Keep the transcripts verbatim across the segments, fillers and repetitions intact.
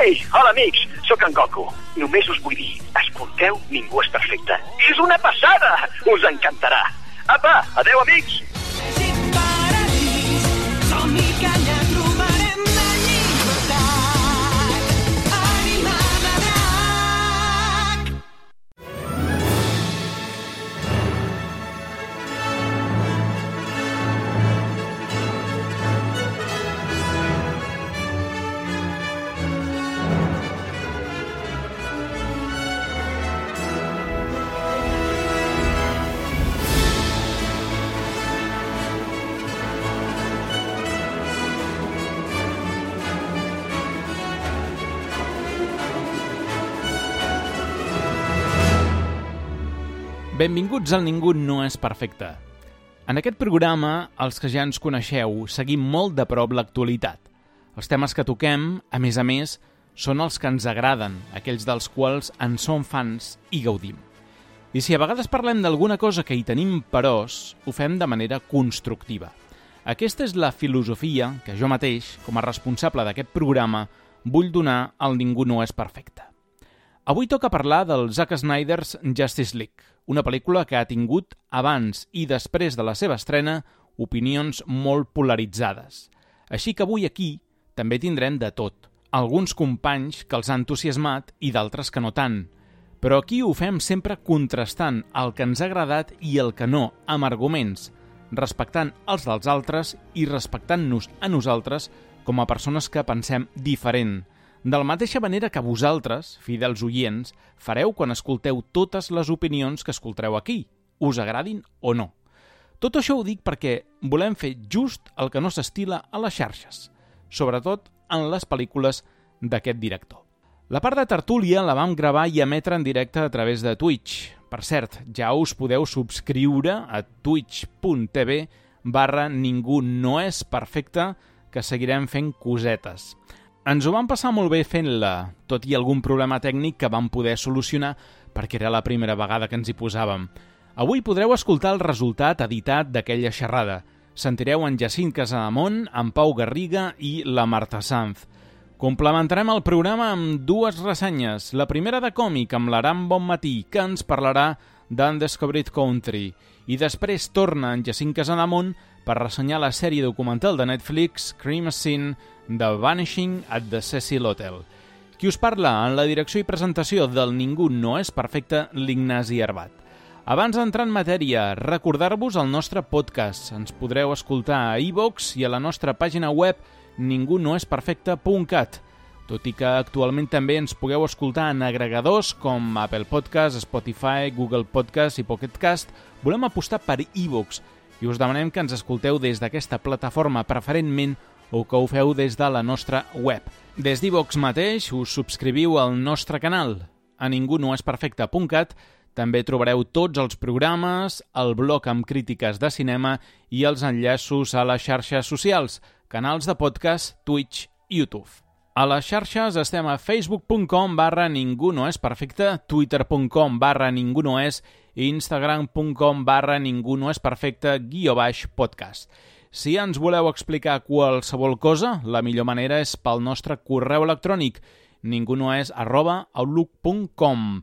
Ei, hola amics, sóc en Goku. Només us vull dir, escolteu Ningú és perfecte. És una passada! Us encantarà. Apa, adeu amics! Benvinguts al Ningú no és perfecte. En aquest programa, els que ja ens coneixeu, seguim molt de prop l'actualitat. Els temes que toquem, a més a més, són els que ens agraden, aquells dels quals en som fans i gaudim. I si a vegades parlem d'alguna cosa que hi tenim peròs, ho fem de manera constructiva. Aquesta és la filosofia que jo mateix, com a responsable d'aquest programa, vull donar al Ningú no és perfecte. Avui toca parlar del Zack Snyder's Justice League, una pel·lícula que ha tingut, abans i després de la seva estrena, opinions molt polaritzades. Així que avui aquí també tindrem de tot. Alguns companys que els ha entusiasmat i d'altres que no tant. Però aquí ho fem sempre contrastant el que ens ha agradat i el que no, amb arguments, respectant els dels altres i respectant-nos a nosaltres com a persones que pensem diferent. De la mateixa manera que vosaltres, fidels oients, fareu quan escolteu totes les opinions que escoltareu aquí, us agradin o no. Tot això ho dic perquè volem fer just el que no s'estila a les xarxes, sobretot en les pel·lícules d'aquest director. La part de tertúlia la vam gravar i emetre en directe a través de Twitch. Per cert, ja us podeu subscriure a twitch.tv barra ningú no és perfecte, que seguirem fent cosetes. Ens ho vam passar molt bé fent-la, tot i algun problema tècnic que vam poder solucionar perquè era la primera vegada que ens hi posàvem. Avui podreu escoltar el resultat editat d'aquella xerrada. Sentireu en Jacint Casademont, en Pau Garriga i la Marta Sanz. Complementarem el programa amb dues ressenyes. La primera de còmic amb l'Aram Bonmatí, que ens parlarà d'Undiscovered Country. I després torna en Jacint Casademont per ressenyar la sèrie documental de Netflix Crime Scene The Vanishing at the Cecil Hotel. Qui us parla en la direcció i presentació del Ningú no és perfecte, l'Ignasi Arbat. Abans d'entrar en matèria, recordar-vos el nostre podcast. Ens podreu escoltar a iVoox i a la nostra pàgina web ningú no és perfecte punt cat. Tot i que actualment també ens pugueu escoltar en agregadors com Apple Podcast, Spotify, Google Podcast i Pocket Cast, volem apostar per iVoox i us demanem que ens escolteu des d'aquesta plataforma preferentment o que ho feu des de la nostra web. Des d'iVoox mateix us subscriviu al nostre canal. A ningú no és perfecte punt cat també trobareu tots els programes, el blog amb crítiques de cinema i els enllaços a les xarxes socials, canals de podcast, Twitch i YouTube. A les xarxes estem a facebook punt com barra ningú no és perfecte, twitter punt com barra ningú no és i instagram punt com barra ningú no és perfecte guió baix podcast. Si ens voleu explicar qualsevol cosa, la millor manera és pel nostre correu electrònic ningunoes arroba outlook punt com.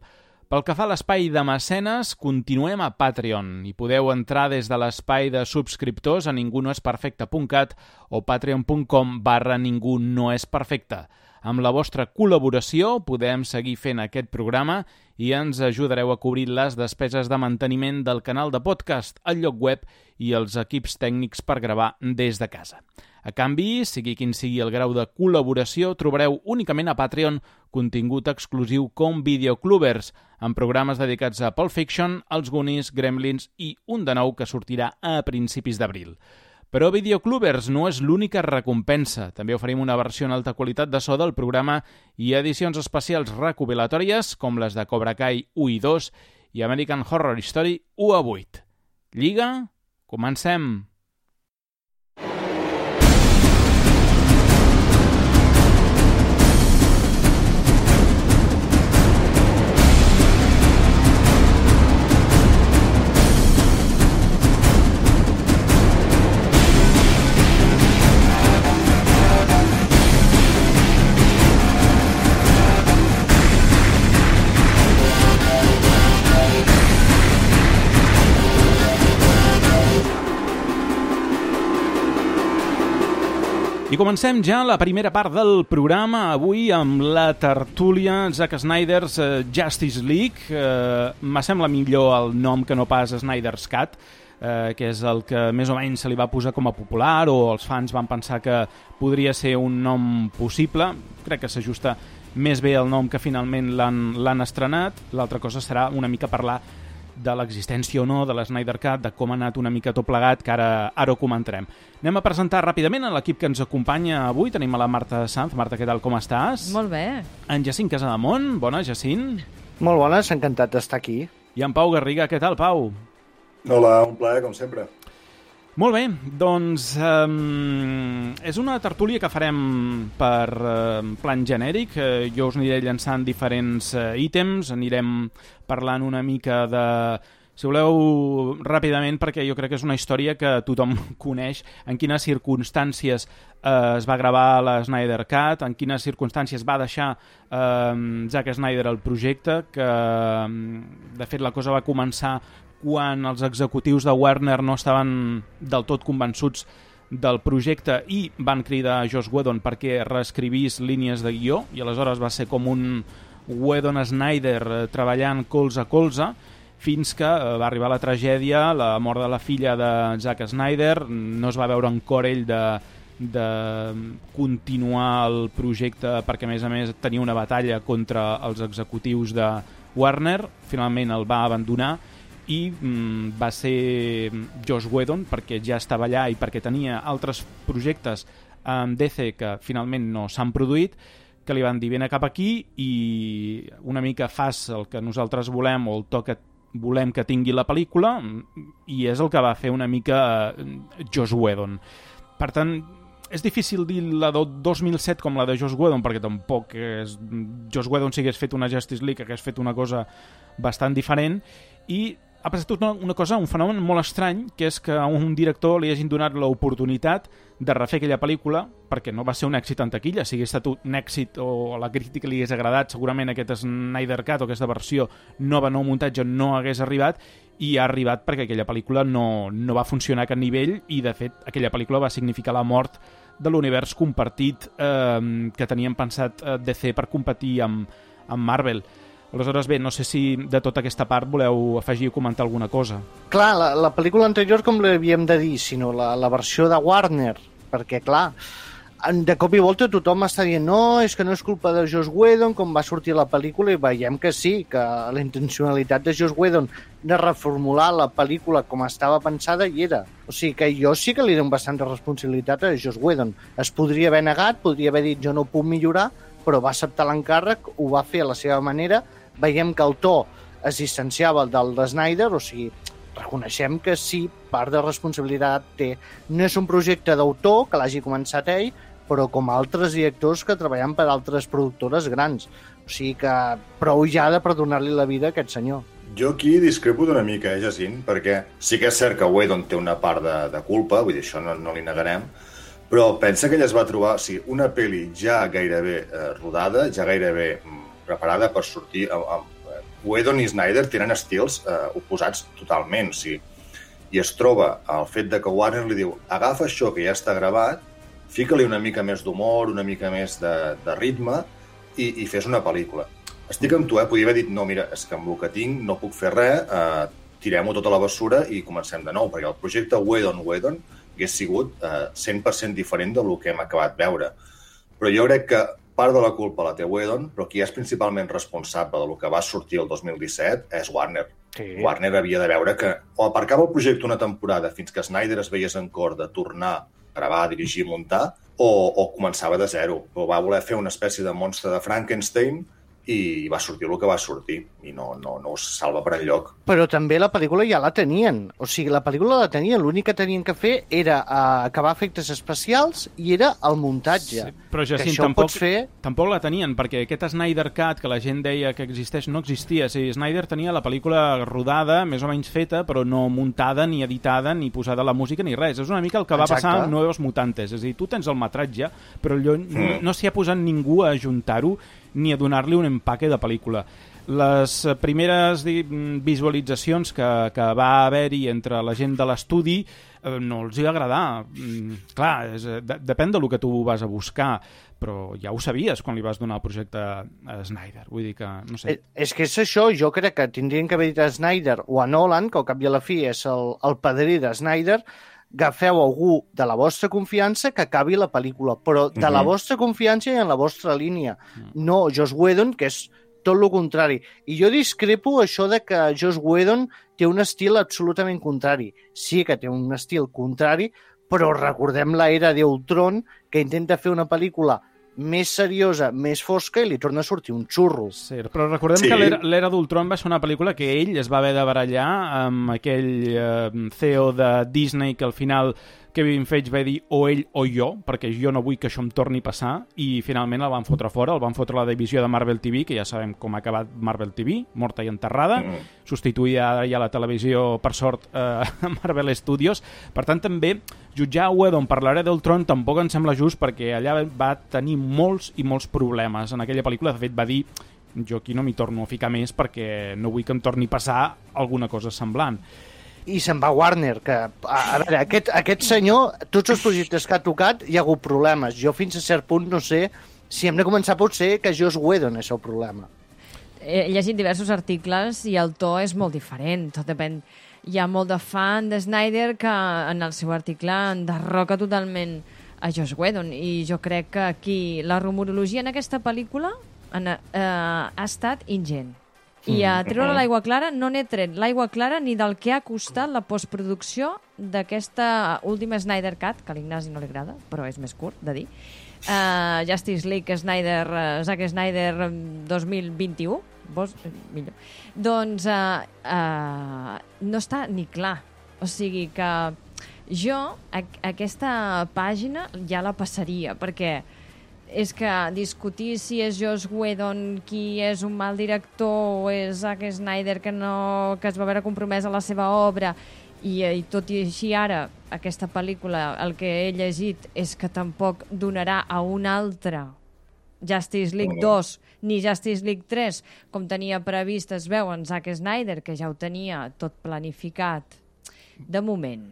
Pel que fa a l'espai de mecenes, continuem a Patreon i podeu entrar des de l'espai de subscriptors a ningú no és perfecte punt cat o patreon punt com barra ningú no és perfecte. Amb la vostra col·laboració podem seguir fent aquest programa i ens ajudareu a cobrir les despeses de manteniment del canal de podcast, el lloc web i els equips tècnics per gravar des de casa. A canvi, sigui quin sigui el grau de col·laboració, trobareu únicament a Patreon contingut exclusiu com Videoclubers, amb programes dedicats a Pulp Fiction, Els Goonies, Gremlins i un de nou que sortirà a principis d'abril. Però Videoclubers no és l'única recompensa. També oferim una versió en alta qualitat de so del programa i edicions especials recopilatòries com les de Cobra Kai u i dos i American Horror Story u a vuit. Lliga, comencem! I comencem ja la primera part del programa, avui amb la tertúlia Zack Snyder's uh, Justice League. Uh, me sembla millor el nom que no pas Snyder's Cut, uh, que és el que més o menys se li va posar com a popular, o els fans van pensar que podria ser un nom possible. Crec que s'ajusta més bé el nom que finalment l'han estrenat. L'altra cosa serà una mica parlar de l'existència o no de la Snyder Cut, de com ha anat una mica tot plegat, que ara, ara ho comentarem. Anem a presentar ràpidament a l'equip que ens acompanya avui. Tenim a la Marta Sanz. Marta, què tal, com estàs? Molt bé. En Jacint Casademont. Bona, Jacint. Molt bones, encantat d'estar aquí. I en Pau Garriga. Què tal, Pau? Hola, un plaer, com sempre. Molt bé, doncs um, és una tertúlia que farem per uh, plan genèric. Uh, jo us aniré llançant diferents uh, ítems, anirem parlant una mica de... Si voleu, ràpidament, perquè jo crec que és una història que tothom coneix, en quines circumstàncies eh, es va gravar la Snyder Cut, en quines circumstàncies va deixar eh, Zack Snyder el projecte, que de fet la cosa va començar quan els executius de Warner no estaven del tot convençuts del projecte i van cridar a Joss Whedon perquè reescrivís línies de guió, i aleshores va ser com un Whedon-Snyder treballant colze a colze, fins que va arribar la tragèdia, la mort de la filla de Zack Snyder. No es va veure en cor ell de, de continuar el projecte perquè, a més a més, tenia una batalla contra els executius de Warner. Finalment el va abandonar i mm, va ser Joss Whedon, perquè ja estava allà i perquè tenia altres projectes amb D C que finalment no s'han produït, que li van dir vine cap aquí i una mica fas el que nosaltres volem o el to que volem que tingui la pel·lícula, i és el que va fer una mica Joss Whedon. Per tant, és difícil dir la de dos mil set com la de Joss Whedon, perquè tampoc és... Joss Whedon si hagués fet una Justice League, hagués fet una cosa bastant diferent, i ha passat una, una cosa, un fenomen molt estrany, que és que a un director li hagin donat l'oportunitat de refer aquella pel·lícula, perquè no va ser un èxit en taquilla. Si hagués estat un èxit o a la crítica li hagués agradat, segurament aquest Snyder Cut o aquesta versió nova, nou muntatge, no hagués arribat, i ha arribat perquè aquella pel·lícula no, no va funcionar a cap nivell, i de fet aquella pel·lícula va significar la mort de l'univers compartit eh, que tenien pensat eh, D C per competir amb, amb Marvel. Aleshores, bé, no sé si de tota aquesta part voleu afegir o comentar alguna cosa. Clar, la, la pel·lícula anterior, com l'havíem de dir, sinó la, la versió de Warner, perquè, clar, de cop i volta tothom està dient no, és que no és culpa de Joss Whedon, com va sortir la pel·lícula, i veiem que sí, que la intencionalitat de Joss Whedon de reformular la pel·lícula com estava pensada hi era. O sigui que jo sí que li dono bastanta responsabilitat a Joss Whedon. Es podria haver negat, podria haver dit jo no ho puc millorar, però va acceptar l'encàrrec, ho va fer a la seva manera. Veiem que el to es distanciava del de Snyder, o sigui, reconeixem que sí, part de responsabilitat té. No és un projecte d'autor que l'hagi començat ell, però com altres directors que treballen per altres productores grans. O sigui que prou ja de perdonar-li la vida a aquest senyor. Jo aquí discrepo d'una mica, eh, Jacint, perquè sí que és cert que Whedon té una part de, de culpa, vull dir, això no, no li negarem, però pensa que ella es va trobar, o sigui, una pel·li ja gairebé eh, rodada, ja gairebé preparada per sortir. Whedon i Snyder tenen estils eh, oposats totalment, o sigui, i es troba el fet de que Warner li diu agafa això que ja està gravat, fica-li una mica més d'humor, una mica més de, de ritme i, i fes una pel·lícula. Estic amb tu, eh? Podria haver dit, no, mira, és que amb el que tinc no puc fer res, eh, tirem-ho tota la bessura i comencem de nou, perquè el projecte Whedon-Whedon hagués sigut eh, cent per cent diferent del que hem acabat veure. Però jo crec que part de la culpa la té Whedon, però qui és principalment responsable del que va sortir el dos mil disset és Warner. Sí. Warner havia de veure que o aparcava el projecte una temporada fins que Snyder es veiés en cor de tornar a gravar, dirigir i muntar, o, o començava de zero. O va voler fer una espècie de monstre de Frankenstein i va sortir el que va sortir i no, no, no us salva per enlloc. Però també la pel·lícula ja la tenien, o sigui, la pel·lícula la tenien, l'únic que tenien que fer era uh, acabar efectes especials i era el muntatge. Sí, però Jacint, tampoc, fer... tampoc la tenien, perquè aquest Snyder Cut que la gent deia que existeix no existia. O sigui, Snyder tenia la pel·lícula rodada, més o menys feta, però no muntada, ni editada, ni posada la música, ni res. És una mica el que va Exacte. Passar amb Nuevos Mutantes. És a dir, tu tens el metratge, però allò mm. no, no s'hi ha posat ningú a ajuntar-ho ni a donar-li un empaque de pel·lícula. les primeres visualitzacions que, que va haver-hi entre la gent de l'estudi eh, no els hi va agradar. Mm, clar, és, de, depèn del que tu vas a buscar, però ja ho sabies quan li vas donar el projecte a Snyder. Vull dir que, no sé... És que és això, jo crec que tindrien que haver dit a Snyder o a Nolan, que al cap i a la fi és el, el padrí de Snyder, agafeu algú de la vostra confiança que acabi la pel·lícula, però de la vostra confiança i en la vostra línia. No Joss Whedon, que és tot el contrari. I jo discrepo això de que Joss Whedon té un estil absolutament contrari. Sí que té un estil contrari, però recordem l'era d'Ultron, que intenta fer una pel·lícula més seriosa, més fosca, i li torna a sortir un xurro. Sí, però recordem sí. que l'era d'Ultron va ser una pel·lícula que ell es va haver de barallar amb aquell eh, C E O de Disney que al final Kevin Feige va dir o ell o jo, perquè jo no vull que això em torni a passar, i finalment el van fotre fora, el van fotre a la divisió de Marvel T V, que ja sabem com ha acabat Marvel T V, morta i enterrada, mm. substituïda ara ja la televisió, per sort, eh, a Marvel Studios. Per tant, també, jutjar Whedon per l'era d'Ultron tampoc em sembla just, perquè allà va tenir molts i molts problemes. En aquella pel·lícula, de fet, va dir jo aquí no m'hi torno a ficar més perquè no vull que em torni a passar alguna cosa semblant. I se'n va Warner, que, a, a veure, aquest, aquest senyor, tots els projectes que ha tocat hi ha hagut problemes. Jo fins a cert punt no sé si hem de començar potser que Joss Whedon és el problema. He llegit diversos articles i el to és molt diferent, tot depèn. Hi ha molt de fan de Snyder que en el seu article enderroca totalment a Joss Whedon, i jo crec que aquí la rumorologia en aquesta pel·lícula en, eh, ha estat ingent. I a treure l'aigua clara no n'he tret l'aigua clara ni del que ha costat la postproducció d'aquesta última Snyder Cut, que a l'Ignasi no li agrada, però és més curt de dir. Uh, Justice League Snyder, uh, Zack Snyder dos mil vint-i-u, vos, millor. Doncs uh, uh, no està ni clar. O sigui que jo a, aquesta pàgina ja la passaria, perquè és que discutir si és Joss Whedon qui és un mal director o és Zack Snyder que, no, que es va veure compromès a la seva obra i, i tot i així ara aquesta pel·lícula el que he llegit és que tampoc donarà a un altre Justice League dos ni Justice League tres com tenia previst, es veu en Zack Snyder, que ja ho tenia tot planificat de moment.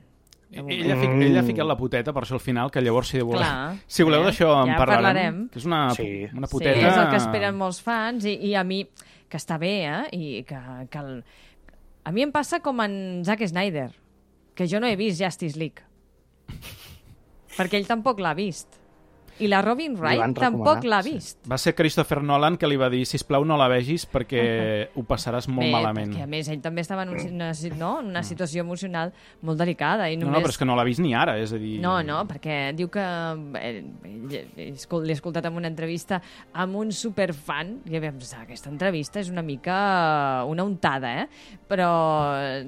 Ell ha, fic, ell ha ficat la puteta, per això al final, que llavors si voleu, Clar, si voleu eh? d'això en ja parlarem, parlarem, que és una, sí. una puteta... Sí, és el que esperen molts fans, i, i a mi, que està bé, eh? I que, que el... A mi em passa com en Zack Snyder, que jo no he vist Justice League, perquè ell tampoc l'ha vist. I la Robin Wright tampoc l'ha vist. Sí. Va ser Christopher Nolan que li va dir sisplau no la vegis perquè ho passaràs molt Bé, malament. Perquè a més ell també estava en una, no? en una situació emocional molt delicada. I només... No, no, però és que no l'ha vist ni ara, és a dir... No, no, perquè diu que... Eh, l'he escoltat en una entrevista amb un superfan i vam pensar, aquesta entrevista és una mica una untada, eh? Però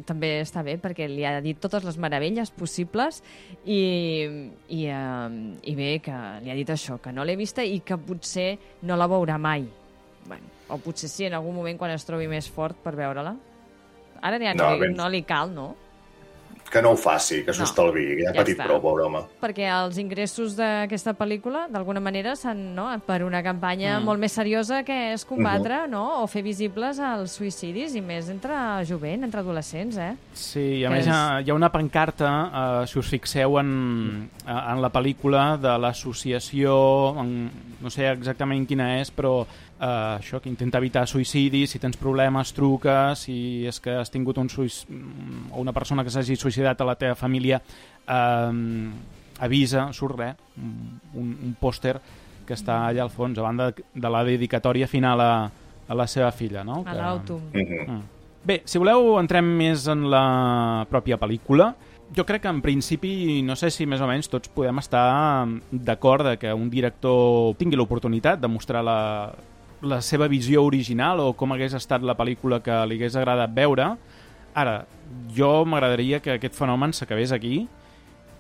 també està bé perquè li ha dit totes les meravelles possibles i, i, eh, i bé que li ha dit això, que no l'he vista i que potser no la veurà mai. Bueno, o potser sí, en algun moment quan es trobi més fort per veure-la. Ara ja no, no, li, no li cal, no? Que no ho faci, que s'ho No, estalvi, que ja ha ja patit està. prou, pobre home. Perquè els ingressos d'aquesta pel·lícula, d'alguna manera, s'han, no?, per una campanya mm. molt més seriosa que és combatre, uh-huh. no?, o fer visibles els suïcidis, i més entre jovent, entre adolescents, eh? Sí, i a que més és... hi ha, hi ha una pancarta, eh, si us fixeu en, en la pel·lícula, de l'associació, en, no sé exactament quina és, però eh, això, que intenta evitar suïcidis, si tens problemes, truca, si és que has tingut un suïc... o una persona que s'hagi suïcidat a la teva família, eh, avisa, surt res, un, un pòster que està allà al fons, a banda de la dedicatòria final a, a la seva filla, no? A que... l'Autumn. Uh-huh. Bé, si voleu entrem més en la pròpia pel·lícula. Jo crec que en principi, no sé si més o menys tots podem estar d'acord de que un director tingui l'oportunitat de mostrar la, la seva visió original o com hagués estat la pel·lícula que li hagués agradat veure. Ara, jo m'agradaria que aquest fenomen s'acabés aquí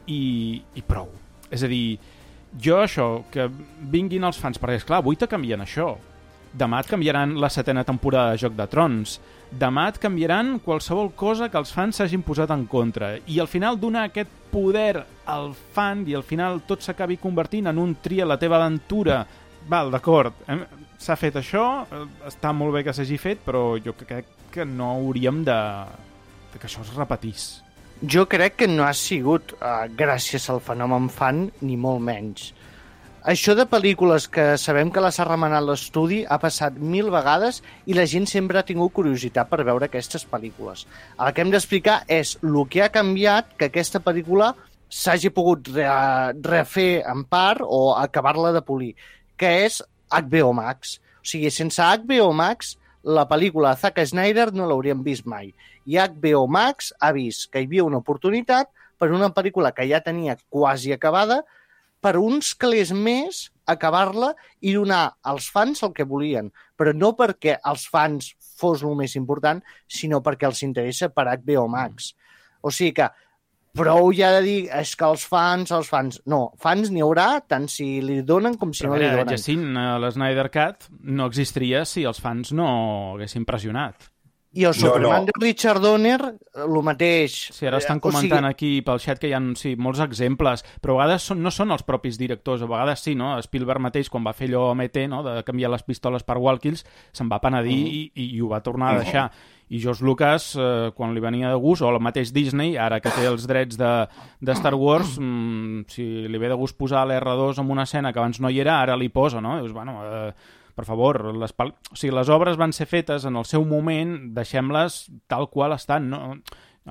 i, i prou. És a dir, jo això, que vinguin els fans, perquè esclar, avui te canvien això. Demà et canviaran la setena temporada de Joc de Trons. Demà et canviaran qualsevol cosa que els fans s'hagin posat en contra. I al final donar aquest poder al fan i al final tot s'acabi convertint en un tria la teva aventura. Val, d'acord. s'ha fet això, està molt bé que s'hagi fet, però jo crec que no hauríem de, de que això es repetís. Jo crec que no ha sigut uh, gràcies al fenomen fan, ni molt menys. Això de pel·lícules que sabem que les ha remenat l'estudi ha passat mil vegades i la gent sempre ha tingut curiositat per veure aquestes pel·lícules. El que hem d'explicar és el que ha canviat que aquesta pel·lícula s'hagi pogut re refer en part o acabar-la de polir, que és H B O Max. O sigui, sense H B O Max, la pel·lícula de Zack Snyder no l'hauríem vist mai. I H B O Max ha vist que hi havia una oportunitat per una pel·lícula que ja tenia quasi acabada, per uns calés més acabar-la i donar als fans el que volien. Però no perquè als fans fos el més important, sinó perquè els interessa per H B O Max. O sigui que prou ja de dir és que els fans, els fans... No, fans n'hi haurà tant si li donen com si Però no li mira, donen. Jacint, l'Snyder Cut no existiria si els fans no haguessin pressionat. I el Superman no. de Richard Donner, el mateix. Sí, ara estan Eh, o comentant sigui, aquí pel xat que hi ha sí, molts exemples, però a vegades són, no són els propis directors, a vegades sí, no? Spielberg mateix, quan va fer allò a M T, no? de canviar les pistoles per walkies, se'n va penedir mm. i, i ho va tornar a deixar. I George Lucas, eh, quan li venia de gust, o el mateix Disney, ara que té els drets de, de Star Wars, mmm, si li ve de gust posar l'R dos en una escena que abans no hi era, ara li posa, no? Dius, bueno... Eh, per favor, les, o sigui, les obres van ser fetes en el seu moment, deixem-les tal qual estan. No?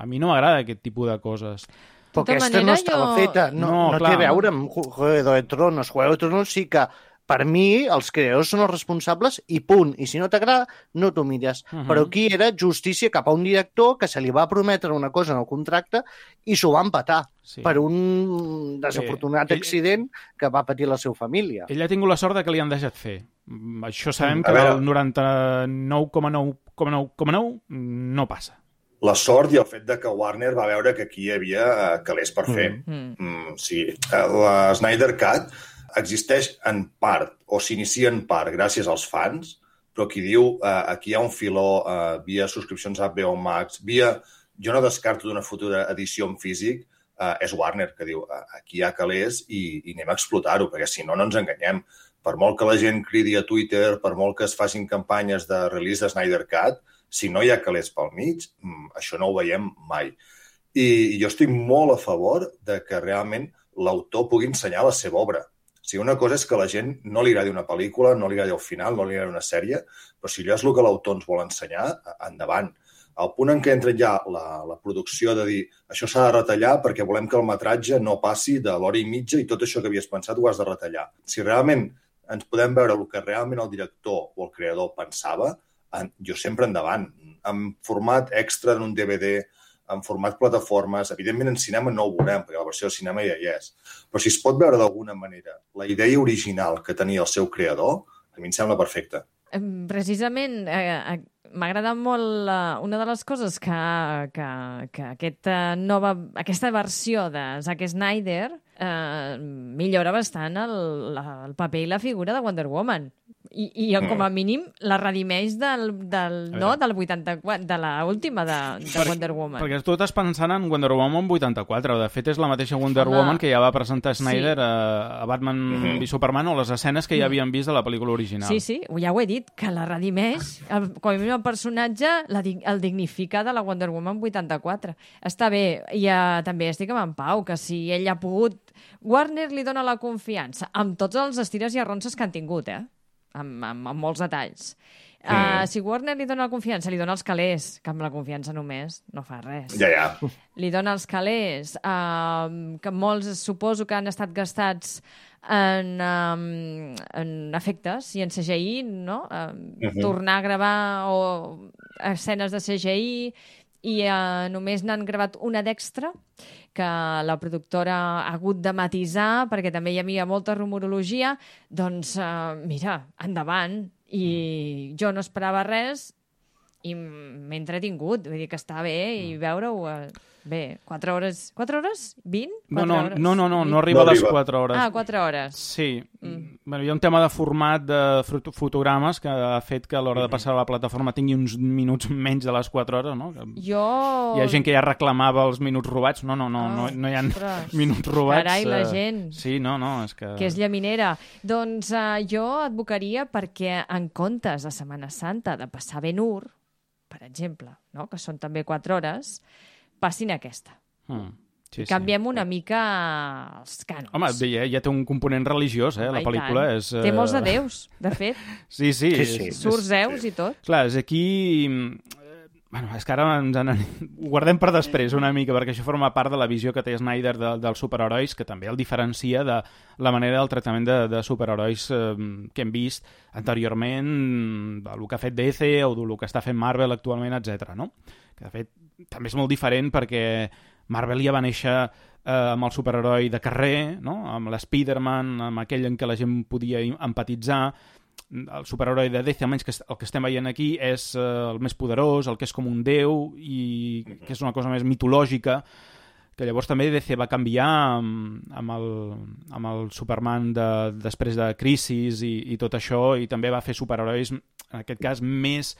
A mi no m'agrada aquest tipus de coses. Però tota aquesta manera, no estava jo- feta, no, No, no, clar. té a veure amb Juego de Tronos. Juego de Tronos sí que, per mi, els creadors són els responsables i punt. I si no t'agrada, no t'ho mires. Uh -huh. Però aquí era justícia cap a un director que se li va prometre una cosa en el contracte i s'ho va empatar Sí. per un desafortunat ell- accident que va patir la seva família. Ell ha tingut la sort de que li han deixat fer. Mm, Això sabem A que veure. el noranta-nou coma nou coma nou coma nou no passa. La sort i el fet de que Warner va veure que aquí hi havia eh, calés per fer. Mm. Mm, o sigui, eh, la Snyder Cut existeix en part, o s'inicia en part, gràcies als fans, però qui diu eh, aquí hi ha un filó eh, via subscripcions a H B O Max, via... Jo no descarto d'una futura edició en físic, eh, és Warner, que diu eh, aquí hi ha calés i, i anem a explotar-ho, perquè si no, no ens enganyem. Per molt que la gent cridi a Twitter, per molt que es facin campanyes de release de Snyder Cut, si no hi ha calés pel mig, mm, això no ho veiem mai. I, i jo estic molt a favor de que realment l'autor pugui ensenyar la seva obra. O sigui, una cosa és que a la gent no li agradi una pel·lícula, no li agradi el final, no li agradi una sèrie, però si allò és el que l'autor ens vol ensenyar, endavant. Al punt en què entra ja la, la producció de dir això s'ha de retallar perquè volem que el metratge no passi de l'hora i mitja i tot això que havies pensat ho has de retallar. Si realment ens podem veure el que realment el director o el creador pensava, en, jo sempre endavant. En format extra, en un D V D, en format plataformes, evidentment en cinema no ho veurem, perquè la versió de cinema ja hi és. Però si es pot veure d'alguna manera la idea original que tenia el seu creador, a mi em sembla perfecte. Em, Precisament, eh, eh, m'ha agradat molt eh, una de les coses que, que, que aquesta, nova, aquesta versió de Zack Snyder eh, millora bastant el, la, el paper i la figura de Wonder Woman. I, i com a mínim la redimeix del, del, no, del vuitanta-quatre, de la última de, de Per- Wonder Woman. Perquè tu estàs pensant en Wonder Woman vuitanta-quatre. De fet, és la mateixa Wonder Home. Woman que ja va presentar Snyder Sí. a, a Batman Mhm. v Superman o les escenes que ja havien vist de la pel·lícula original. Sí, sí, ja ho he dit, que la redimeix, el, com a mínim el personatge la, dig- el dignifica de la Wonder Woman vuitanta-quatre. Està bé, i uh, també estic amb en Pau, que si ell ha pogut... Warner li dona la confiança, amb tots els estires i arronses que han tingut, eh? Amb, amb, amb molts detalls. Uh, si Warner li dona la confiança, li dona els calés, que amb la confiança només no fa res. Ja, ja. Li dona els calés, uh, que molts suposo que han estat gastats en, um, en efectes i en C G I, no? Uh, Mhm. Tornar a gravar o escenes de C G I i uh, només n'han gravat una d'extra que la productora ha hagut de matisar perquè també hi havia molta rumorologia. Doncs, uh, mira, endavant. I jo no esperava res i m'he entretingut. Vull dir que està bé i veure-ho... Uh, bé, quatre hores... quatre hores? vint? No, no, hores? no, no, no, no arriba No a les arriba. quatre hores. Ah, quatre hores. Sí. Mm. Bueno, hi ha un tema de format de foto- fotogrames que ha fet que a l'hora de passar a la plataforma tingui uns minuts menys de les quatre hores, no? Que Jo... hi ha gent que ja reclamava els minuts robats. No, no, no, no, no hi ha Ostres. minuts robats. Carai, la eh, gent. Sí, no, no, és que... Que és llaminera. Doncs uh, jo advocaria perquè en comptes de Setmana Santa de passar Ben-Hur, per exemple, no? Que són també quatre hores, passin aquesta. Mm. Sí, sí. Canviem una mica els cànons. Home, ja, ja té un component religiós, eh? Home, La i pel·lícula tant. és... eh, Té molts de déus, de fet. Sí, sí. Sí, sí. És, Surt Zeus i tot. Clar, és aquí... eh, Bueno, és que ara ens en... ho guardem per després una mica, perquè això forma part de la visió que té Snyder de, dels superherois, que també el diferencia de la manera del tractament de, de superherois eh, que hem vist anteriorment, del que ha fet D C o del que està fent Marvel actualment, etcètera. No? Que, de fet, també és molt diferent perquè Marvel ja va néixer eh, amb el superheroi de carrer, no? Amb l'Spiderman, amb aquell en què la gent podia empatitzar. El superheroi de D C, almenys que el que estem veient aquí, és eh, el més poderós, el que és com un déu i que és una cosa més mitològica, que llavors també D C va canviar amb, amb, el, amb el Superman de, després de Crisis i, i tot això, i també va fer superherois, en aquest cas, més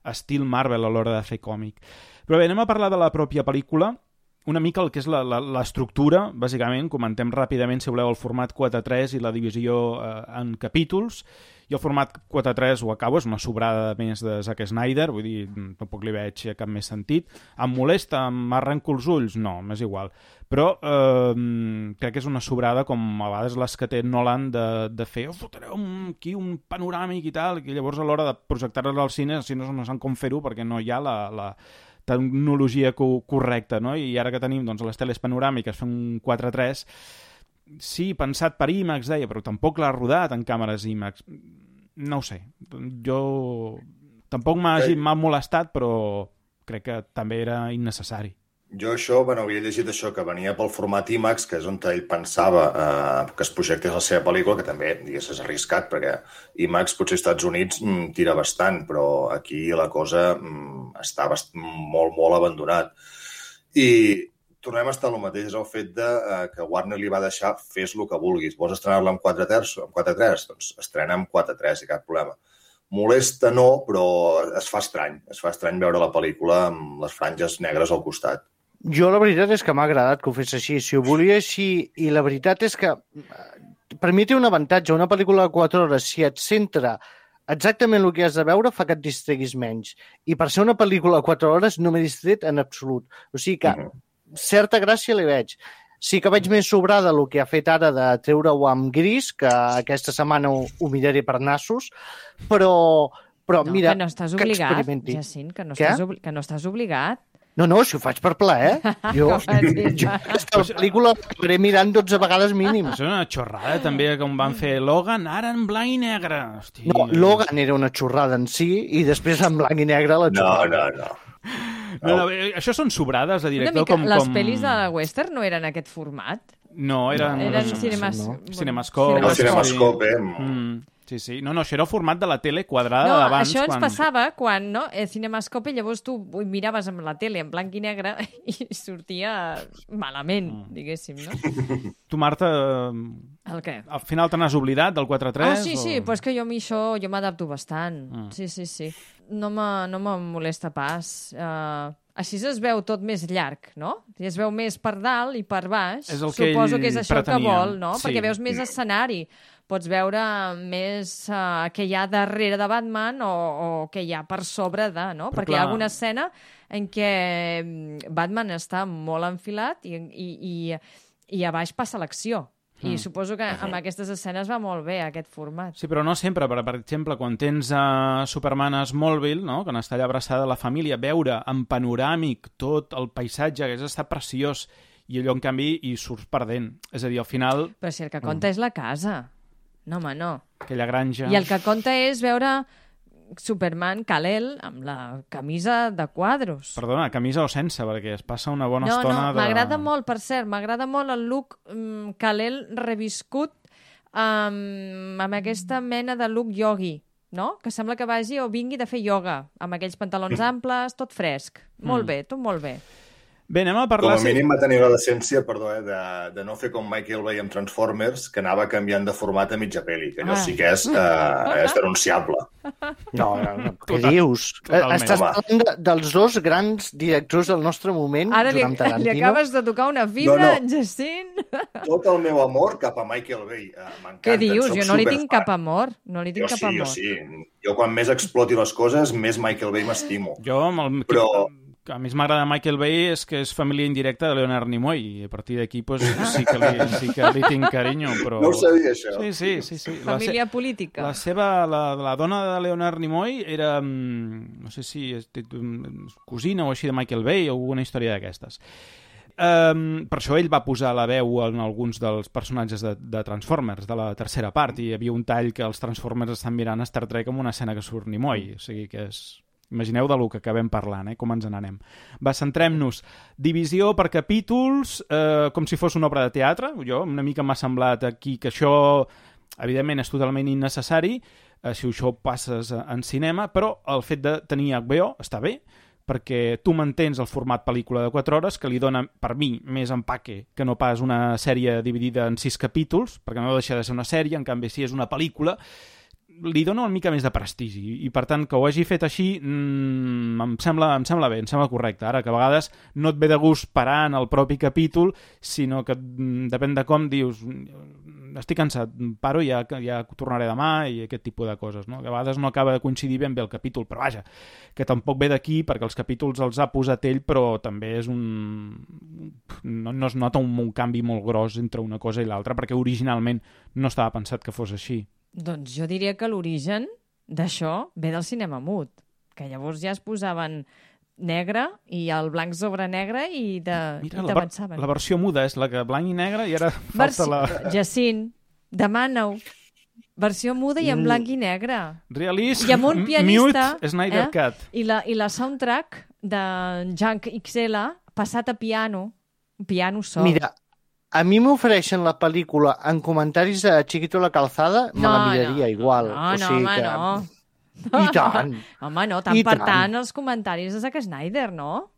estil Marvel a l'hora de fer còmic. Però bé, anem a parlar de la pròpia pel·lícula, una mica el que és l'estructura, bàsicament. Comentem ràpidament, si voleu, el format quatre tres i la divisió eh, en capítols. I el format quatre tres ho acabo, és una sobrada més de Zack Snyder, vull dir, tampoc li veig cap més sentit. Em molesta, m'arrenco els ulls? No, m'és igual. Però eh, crec que és una sobrada com a vegades les que té Nolan de, de fer, oh, fotreu un, aquí un panoràmic i tal, i llavors a l'hora de projectar-les al cine, si no, no saben com fer-ho perquè no hi ha la... la tecnologia co correcta, no? I ara que tenim doncs, les teles panoràmiques fent un quatre tres, sí, pensat per IMAX, deia, però tampoc l'ha rodat en càmeres IMAX. No ho sé. Jo tampoc m'ha molestat, però crec que també era innecessari. Jo això, bueno, havia llegit això, que venia pel format IMAX, que és on ell pensava eh, que es projectés la seva pel·lícula, que també, digués, és arriscat, perquè IMAX potser als Estats Units mm, tira bastant, però aquí la cosa mm, està bast molt, molt abandonat. I tornem a estar el mateix, és el fet de, eh, que Warner li va deixar fes el que vulguis. Vols estrenar-la amb quatre tres? Doncs estrena amb quatre tres i cap problema. Molesta no, però es fa estrany. Es fa estrany veure la pel·lícula amb les franges negres al costat. Jo la veritat és que m'ha agradat que ho fes així. Si ho volia així, i la veritat és que per mi té un avantatge. Una pel·lícula de quatre hores, si et centra exactament el que has de veure, fa que et distreguis menys. I per ser una pel·lícula de quatre hores no m'he distret en absolut. O sigui que uh-huh. certa gràcia li veig. Sí que veig més sobrada el que ha fet ara de treure-ho amb gris, que aquesta setmana ho, ho miraré per nassos, però, però no, mira, que no estàs obligat, experimenti. Jacint, que no Què? estàs, obli que no estàs obligat. No, no, si ho faig per plaer. Jo, jo aquesta pel·lícula l'acabaré mirant dotze vegades mínim. Això és una xorrada, també, com van fer Logan, ara en blanc i negre. Hosti. No, Logan era una xorrada en si, i després en blanc i negre la No, xorrada. no, no. No, no, això són sobrades de Una director mica, com... les com... pel·lis de western no eren aquest format? No, eren... Eren no, cinemas... no. bueno, Cinemascope. El Cinemascope, eh? Mm, sí, sí. No, no, això era el format de la tele quadrada No, d'abans. això ens quan... passava quan, no? El Cinemascope, llavors tu ho miraves amb la tele en blanc i negre i sortia malament, diguéssim, no? Tu, Marta, El què? al final te n'has oblidat del quatre tres? Ah, sí, sí, o... però és que jo a mi això jo m'adapto bastant. Ah. Sí, sí, sí. No me, no me molesta pas. Uh, així es veu tot més llarg, no? I es veu més per dalt i per baix. És el que Suposo ell que és això pretenia. que vol, no? Sí. Perquè veus més escenari. Pots veure més uh, què hi ha darrere de Batman o, o què hi ha per sobre de, no? Però Perquè clar... hi ha alguna escena en què Batman està molt enfilat i, i, i, i a baix passa l'acció. I Mm. suposo que amb aquestes escenes va molt bé, aquest format. Sí, però no sempre. Per, per exemple, quan tens a Superman a Smallville, no? Quan està allà abraçada a la família, veure en panoràmic tot el paisatge, que és estar preciós, i allò, en canvi, hi surts perdent. És a dir, al final... Però si el que compta és la casa. No, home, no. Aquella granja... I el que compta és veure Superman, Kal-El, amb la camisa de quadros. Perdona, camisa o sense, perquè es passa una bona no, estona no, de... m'agrada molt, per cert, m'agrada molt el look um, Kal-El reviscut um, amb aquesta mena de look yogi, no? Que sembla que vagi o vingui de fer ioga, amb aquells pantalons amples, tot fresc. Molt Mm. bé, tot molt bé. Bé, anem a Com parlar... a mínim va tenir la decència, perdó, eh, de, de no fer com Michael Bay amb Transformers, que anava canviant de format a mitja pel·li, que allò Ah. sí que és, eh, és denunciable. No, no, no. Què Total- dius? totalment. Estàs Home. parlant de, dels dos grans directors del nostre moment, Ara li, Joan li Tarantino. acabes de tocar una fibra, No, no. Jacint. Tot el meu amor cap a Michael Bay. Eh, M'encanta. Què dius? soc Jo no li tinc superfan. cap amor. No li tinc Jo cap sí, amor. jo sí. Jo quan més exploti les coses, més Michael Bay m'estimo. Jo, amb el... Però- que a més m'agrada Michael Bay és que és família indirecta de Leonard Nimoy i a partir d'aquí pues, sí, que li, sí que li tinc carinyo, però... No ho sabia, això. Sí, sí, sí. sí. La se- Família política. La seva, la, la dona de Leonard Nimoy era, mm, no sé si és mm, cosina o així de Michael Bay o alguna història d'aquestes. Um, per això ell va posar la veu en alguns dels personatges de, de Transformers, de la tercera part, i hi havia un tall que els Transformers estan mirant Star Trek amb una escena que surt Nimoy, o sigui que és... Imagineu de lo que acabem parlant, eh? Com ens n'anem. Va, centrem-nos. Divisió per capítols, eh, com si fos una obra de teatre. Jo, una mica m'ha semblat aquí que això, evidentment, és totalment innecessari, eh, si això ho passes en cinema, però el fet de tenir H B O està bé, perquè tu mantens el format pel·lícula de quatre hores, que li dona, per mi, més empaque que no pas una sèrie dividida en sis capítols, perquè no deixa de ser una sèrie, en canvi, si és una pel·lícula, li dona una mica més de prestigi i per tant que ho hagi fet així mmm, em, sembla, em sembla bé, em sembla correcte. Ara que a vegades no et ve de gust parar en el propi capítol, sinó que mm, depèn de com dius estic cansat, paro i ja, ja tornaré demà i aquest tipus de coses, no? Que a vegades no acaba de coincidir ben bé el capítol, però vaja, que tampoc ve d'aquí perquè els capítols els ha posat ell, però també és un... no, no es nota un, un canvi molt gros entre una cosa i l'altra perquè originalment no estava pensat que fos així. Doncs jo diria que l'origen d'això ve del cinema mut, que llavors ja es posaven negre i el blanc sobre negre i Mira, i la, ver t'avançaven. la versió muda és la que blanc i negre i ara falta Versió... la... Jacint, demana-ho. Versió muda i en blanc i negre. Realist, I amb un pianista... Mute, Snyder eh? Cut. I la, I la soundtrack de Junk X L passat a piano, piano sol. Mira, a mi m'ofereixen la pel·lícula en comentaris de Chiquito la Calzada, me la miraria igual. No, o no, sigui home, que... no. I tant. Home, no, tant I per tant. tant els comentaris de Zack Snyder, no?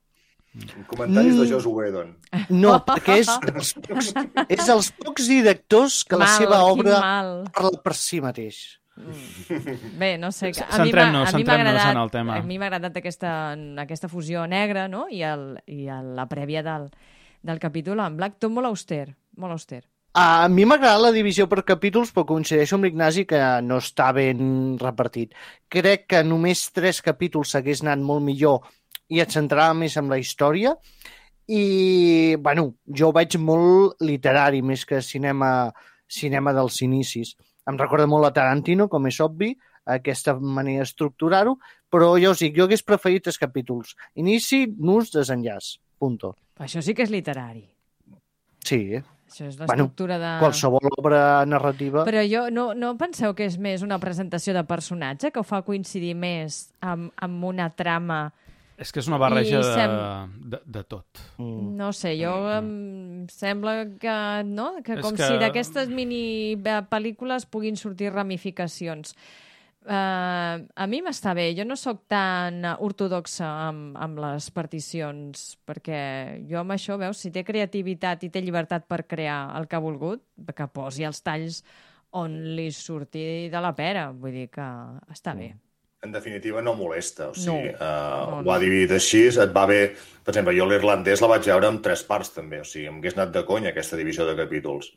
Comentaris Mm. de Joss Whedon. No, perquè és dels pocs, és dels pocs directors que la Mal, seva quin obra mal. parla per si mateix. Bé, no sé... A mi m'ha Centrem-nos, a mi m'ha centrem-nos agradat, en el tema. a mi m'ha agradat aquesta, aquesta fusió negra, no? I, el, i el, la prèvia del, del capítol en blanc, tot molt auster, molt auster. A mi m'agrada la divisió per capítols, però coincideixo amb l'Ignasi que no està ben repartit. Crec que només tres capítols s'hagués anat molt millor i et centrava més en la història. I, bueno, jo veig molt literari, més que cinema, cinema dels inicis. Em recorda molt a Tarantino, com és obvi, aquesta manera d'estructurar-ho, però ja us dic, jo hagués preferit tres capítols. Inici, nus, desenllaç. Punto. Això sí que és literari. Sí, eh? Això és Bueno, l'estructura de... qualsevol obra narrativa... Però jo, no, no penseu que és més una presentació de personatge, que ho fa coincidir més amb, amb una trama... És que és una barreja I de, sem- de, de tot. Mm. No sé, jo em sembla que, no? Que És com que- si d'aquestes mini eh, pel·lícules puguin sortir ramificacions. Uh, a mi m'està bé. Jo no sóc tan ortodoxa amb, amb les particions, perquè jo amb això, veus, si té creativitat i té llibertat per crear el que ha volgut, que posi els talls on li surti de la pera. Vull dir que està bé. En definitiva, no molesta. O sigui, No. uh, No, ho no. ha dividit així, et va bé... Per exemple, jo l'irlandès la vaig veure en tres parts, també. O sigui, em hagués anat de conya, aquesta divisió de capítols.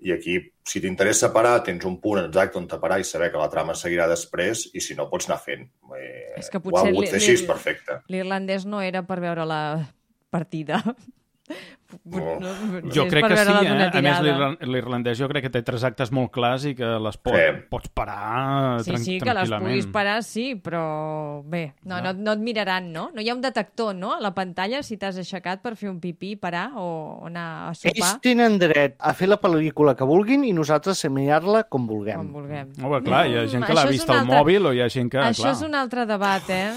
I aquí, si t'interessa parar, tens un punt exacte on te parar i saber que la trama seguirà després, i si no, pots anar fent. Eh, És que ho ha potser volgut li- fer així, li- és perfecte. L'irlandès no era per veure la partida. No. Jo És crec per que sí, veure-la eh? d'una A més, tirada. l'irlan- l'irlandès jo crec que té tres actes molt clars i que les pot, Sí. pots parar Sí, tran sí, que les tranquil·lament. puguis parar, sí, però bé, no, no, no et miraran, no? No hi ha un detector, no?, a la pantalla si t'has aixecat per fer un pipí, parar o anar a sopar, Ells tenen dret a fer la pel·lícula que vulguin i nosaltres a mirar-la com vulguem. com vulguem. Home, clar, hi ha gent que Mm, l'ha això és vist un al altre- mòbil o hi ha gent que... Això clar. és un altre debat, eh?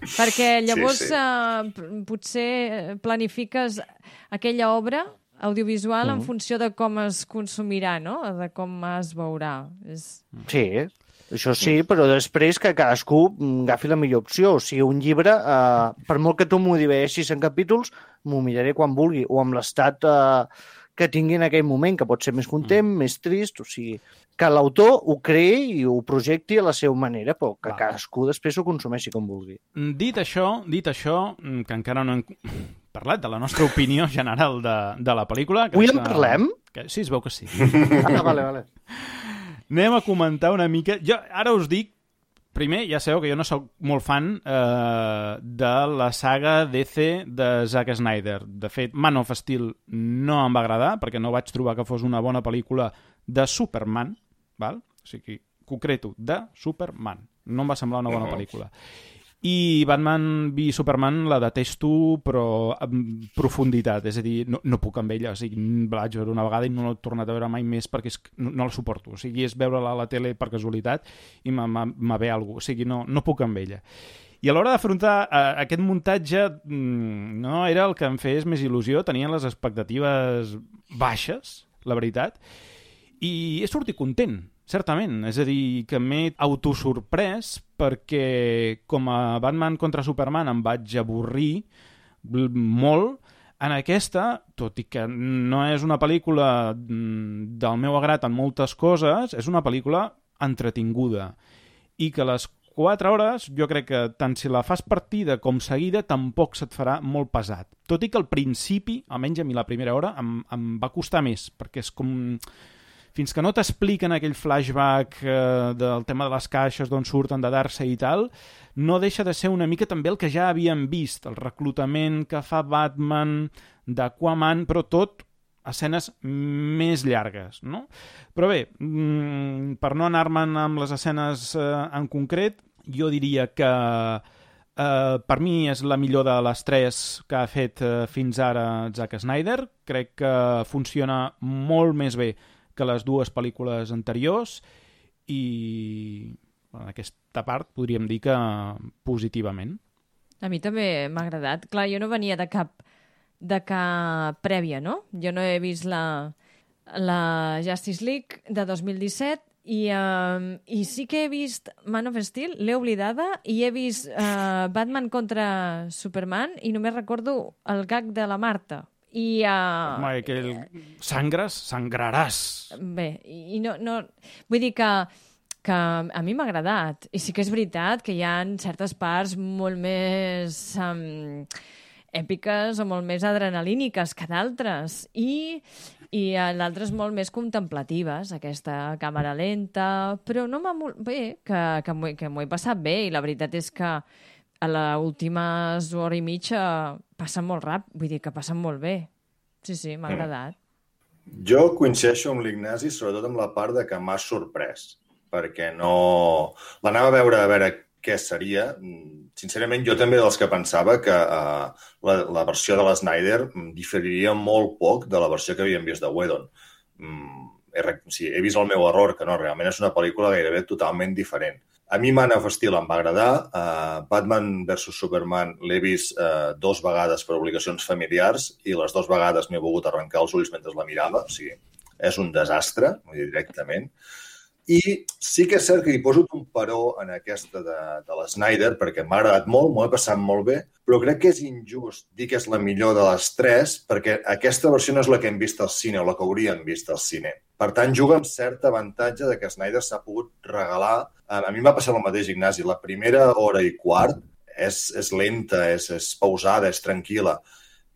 Perquè llavors Sí, sí. Eh, p- potser planifiques aquella obra audiovisual Mm. en funció de com es consumirà, no? De com es veurà. És... Sí, Això sí, però després que cadascú agafi la millor opció. O sigui, un llibre, eh, per molt que tu m'ho divideixis en capítols, m'ho miraré quan vulgui, o amb l'estat eh, que tingui en aquell moment, que pot ser més content, mm. més trist, o sigui, que l'autor ho creï i ho projecti a la seva manera, però que Va. cadascú després ho consumeixi com vulgui. Dit això, dit això, que encara no hem parlat de la nostra opinió general de, de la pel·lícula... Avui en parlem? Que, sí, es veu que sí. Ah, vale, vale. Anem a comentar una mica... Jo ara us dic, primer, ja sabeu que jo no sóc molt fan eh, de la saga D C de Zack Snyder. De fet, Man of Steel no em va agradar, perquè no vaig trobar que fos una bona pel·lícula de Superman, val? O sigui, concreto, de Superman. No em va semblar una bona pel·lícula. I Batman v Superman la detesto, però amb profunditat. És a dir, no, no puc amb ella. O sigui, la vaig veure una vegada i no l'he tornat a veure mai més perquè és, no, no la suporto. O sigui, és veure-la a la tele per casualitat i me ve alguna cosa. O sigui, no, no puc amb ella. I a l'hora d'afrontar uh, aquest muntatge, mm, no era el que em fes més il·lusió. Tenien les expectatives baixes, la veritat, i he sortit content, certament. És a dir, que m'he autosorprès perquè com a Batman contra Superman em vaig avorrir molt. En aquesta, tot i que no és una pel·lícula del meu agrat en moltes coses, és una pel·lícula entretinguda i que les quatre hores, jo crec que tant si la fas partida com seguida, tampoc se't farà molt pesat. Tot i que al principi, almenys a mi la primera hora, em, em va costar més, perquè és com... Fins que no t'expliquen aquell flashback eh, del tema de les caixes d'on surten de Darkseid i tal, no deixa de ser una mica també el que ja havíem vist, el reclutament que fa Batman d'Aquaman, però tot escenes més llargues, no? Però bé, mm, per no anar-me'n amb les escenes eh, en concret, jo diria que eh, per mi és la millor de les tres que ha fet eh, fins ara Zack Snyder. Crec que funciona molt més bé que les dues pel·lícules anteriors i en aquesta part podríem dir que positivament. A mi també m'ha agradat. Clar, jo no venia de cap, de cap prèvia, no? Jo no he vist la, la Justice League de dos mil disset i, um, i sí que he vist Man of Steel, l'he oblidada, i he vist uh, Batman contra Superman i només recordo el gag de la Marta. I, uh, Home, que el... sangres, sangraràs. Bé, i no, no... Vull dir que, que a mi m'ha agradat. I sí que és veritat que hi ha certes parts molt més um, èpiques o molt més adrenalíniques que d'altres. I, i d'altres molt més contemplatives, aquesta càmera lenta. Però no m'ha... Bé, que, que m'ho que m'ho he passat bé. I la veritat és que a l'última hora i mitja passen molt ràpid, vull dir que passen molt bé. Sí, sí, m'ha agradat. Jo coincideixo amb l'Ignasi, sobretot amb la part de que m'ha sorprès, perquè no... L'anava a veure a veure què seria. Sincerament, jo també dels que pensava que uh, la, la versió de l'Snyder diferiria molt poc de la versió que havíem vist de Whedon. Mm, he, sí, he vist el meu error, que no, realment és una pel·lícula gairebé totalment diferent. A mi Man of Steel em va agradar. Uh, Batman versus Superman l'he vist uh, dos vegades per obligacions familiars i les dues vegades m'he volgut arrencar els ulls mentre la mirava. O sigui, és un desastre, vull dir, directament. I sí que és cert que hi poso un paró en aquesta de, de l'Snyder perquè m'ha agradat molt, m'ho he passat molt bé, però crec que és injust dir que és la millor de les tres perquè aquesta versió no és la que hem vist al cine o la que hauríem vist al cine. Per tant, juga amb cert avantatge de que Snyder s'ha pogut regalar. A mi m'ha passat el mateix, Ignasi. La primera hora i quart és, és lenta, és, és pausada, és tranquil·la.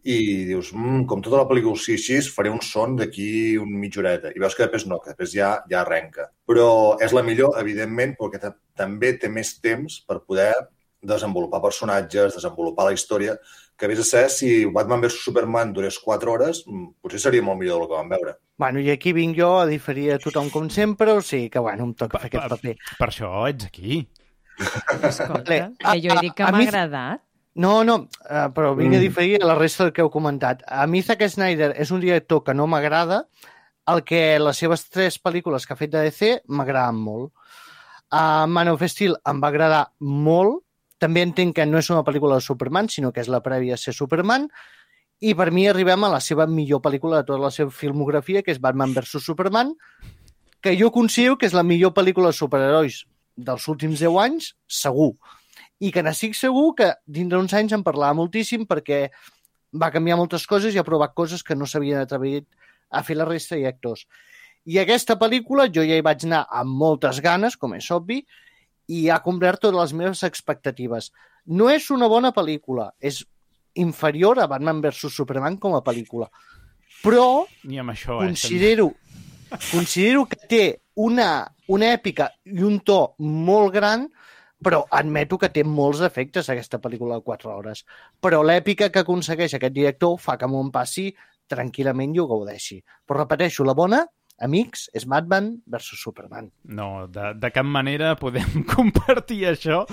I dius, mmm, com tota la pel·lícula sí, així, faré un son d'aquí un mitja horeta. I veus que després no, que després ja, ja arrenca. Però és la millor, evidentment, perquè també té més temps per poder desenvolupar personatges, desenvolupar la història, que vés a ser, si Batman versus Superman durés quatre hores, potser seria molt millor del que vam veure. Bueno, i aquí vinc jo a diferir a tothom com sempre, o sigui que, bueno, em toca fer aquest paper. Per això ets aquí. Escolta, que jo he dit que m'ha agradat. No, no, uh, però vinc a diferir a la resta del que heu comentat. A mi Zack Snyder és un director que no m'agrada, el que les seves tres pel·lícules que ha fet de D C m'agraden molt. Uh, Man of Steel em va agradar molt, també entenc que no és una pel·lícula de Superman, sinó que és la prèvia a ser Superman, i per mi arribem a la seva millor pel·lícula de tota la seva filmografia, que és Batman versus Superman, que jo considero que és la millor pel·lícula de superherois dels últims deu anys, segur. I que n'estic segur que dintre d'uns anys en parlava moltíssim perquè va canviar moltes coses i ha provat coses que no s'havien atrevit a fer la resta de actors. I aquesta pel·lícula jo ja hi vaig anar amb moltes ganes, com és obvi, i ha complert totes les meves expectatives. No és una bona pel·lícula, és inferior a Batman versus Superman com a pel·lícula. Però Ni amb això, considero, eh, considero que té una, una èpica i un to molt gran, però admeto que té molts efectes aquesta pel·lícula de quatre hores. Però l'èpica que aconsegueix aquest director fa que m'ho passi tranquil·lament i ho gaudeixi. Però repeteixo, la bona, amics, és Batman versus Superman. No, de, de cap manera podem compartir això,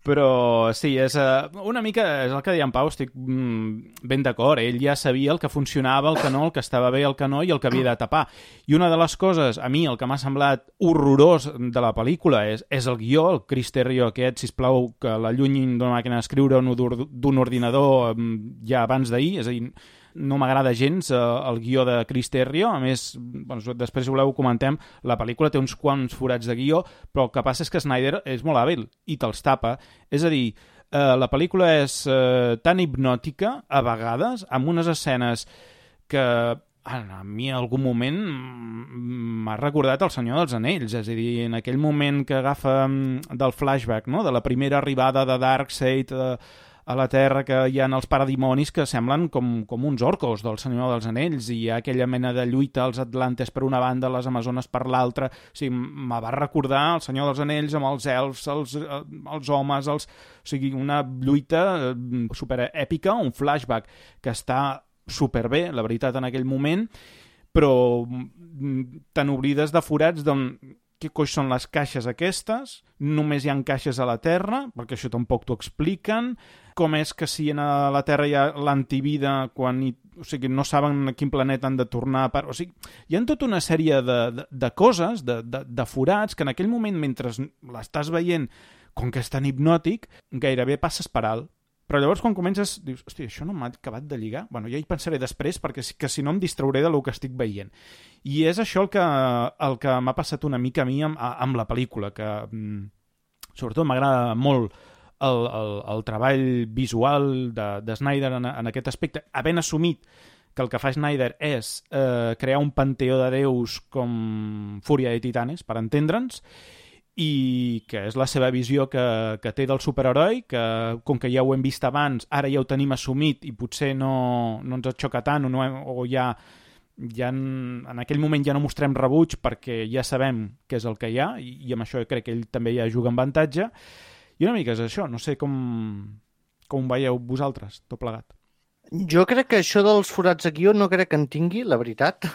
però sí, és uh, una mica, és el que deia en Pau, estic mm, ben d'acord, ell ja sabia el que funcionava, el que no, el que estava bé, el que no, i el que havia de tapar. I una de les coses, a mi, el que m'ha semblat horrorós de la pel·lícula és, és el guió, el Chris Terrio aquest, sisplau, que l'allunyin d'una màquina d'escriure o d'un ordinador ja abans d'ahir, és a dir, no m'agrada gens eh, el guió de Chris Terrio. A més, doncs, després si voleu ho comentem, la pel·lícula té uns quants forats de guió, però el que passa és que Snyder és molt hàbil i te'ls tapa. És a dir, eh, la pel·lícula és eh, tan hipnòtica a vegades, amb unes escenes que a mi en algun moment m'ha recordat El Senyor dels Anells, és a dir, en aquell moment que agafa del flashback, no?, de la primera arribada de Darkseid a, a la Terra, que hi ha els paradimonis que semblen com, com uns orcos del Senyor dels Anells, i hi ha aquella mena de lluita als Atlantes per una banda, les Amazones per l'altra. O sigui, me va recordar El Senyor dels Anells amb els elfs, els, els homes, els... o sigui, una lluita superèpica, un flashback que està superbé, la veritat, en aquell moment, però tan oblides de forats d'on... Què coix són les caixes aquestes? Només hi ha caixes a la Terra, perquè això tampoc t'ho expliquen. Com és que si a la Terra hi ha l'antivida, quan hi... o sigui, no saben a quin planeta han de tornar per... O sigui, hi ha tota una sèrie de, de, de coses, de, de, de forats, que en aquell moment, mentre l'estàs veient, com que és tan hipnòtic, gairebé passes per alt. Però llavors quan comences, dius, hòstia, això no m'ha acabat de lligar? Bueno, ja hi pensaré després, perquè que si no em distrauré de lo que estic veient. I és això el que, el que m'ha passat una mica a mi amb, amb la pel·lícula, que sobretot m'agrada molt el, el, el treball visual de, de Snyder en, en aquest aspecte, havent assumit que el que fa Snyder és eh, crear un panteó de déus com Fúria de Titanes, per entendre'ns, i que és la seva visió que, que té del superheroi, que com que ja ho hem vist abans, ara ja ho tenim assumit i potser no, no ens xoca tant o, no hem, o ja, ja en, en aquell moment ja no mostrem rebuig perquè ja sabem què és el que hi ha, i, i amb això crec que ell també ja juga en avantatge. I una mica és això, no sé com, com veieu vosaltres, tot plegat. Jo crec que això dels forats de guió no crec que en tingui, la veritat,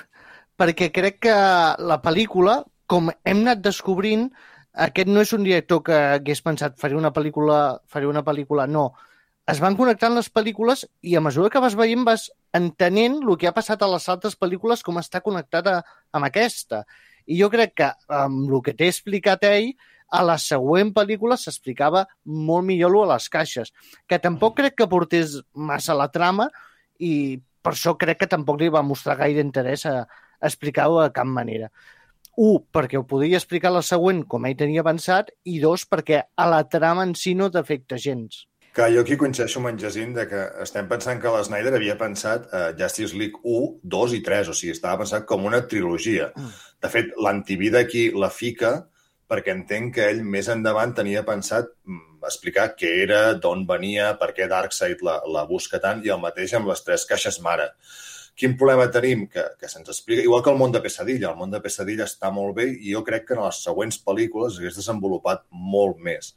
perquè crec que la pel·lícula, com hem anat descobrint, aquest no és un director que hagués pensat faré una pel·lícula, faré una pel·lícula, no. Es van connectant les pel·lícules i a mesura que vas veient vas entenent el que ha passat a les altres pel·lícules, com està connectada amb aquesta. I jo crec que amb el que t'he explicat ell, a la següent pel·lícula s'explicava molt millor lo a les caixes, que tampoc crec que portés massa la trama i per això crec que tampoc li va mostrar gaire interès a, a explicar-ho de cap manera. Un, perquè ho podia explicar la següent com ell tenia avançat, i dos, perquè a la trama en si no t'afecta gens. Que jo aquí coincideixo amb en Jacint de que estem pensant que la Snyder havia pensat uh, Justice League u, dos i tres, o sigui, estava pensat com una trilogia. De fet, l'antivida aquí la fica perquè entenc que ell més endavant tenia pensat mm, explicar què era, d'on venia, per què Darkseid la, la busca tant, i el mateix amb les tres caixes mare. Quin problema tenim? Que, que se'ns explica... Igual que el món de Pesadilla. El món de Pesadilla està molt bé i jo crec que en les següents pel·lícules s'hagués desenvolupat molt més.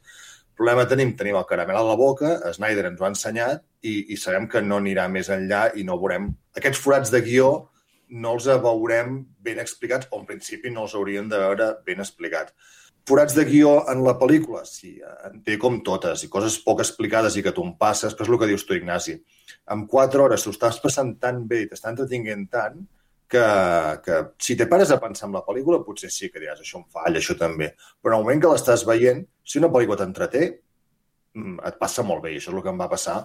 El problema tenim, tenim el caramel a la boca, Snyder ens ho ha ensenyat i, i sabem que no anirà més enllà i no veurem... Aquests forats de guió no els veurem ben explicats, o en principi no els hauríem de veure ben explicats. Forats de guió en la pel·lícula, sí, en té com totes, i coses poc explicades i que tu en passes, però és el que dius tu, Ignasi. En quatre hores t'ho estàs passant tan bé i t'està entretinguent tant que, que si te pares a pensar en la pel·lícula potser sí que diràs, això em falla, això també. Però en el moment que l'estàs veient, si una pel·lícula t'entreté, et passa molt bé, i això és el que em va passar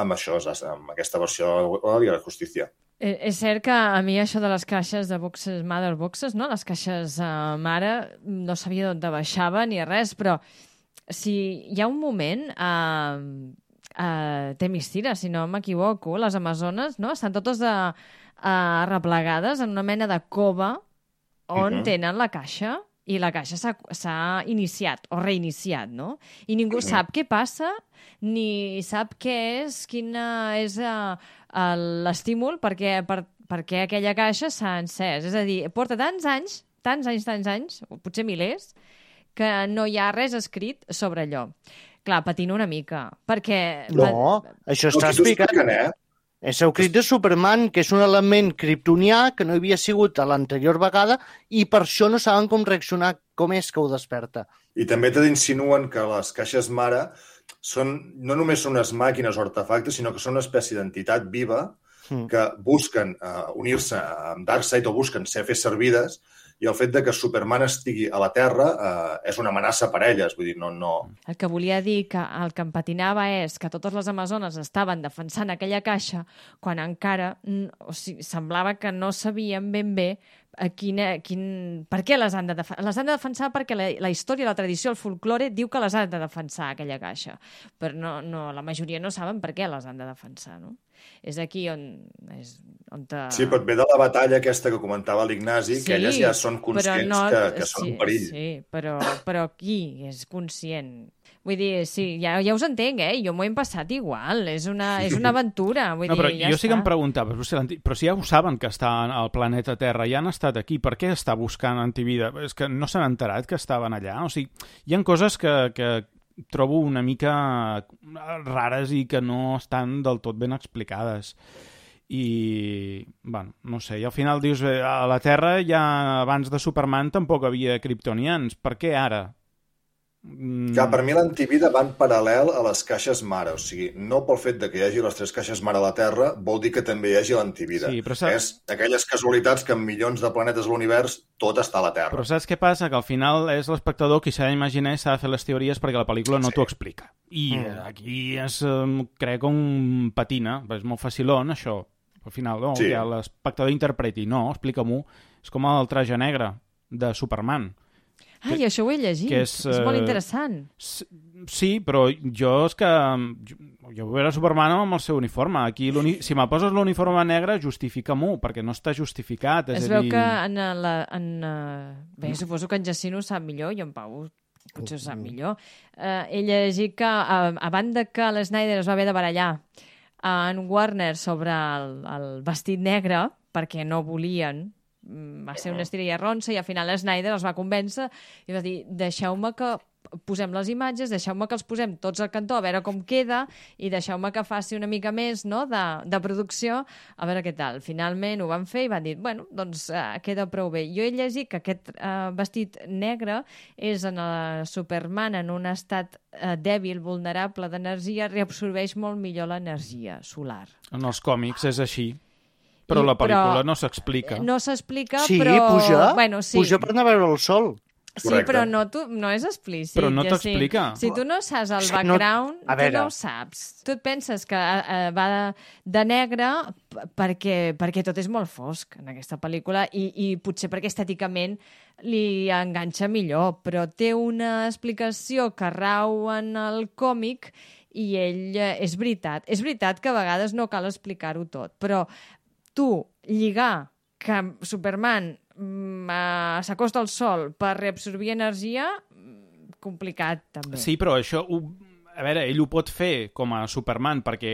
amb això, amb aquesta versió de la Liga de la Justícia. Eh, és cert que a mi això de les caixes de boxes, mother boxes, no? Les caixes uh, mare, no sabia d'on baixava ni res, però si hi ha un moment a uh, uh, Themyscira, si no m'equivoco, les amazones, no? Estan totes de, uh, arreplegades en una mena de cova on uh-huh. tenen la caixa i la caixa s'ha iniciat o reiniciat, no? I ningú uh-huh. sap què passa ni sap què és, quina és uh, l'estímul perquè, per, perquè aquella caixa s'ha encès. És a dir, porta tants anys, tants anys, tants anys, o potser milers, que no hi ha res escrit sobre allò. Clar, patino una mica, perquè... No, això està explicat. Eh? És el crit de Superman, que és un element kriptonià que no havia sigut a l'anterior vegada i per això no saben com reaccionar, com és que ho desperta. I també t'insinuen que les caixes mare són, no només són unes màquines o artefactes, sinó que són una espècie d'entitat viva mm. que busquen uh, unir-se amb Darkseid o busquen ser fer servides, i el fet de que Superman estigui a la Terra eh, és una amenaça per elles, vull dir, no, no... El que volia dir que el que em patinava és que totes les amazones estaven defensant aquella caixa quan encara, o sigui, semblava que no sabien ben bé a quina, quin, per què les han de defensar. Les han de defensar perquè la, la història, la tradició, el folklore diu que les han de defensar aquella caixa, però no, no, la majoria no saben per què les han de defensar, no? És aquí on... És, on te... Sí, però ve de la batalla aquesta que comentava l'Ignasi, sí, que elles ja són conscients no, que, que són sí, un perill. Sí, però, però qui és conscient? Vull dir, sí, ja, ja us entenc, eh? Jo m'ho he passat igual, és una, és una aventura. Vull no, però dir, ja jo està. sí que em preguntava, però si ja ho saben que està al planeta Terra, ja han estat aquí, per què està buscant antivida? És que no s'han enterat que estaven allà? O sigui, hi ha coses que, que trobo una mica rares i que no estan del tot ben explicades. I, bueno, no sé, i al final dius, a la Terra ja abans de Superman tampoc havia kriptonians, per què ara? Que per mi l'antivida va en paral·lel a les caixes mare, o sigui, no pel fet de que hi hagi les tres caixes mare a la Terra vol dir que també hi hagi l'antivida. Sí, però saps... És aquelles casualitats que en milions de planetes de l'univers tot està a la Terra. Però saps què passa? Que al final és l'espectador qui s'ha d'imaginar i s'ha de fer les teories perquè la pel·lícula no sí. t'ho explica. I mm. aquí és, crec, un patina, és molt facilón això. Al final, no, sí. ja l'espectador interpreti. No, explica-m'ho. És com el traje negre de Superman. Ai, que, això ho he llegit. És, és molt interessant. Sí, però jo és que... Jo, jo vull veure Superman amb el seu uniforme. Aquí, si me poses l'uniforme negre, justifica-m'ho, perquè no està justificat. És es a veu dir... que en la... En, bé, suposo que en Jacint ho sap millor i en Pau potser ho sap millor. Uh, he llegit que, uh, a banda que l'Snyder es va haver de barallar en Warner sobre el, el vestit negre, perquè no volien... va ser una estira i arronsa i al final Snyder els va convèncer i va dir, deixeu-me que posem les imatges, deixeu-me que els posem tots al cantó a veure com queda i deixeu-me que faci una mica més, no?, de, de producció, a veure què tal. Finalment ho van fer i van dir, bueno, doncs uh, queda prou bé. Jo he llegit que aquest uh, vestit negre és en el Superman en un estat uh, dèbil, vulnerable d'energia, reabsorbeix molt millor l'energia solar. En els còmics és així. Però I, la pel·lícula però, no s'explica. No s'explica, sí, però... puja, bueno, sí. puja per anar a veure el sol. Sí, Correcte. Però no, tu, no és explícit. Però no t'explica. Si tu no saps el background, no, tu no ho saps. Tu et penses que uh, va de, de negre perquè, perquè tot és molt fosc en aquesta pel·lícula i, i potser perquè estèticament li enganxa millor, però té una explicació que rau en el còmic i ell, uh, és veritat. És veritat que a vegades no cal explicar-ho tot, però tu lligar que Superman mm, s'acosta al sol per reabsorbir energia, complicat també. Sí, però això, ho, a veure, ell ho pot fer com a Superman, perquè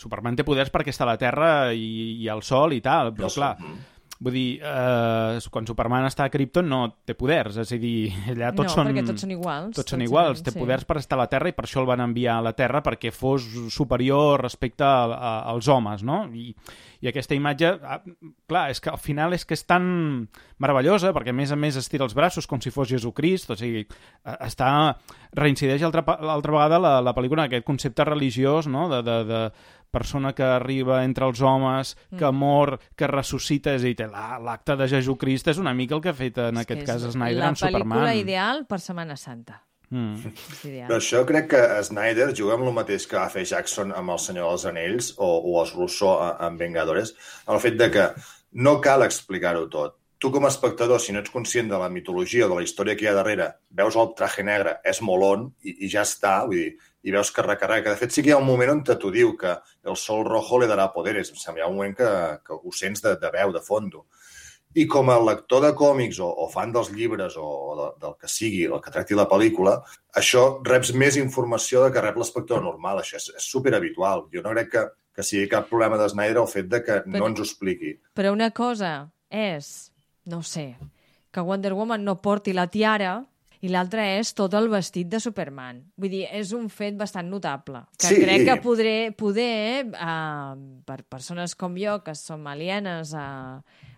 Superman té poders perquè està a la Terra i, i al sol i tal, però clar... Vull dir, eh, quan Superman està a Krypton no té poders, és a dir, allà tots no, són... No, perquè tots són iguals. Tots són iguals, té sí. poders per estar a la Terra i per això el van enviar a la Terra perquè fos superior respecte a, a, als homes, no? I, i aquesta imatge, clar, és que al final és que és tan meravellosa, perquè a més a més estira els braços com si fos Jesucrist, o sigui, està... reincideix altra, l'altra vegada la, la pel·lícula aquest concepte religiós, no?, de... de, de persona que arriba entre els homes, que mm. mor, que ressuscita, és a dir, l'acte la, de Jesucrist és una mica el que ha fet en és aquest cas Snyder amb Superman. La pel·lícula ideal per Setmana Santa. Mm. Però això crec que Snyder juga amb el mateix que va fer Jackson amb El Senyor dels Anells o, o els Russo amb Vengadores, el fet de que no cal explicar-ho tot. Tu com a espectador, si no ets conscient de la mitologia o de la història que hi ha darrere, veus el traje negre, és molón i, i ja està, vull dir, i veus que recarrega. De fet, sí que hi ha un moment on t'ho diu, que el sol rojo le darà poderes. Em sembla, hi ha un moment que, que ho sents de, de veu, de fondo. I com a lector de còmics o, o fan dels llibres o de, del que sigui, el que tracti la pel·lícula, això reps més informació de que rep l'espectador normal. Això és, és superhabitual. Jo no crec que, que sigui cap problema de Snyder el fet de que però, no ens ho expliqui. Però una cosa és, no sé, que Wonder Woman no porti la tiara i l'altra és tot el vestit de Superman. Vull dir, és un fet bastant notable. Que sí. crec que podré, poder, eh, per persones com jo, que som alienes a...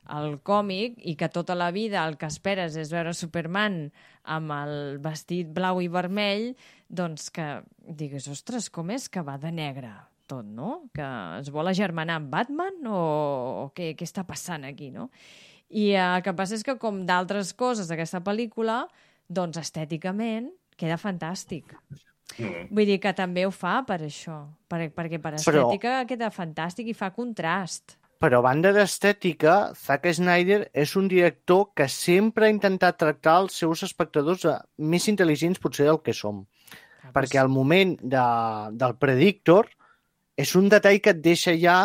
al còmic i que tota la vida el que esperes és veure Superman amb el vestit blau i vermell, doncs que digues, ostres, com és que va de negre tot, no? Que es vol agermanar amb Batman o, o què, què està passant aquí, no? I el que passa és que, com d'altres coses d'aquesta pel·lícula, doncs estèticament queda fantàstic. Mm. Vull dir que també ho fa per això, per, perquè per estètica Però... queda fantàstic i fa contrast. Però a banda d'estètica, Zack Snyder és un director que sempre ha intentat tractar els seus espectadors més intel·ligents potser del que som. Ah, perquè al moment de, del Predictor és un detall que et deixa ja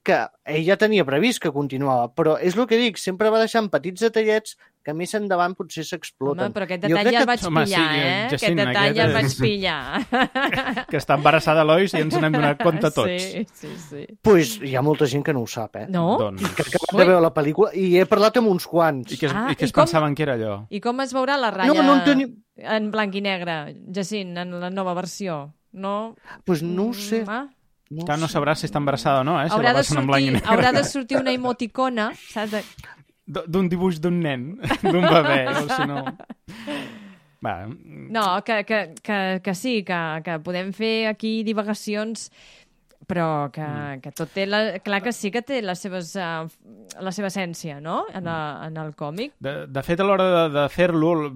que ell ja tenia previst que continuava, però és el que dic, sempre va deixant petits detallets que més endavant potser s'exploten. Home, però aquest detall ja el vaig Home, pillar, sí, eh? Jacint, aquest detall aquest ja el és... vaig pillar. Que està embarassada Lois i ens n'hem donat compte tots. Sí, sí, sí. Pues hi ha molta gent que no ho sap, eh? No? Doncs... Que acaben de veure la pel·lícula i he parlat amb uns quants. I que es, Ah, i que i es com- pensaven que era allò? I com es veurà la ratlla No, no en tenim... en blanc i negre, Jacint, en la nova versió? No? Pues no ho sé. Mm, ah. No Clar, no sé. sabràs si està embarassada o no, eh? Si Haurà, la de passen en blanc i sortir, negre. haurà de sortir una emoticona, saps? De- D- D'un dibuix d'un nen, d'un bebè, o si no... Va, No, que, que, que, que sí, que, que podem fer aquí divagacions, però que, mm. que tot té... La, clar que sí que té les seves, uh, la seva essència, no?, en, a, en el còmic. De, de fet, a l'hora de, de fer-lo, el,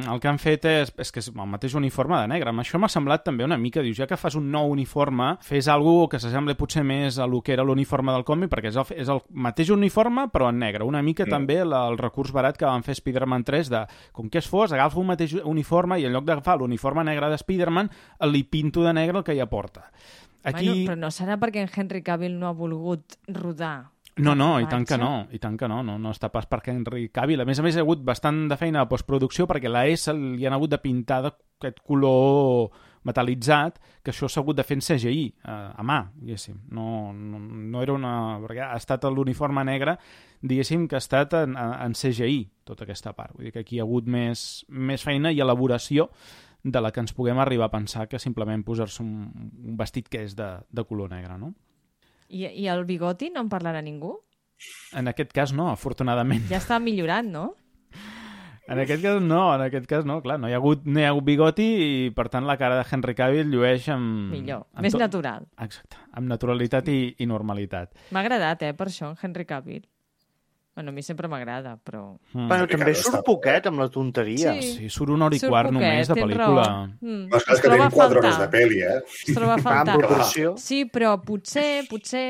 el que han fet és, és que és el mateix uniforme de negre. Amb això m'ha semblat també una mica, dius, ja que fas un nou uniforme, fes alguna que s'assembli potser més a lo que era l'uniforme del còmic, perquè és el, és el mateix uniforme, però en negre. Una mica mm. també la, el recurs barat que van fer Spider-Man tres, de, com que es fos, agafa un mateix uniforme i en lloc d'agafar l'uniforme negre de Spider-Man, li pinto de negre el que ja porta. Aquí... Bueno, però no serà perquè en Henry Cavill no ha volgut rodar. No, no, i tant que no, i tant que no, no, no està pas perquè Henry Cavill. A més a més, hi ha hagut bastant de feina de postproducció perquè la S li han hagut de pintar d'aquest color metal·litzat, que això s'ha hagut de fer en C G I, a, a mà, diguéssim. No, no, no era una... perquè ha estat l'uniforme negre, diguéssim, que ha estat en, en C G I, tota aquesta part. Vull dir que aquí hi ha hagut més, més feina i elaboració de la que ens puguem arribar a pensar que simplement posar-se un, un vestit que és de, de color negre, no? I, I el bigoti no en parlarà ningú? En aquest cas no, afortunadament. Ja està millorant, no? En aquest cas no, en aquest cas no, clar, no hi ha hagut, no hi ha hagut bigoti i per tant la cara de Henry Cavill llueix amb... Millor, amb més tot... natural. Exacte, amb naturalitat i, i normalitat. M'ha agradat, eh, per això, Henry Cavill. Bueno, a mi sempre m'agrada, però... Mm. Bueno, també surt poquet amb la tonteria. Sí. Sí, surt una hora i Surt quart poquet, només de tens pel·lícula. raó. Mm, Però és es que troba tenim a quatre hores faltar. de pel·li, eh? Es troba a En faltar. proporció. Sí, però potser, potser,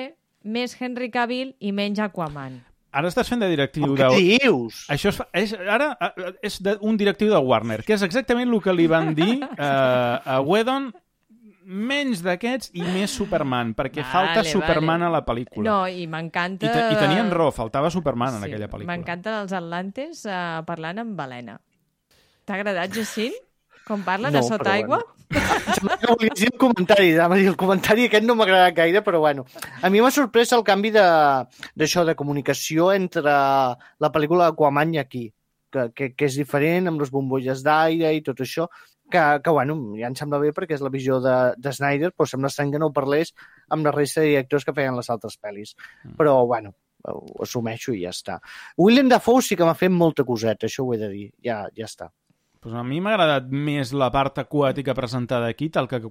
més Henry Cavill i menys Aquaman. Ara estàs fent de directiu Què de... dius? Això és, fa- és, ara eh, és de, un directiu de Warner, que és exactament el que li van dir eh, a Whedon, menys d'aquests i més Superman, perquè Vale, falta Superman vale. a la pel·lícula. No, i m'encanta... I, te, I tenien raó, faltava Superman en aquella pel·lícula. M'encanten els atlantes uh, parlant amb balena. T'ha agradat, Jacint? Com parlen No, a sota però aigua? Sembla que volies dir el comentari, anava a dir, el comentari aquest no m'ha agradat gaire, però bueno. A mi m'ha sorprès el canvi de d'això, de comunicació entre la pel·lícula Aquaman i aquí, que, que, que és diferent, amb les bombolles d'aire i tot això, que, que bueno, ja em sembla bé perquè és la visió de, de Snyder, però sembla estrany que no ho parlés amb la resta de directors que feien les altres pel·lis. Però, bueno, ho assumeixo i ja està. Willem Dafoe sí que m'ha fet molta coseta, això ho he de dir, ja, ja està. Pues a mi m'ha agradat més la part aquàtica presentada aquí tal que,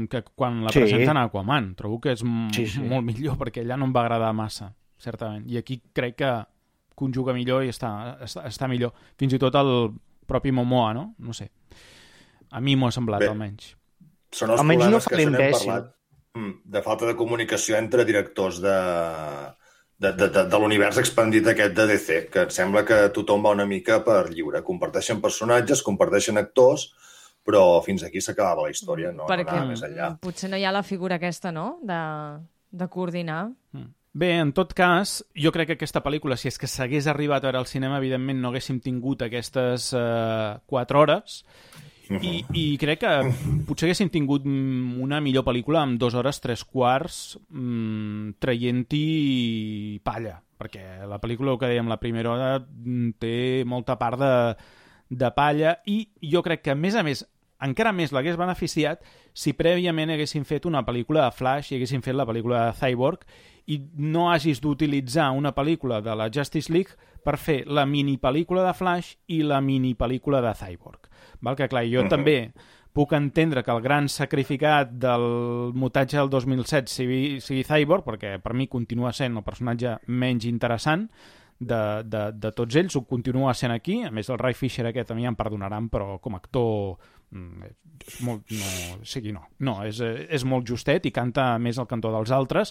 que quan la Sí. presenten a Aquaman. Trobo que és m- Sí, sí. molt millor perquè allà no em va agradar massa, certament. I aquí crec que conjuga millor i està, està, està millor. Fins i tot el propi Momoa, no? No sé. A mi m'ho ha semblat, Bé, almenys. Són els Almenys no problemes fa que se n'hem l'imbècil. parlat de falta de comunicació entre directors de, de, de, de, de l'univers expandit aquest de D C, que em sembla que tothom va una mica per lliure. Comparteixen personatges, comparteixen actors, però fins aquí s'acabava la història, no, no Perquè anava més enllà. potser no hi ha la figura aquesta, no?, de, de coordinar. Bé, en tot cas, jo crec que aquesta pel·lícula, si és que s'hagués arribat a veure al cinema, evidentment no haguéssim tingut aquestes uh, quatre hores, i, i crec que potser haguéssim tingut una millor pel·lícula amb dues hores, tres quarts, mmm, traient-hi palla, perquè la pel·lícula, el que dèiem, la primera hora té molta part de, de palla, i jo crec que, a més a més, encara més l'hagués beneficiat si prèviament haguessin fet una pel·lícula de Flash i haguessin fet la pel·lícula de Cyborg i no hagis d'utilitzar una pel·lícula de la Justice League per fer la mini-pel·lícula de Flash i la mini-pel·lícula de Cyborg. Val? Que clar, jo uh-huh. també puc entendre que el gran sacrificat del mutatge del dos mil set sigui, sigui Cyborg, perquè per mi continua sent el personatge menys interessant de, de, de tots ells, ho continua sent aquí. A més, el Ray Fisher aquest a mi em perdonaran, però com a actor és molt, no, o sigui, no, no és, és molt justet i canta més al cantó dels altres,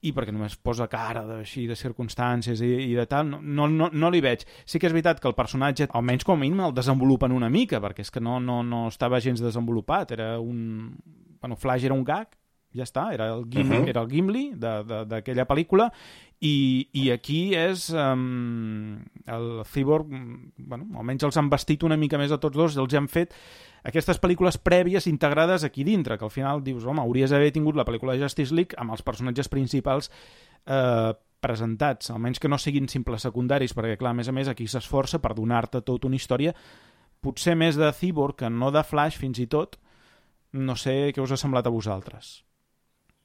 i perquè només posa cara de, així, de circumstàncies i, i de tal, no, no, no li veig. Sí que és veritat que el personatge, almenys com a mínim, el desenvolupen una mica, perquè és que no, no, no estava gens desenvolupat, era un... Bueno, Flash era un gag, ja està, era el Gimli, uh-huh. era el Gimli d'aquella pel·lícula, i, i aquí és um, el Cyborg, bueno, almenys els han vestit una mica més a tots dos, els han fet aquestes pel·lícules prèvies integrades aquí dintre, que al final dius, home, hauries d'haver tingut la pel·lícula de Justice League amb els personatges principals eh, presentats, almenys que no siguin simples secundaris, perquè clar, a més a més aquí s'esforça per donar-te tota una història, potser més de Cyborg que no de Flash fins i tot. No sé què us ha semblat a vosaltres.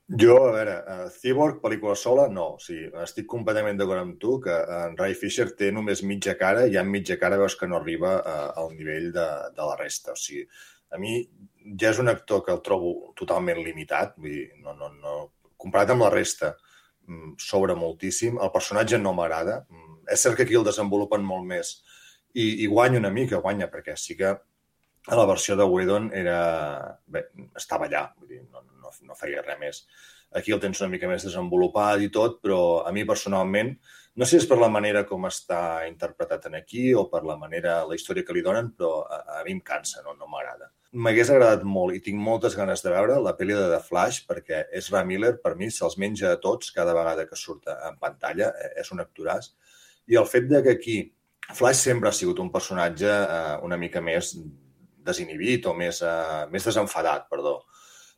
Jo, a veure, uh, Cyborg, pel·lícula sola, no. O sigui, estic completament d'acord amb tu que en Ray Fisher té només mitja cara i en mitja cara veus que no arriba uh, al nivell de, de la resta. O sigui, a mi ja és un actor que el trobo totalment limitat, vull dir, no, no, no, comparat amb la resta, sobra moltíssim. El personatge no m'agrada. És cert que aquí el desenvolupen molt més i, i guanya una mica, guanya, perquè sí que a la versió de Whedon era... Bé, estava allà, vull dir, no, no, no feia res més. Aquí el tens una mica més desenvolupat i tot, però a mi personalment, no sé si és per la manera com està interpretat en aquí o per la manera, la història que li donen, però a, a mi em cansa, no, no m'agrada. M'hagués agradat molt i tinc moltes ganes de veure la pel·li de The Flash, perquè Ezra Miller, per mi, se'ls menja a tots cada vegada que surt en pantalla, és un actoràs. I el fet de que aquí Flash sempre ha sigut un personatge eh, una mica més desinhibit o més, uh, més desenfadat, perdó.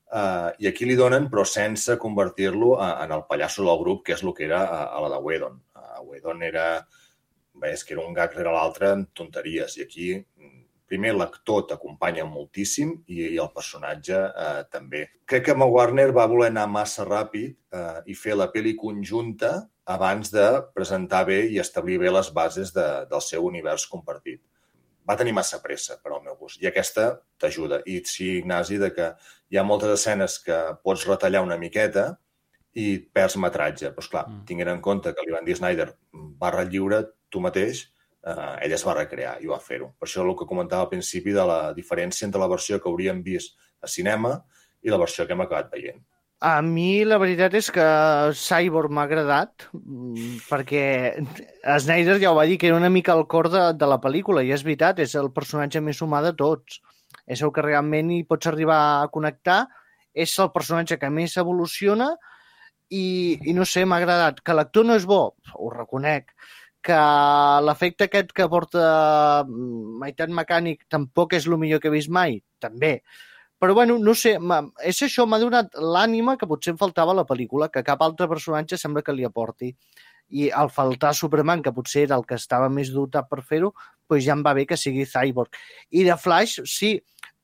Uh, I aquí li donen, però sense convertir-lo uh, en el pallasso del grup, que és el que era uh, a la de Whedon. Uh, Whedon era... Bé, és que era un gag rere l'altre amb tonteries. I aquí, primer, l'actor t'acompanya moltíssim i, i el personatge uh, també. Crec que Warner va voler anar massa ràpid uh, i fer la pel·li conjunta abans de presentar bé i establir bé les bases de, del seu univers compartit. Va tenir massa pressa, per al meu gust. I aquesta t'ajuda. I sí, Ignasi, de que hi ha moltes escenes que pots retallar una miqueta i perds metratge. Però, esclar, mm. tinguent en compte que li van dir Snyder barra lliure, tu mateix, eh, ell es va recrear i va fer-ho. Per això el que comentava al principi de la diferència entre la versió que hauríem vist a cinema i la versió que hem acabat veient. A mi la veritat és que Cyborg m'ha agradat perquè Snyder ja ho va dir que era una mica el cor de, de la pel·lícula i és veritat, és el personatge més humà de tots. És el que realment hi pots arribar a connectar, és el personatge que més evoluciona i, i no sé, m'ha agradat. Que l'actor no és bo, ho reconec. Que l'efecte aquest que porta meitat mecànic tampoc és el millor que he vist mai, també. Però, bueno, no sé, és això, m'ha donat l'ànima que potser em faltava a la pel·lícula, que cap altre personatge sembla que li aporti. I al faltar Superman, que potser era el que estava més dotat per fer-ho, doncs ja em va bé que sigui Cyborg. I de Flash, sí,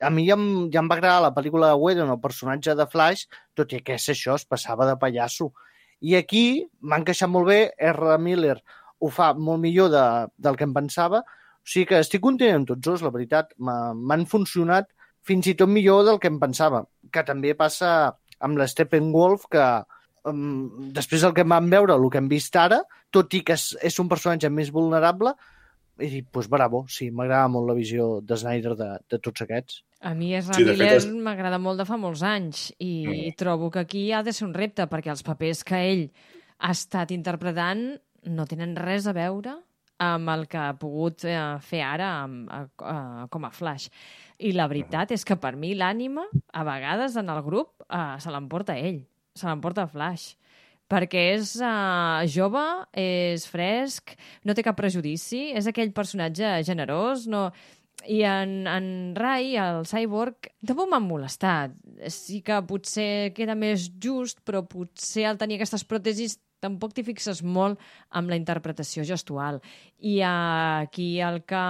a mi ja em, ja em va agradar la pel·lícula de Whedon, el personatge de Flash, tot i que és això, es passava de pallasso. I aquí m'ha encaixat molt bé, Ezra Miller ho fa molt millor de, del que em pensava, o sigui que estic content amb tots dos, la veritat, m'han funcionat fins i tot millor del que em pensava, que també passa amb l'Steppenwolf, que um, després del que vam veure, el que hem vist ara, tot i que és, és un personatge més vulnerable, i dic, doncs bravo, sí, m'agrada molt la visió de Snyder de, de tots aquests. A mi Ezra Sí, de Miller fet, és- m'agrada molt de fa molts anys i Mm. trobo que aquí ha de ser un repte perquè els papers que ell ha estat interpretant no tenen res a veure amb el que ha pogut eh, fer ara amb, a, a, com a Flash. I la veritat és que per mi l'ànima, a vegades en el grup, eh, se l'emporta ell, se l'emporta Flash. Perquè és uh, jove, és fresc, no té cap prejudici, és aquell personatge generós, no... I en, en Rai, el Cyborg, tampoc m'han molestat. Sí que potser queda més just, però potser al tenir aquestes pròtesis tampoc t'hi fixes molt amb la interpretació gestual. I uh, aquí el que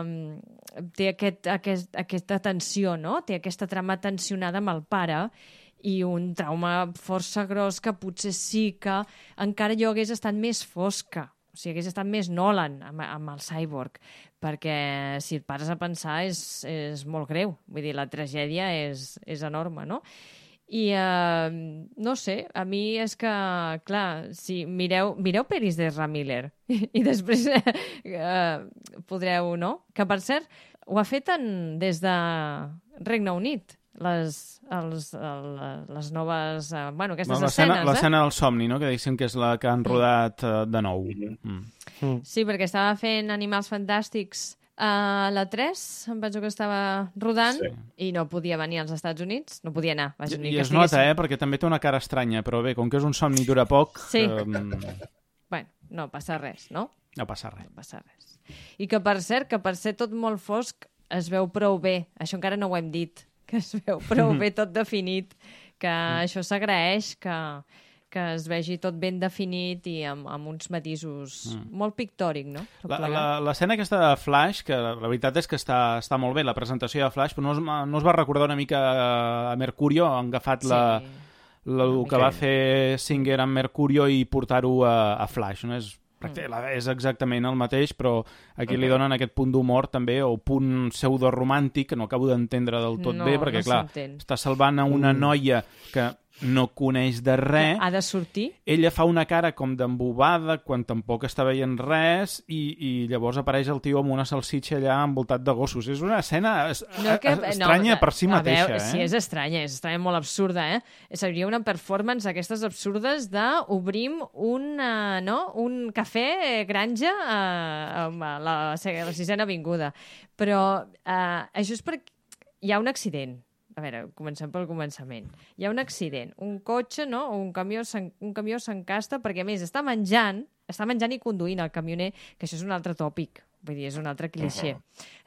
mm, té aquest, aquest, aquesta tensió, no? Té aquesta trama tensionada amb el pare i un trauma força gros que potser sí que encara jo hagués estat més fosca. O sigui, hagués estat més Nolan amb, amb el Cyborg, perquè si et pares a pensar és, és molt greu. Vull dir, la tragèdia és, és enorme, no? I uh, no sé, a mi és que, clar, si mireu, mireu peris d'Ezra Miller i, i després uh, podreu, no? Que, per cert, ho ha fet en, des de Regne Unit, les, els, el, les noves... Uh, bueno, aquestes Bueno, l'escena escenes, l'escena eh? del somni, no? Que diguéssim que és la que han rodat uh, de nou. Mm. Mm. Sí, perquè estava fent Animals Fantàstics a la tres, em penso que estava rodant, Sí. i no podia venir als Estats Units, no podia anar. Vaja, ni I que es nota, estigués- eh? Perquè també té una cara estranya, però bé, com que és un somni i dura poc, Sí. um, Bueno, no passa res, no? no passa res. No passa res. I que, per cert, que per ser tot molt fosc es veu prou bé. Això encara no ho hem dit, que es veu prou bé tot definit, que això s'agraeix, que, que es vegi tot ben definit i amb, amb uns matisos molt pictòric, no? Tot La- plegat. la- L'escena aquesta de Flash, que la veritat és que està, està molt bé, la presentació de Flash, però no us, no us va recordar una mica a Mercurio, han agafat la, Sí. la, el Una que mica. va fer Singer amb Mercurio i portar-ho a, a Flash, no? És, pràctic- la- és exactament el mateix, però aquí li donen aquest punt d'humor també, o punt pseudo-romàntic, que no acabo d'entendre del tot No, bé, perquè no clar, s'entén. està salvant a una noia que no coneix de res, Ha de sortir? ella fa una cara com d'embobada quan tampoc està veient res i, i llavors apareix el tio amb una salsitxa allà envoltat de gossos. És una escena es, No, que, estranya no, per si a mateixa, veure, eh? Sí, és estranya, és estranya, molt absurda, eh? Seria una performance d'aquestes absurdes de obrim un, uh, no? un cafè granja uh, amb la, la sisena avinguda. Però uh, això és perquè hi ha un accident. A veure, comencem pel començament. Hi ha un accident. Un cotxe, no? O un camió s'en- un camió s'encasta perquè, a més, està menjant, està menjant i conduint el camioner, que això és un altre tòpic. Vull dir, és un altre clixé.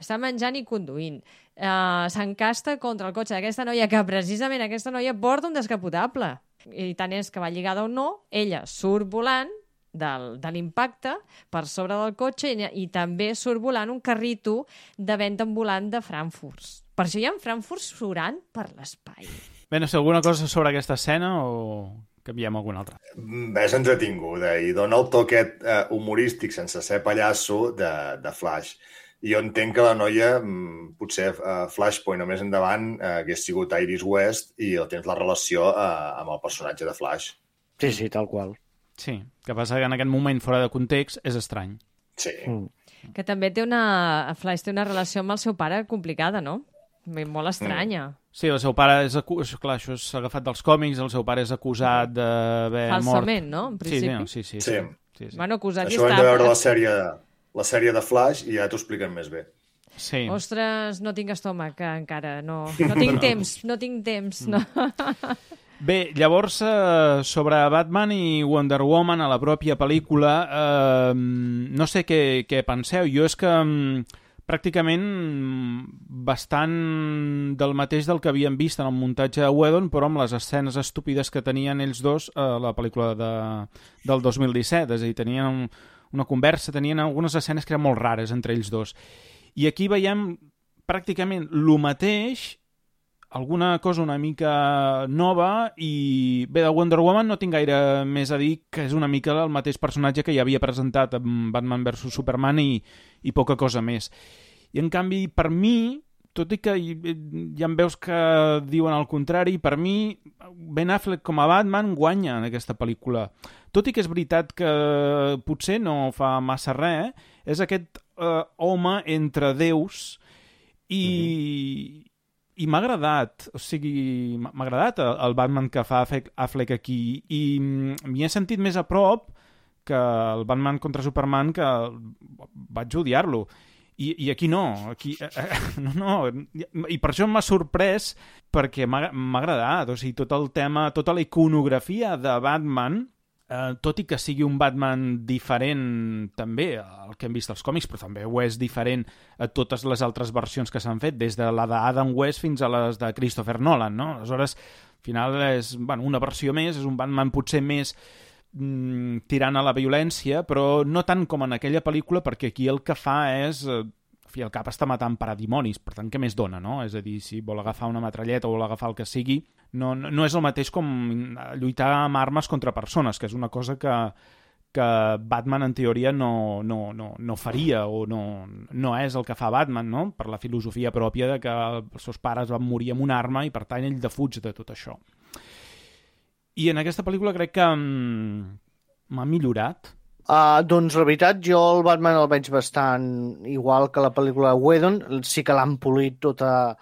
Està menjant i conduint. Uh, S'encasta contra el cotxe d'aquesta noia, que precisament aquesta noia porta un descapotable. I tant és que va lligada o no, ella surt volant del, de l'impacte per sobre del cotxe i, i també surt volant un carrito de venda ambulant de Frankfurt. Per això hi ha Frankfurt surant per l'espai. Bé, no sé, alguna cosa sobre aquesta escena o canviem alguna altra? Mm, És entretinguda i dona el toquet eh, humorístic sense ser pallasso de, de Flash. I jo entenc que la noia, mm, potser eh, Flashpoint o més endavant, eh, hagués sigut Iris West i tens la relació eh, amb el personatge de Flash. Sí, sí, tal qual. Sí, que passa que en aquest moment, fora de context, és estrany. Sí. Mm. Que també té una... Flash té una relació amb el seu pare complicada, no? Molt estranya. Sí, el seu pare és... Acu... Clar, això és agafat dels còmics, el seu pare és acusat d'haver mort... Falsament, no? En Sí, principi. no, sí, sí, sí. Sí. sí, sí. Bueno, acusat i Això ho hem està... de veure la sèrie, la sèrie de Flash i ja t'ho expliquen més bé. sí. Ostres, no tinc estómac eh, encara, no. No tinc temps, no tinc temps, no. Bé, llavors, eh, sobre Batman i Wonder Woman a la pròpia pel·lícula, eh, no sé què, què penseu. Jo és que mm, pràcticament bastant del mateix del que havíem vist en el muntatge de Whedon, però amb les escenes estúpides que tenien ells dos a la pel·lícula de, del dos mil disset. És a dir, tenien un, una conversa, tenien algunes escenes que eren molt rares entre ells dos. I aquí veiem pràcticament el mateix, alguna cosa una mica nova, i bé, de Wonder Woman no tinc gaire més a dir, que és una mica el mateix personatge que ja havia presentat amb Batman versus Superman i, i poca cosa més. I en canvi, per mi, tot i que hi, hi ha veus que diuen el contrari, per mi Ben Affleck com a Batman guanya en aquesta pel·lícula. Tot i que és veritat que potser no fa massa res, és aquest eh, home entre déus i... Mm-hmm. i m'ha agradat, o sigui, m'ha agradat el Batman que fa Affleck aquí, i m'hi he sentit més a prop que el Batman contra Superman, que vaig odiar-lo. I, i aquí no, aquí, eh, no, no, i per això m'ha sorprès, perquè m'ha agradat, o sigui, tot el tema, tota la iconografia de Batman, eh, tot i que sigui un Batman diferent també al que hem vist als còmics, però també ho és diferent a totes les altres versions que s'han fet, des de la d'Adam West fins a les de Christopher Nolan, no? Aleshores, al final és, bueno, una versió més, és un Batman potser més tirant a la violència, però no tant com en aquella pel·lícula, perquè aquí el que fa és... En fi, el cap està matant paradimonis, per tant, què més dona, no? És a dir, si vol agafar una metralleta o vol agafar el que sigui, no, no és el mateix com lluitar amb armes contra persones, que és una cosa que, que Batman, en teoria, no, no, no, no faria, o no, no és el que fa Batman, no? Per la filosofia pròpia de que els seus pares van morir amb una arma i, per tant, ell defuig de tot això. I en aquesta pel·lícula crec que m'ha millorat. Uh, doncs la veritat, jo el Batman el veig bastant igual que la pel·lícula Whedon. Sí que l'han polit totes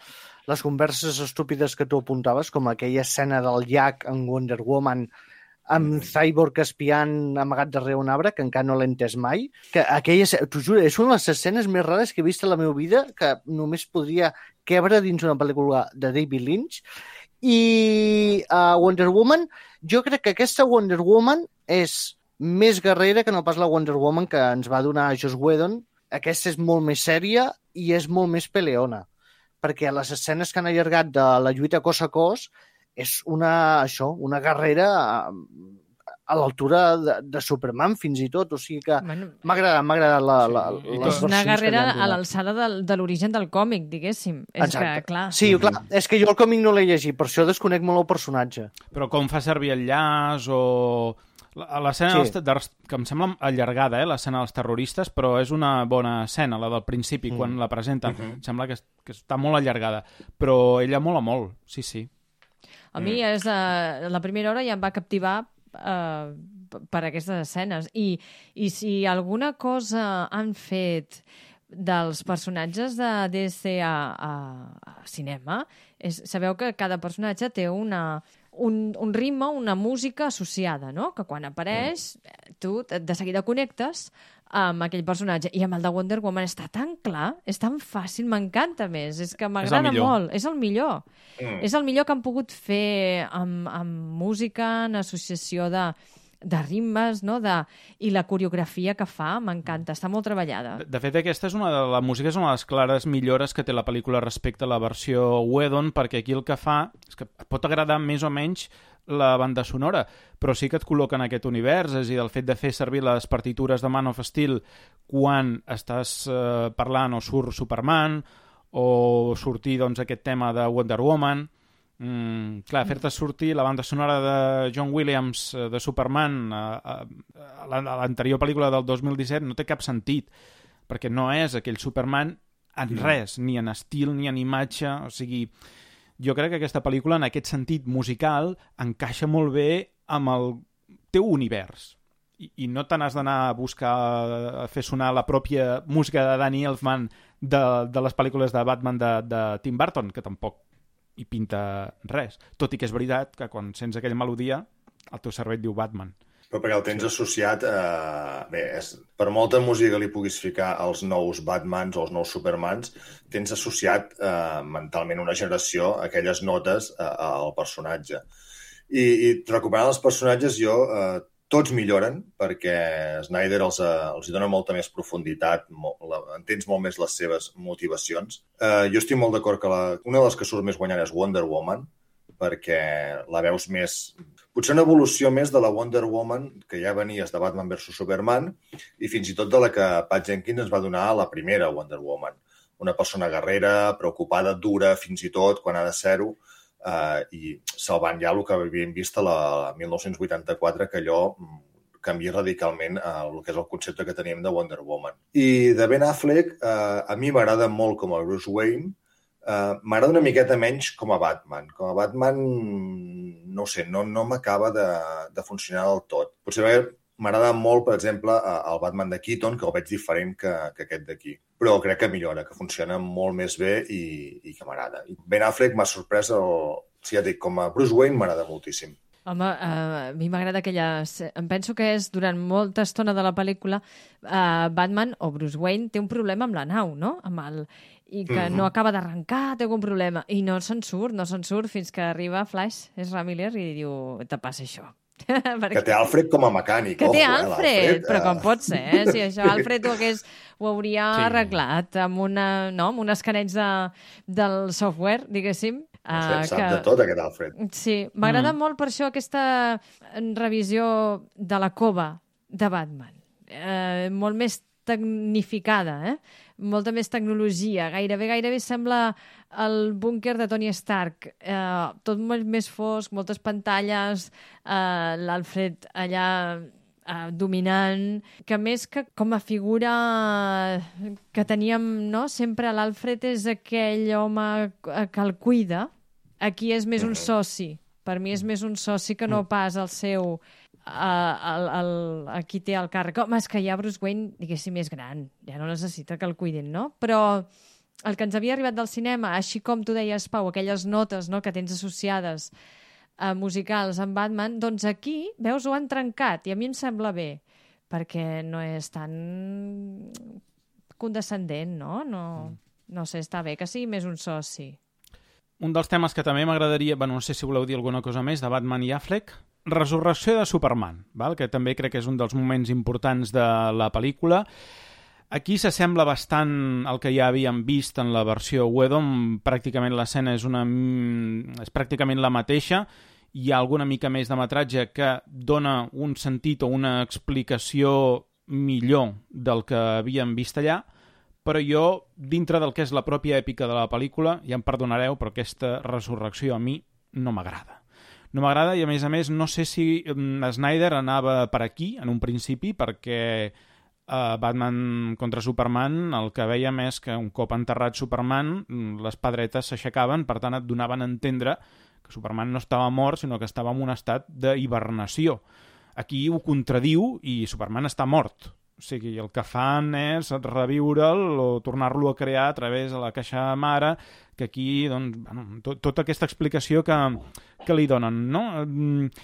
les converses estúpides que tu apuntaves, com aquella escena del llac en Wonder Woman amb Cyborg espiant amagat darrere un arbre, que encara no l'he entès mai. Que aquella, t'ho juro, és una de les escenes més rares que he vist a la meva vida, que només podria quebre dins una pel·lícula de David Lynch. I uh, Wonder Woman, jo crec que aquesta Wonder Woman és més guerrera que no pas la Wonder Woman que ens va donar Joss Whedon. Aquesta és molt més sèria i és molt més peleona, perquè les escenes que han allargat de la lluita cos a cos és una, això, una guerrera a, a l'altura de, de Superman, fins i tot. O sigui que bueno, m'ha agradat, m'ha agradat la, la, sí, les versions. Una guerrera a l'alçada de, de l'origen del còmic, diguéssim. És exacte. Que, clar... Sí, clar, és que jo el còmic no l'he llegit, per això desconec molt el personatge. Però com fa servir el llaç o... L'escena sí. dels, que em sembla allargada, eh, l'escena dels terroristes, però és una bona escena, la del principi, mm. quan la presenten. Uh-huh. Em sembla que, que està molt allargada, però ella mola molt, sí, sí. A mi és uh, la primera hora ja em va captivar uh, per aquestes escenes. I, I si alguna cosa han fet dels personatges de D C a, a, a cinema, és, sabeu que cada personatge té una... Un, un ritme, una música associada, no? Que quan apareix, tu de seguida connectes amb aquell personatge. I amb el de Wonder Woman està tan clar, és tan fàcil, m'encanta més. És que m'agrada molt. És el millor. Mm. És el millor que han pogut fer amb, amb música, en associació de, de ritmes, no? De, i la coreografia que fa, m'encanta. Està molt treballada. De, de fet, aquesta és una de la música és una de les clares millores que té la pel·lícula respecte a la versió Whedon, perquè aquí el que fa és que pot agradar més o menys la banda sonora, però sí que et col·loca en aquest univers, és a dir, el fet de fer servir les partitures de Man of Steel quan estàs eh, parlant o surt Superman, o sortir doncs, aquest tema de Wonder Woman. Mm, clar, fer-te sortir la banda sonora de John Williams de Superman a, a, a l'anterior pel·lícula del dos mil disset no té cap sentit, perquè no és aquell Superman en res, ni en estil ni en imatge. O sigui, jo crec que aquesta pel·lícula en aquest sentit musical encaixa molt bé amb el teu univers i, i no te n'has d'anar a buscar a fer sonar la pròpia música de Danny Elfman de, de les pel·lícules de Batman de, de Tim Burton, que tampoc i pinta res. Tot i que és veritat que quan sents aquella melodia el teu cervell diu Batman. Però perquè el tens associat a... Bé, és... per molta música que li puguis ficar als nous Batmans o als nous Supermans, tens associat eh, mentalment una generació, aquelles notes eh, al personatge. I, i recuperant els personatges, jo... Eh, tots milloren, perquè Snyder els, els hi dona molta més profunditat, molt, la, entens molt més les seves motivacions. Uh, jo estic molt d'acord que la, una de les que surt més guanyant és Wonder Woman, perquè la veus més... Potser una evolució més de la Wonder Woman que ja venies de Batman versus Superman i fins i tot de la que Pat Jenkins ens va donar a la primera Wonder Woman. Una persona guerrera, preocupada, dura, fins i tot, quan ha de ser-ho, Uh, i salvant ja el que havíem vist a la mil nou-cents vuitanta-quatre, que allò canvia radicalment uh, el que és el concepte que teníem de Wonder Woman. I de Ben Affleck, uh, a mi m'agrada molt com a Bruce Wayne, uh, m'agrada una miqueta menys com a Batman. Com a Batman, no ho sé, no, no m'acaba de, de funcionar del tot. Potser M'agrada molt, per exemple, el Batman de Keaton, que el veig diferent que, que aquest d'aquí. Però crec que millora, que funciona molt més bé i, i que m'agrada. Ben Affleck m'ha sorprès, el... si ja dic, com a Bruce Wayne m'agrada moltíssim. Home, uh, a mi m'agrada aquella... Em penso que és durant molta estona de la pel·lícula uh, Batman o Bruce Wayne té un problema amb la nau, no? Amb el... I que mm-hmm. no acaba d'arrencar, té algun problema. I no se'n surt, no se'n surt fins que arriba Flash, Ezra Miller, i diu, te passa això. Perquè... Que té Alfred com a mecànic. Que té ojo, Alfred, eh, però com pot ser, eh? Si això Alfred ho, hagués, ho hauria sí. arreglat amb, una, no? amb un escaneig de, del software, diguéssim. Uh, sap que... de tot, aquest Alfred. Sí, m'agrada mm. molt per això aquesta revisió de la cova de Batman. Eh, molt més tecnificada, eh? Molta més tecnologia. Gairebé, gairebé sembla el búnquer de Tony Stark. Eh, tot molt més fosc, moltes pantalles, eh, l'Alfred allà eh, dominant, que més que com a figura que teníem, no? Sempre l'Alfred és aquell home que el cuida. Aquí és més un soci. Per mi és més un soci que no pas el seu... Uh, el, el, aquí té el càrrec. Home, és que ja Bruce Wayne, diguéssim, és gran. Ja no necessita que el cuidin, no? Però el que ens havia arribat del cinema, així com tu deies, Pau, aquelles notes, no?, que tens associades uh, musicals amb Batman, doncs aquí, veus, ho han trencat i a mi em sembla bé, perquè no és tan condescendent, no? No, no sé, està bé que sigui més un soci. Un dels temes que també m'agradaria, bueno, no sé si voleu dir alguna cosa més de Batman i Affleck, resurrecció de Superman, val? Que també crec que és un dels moments importants de la pel·lícula. Aquí s'assembla bastant al que ja havíem vist en la versió Whedon, pràcticament l'escena és, una, és pràcticament la mateixa, hi ha alguna mica més de metratge que dona un sentit o una explicació millor del que havíem vist allà, però jo, dintre del que és la pròpia èpica de la pel·lícula, ja em perdonareu, però aquesta resurrecció a mi no m'agrada. No m'agrada i, a més a més, no sé si Snyder anava per aquí, en un principi, perquè a Batman contra Superman el que veiem és que un cop enterrat Superman, les pedretes s'aixecaven, per tant et donaven a entendre que Superman no estava mort, sinó que estava en un estat d'hibernació. Aquí ho contradiu i Superman està mort. O sigui, el que fan és reviure'l o tornar-lo a crear a través de la caixa mare, que aquí, doncs, bueno, tot, tota aquesta explicació que, que li donen, no?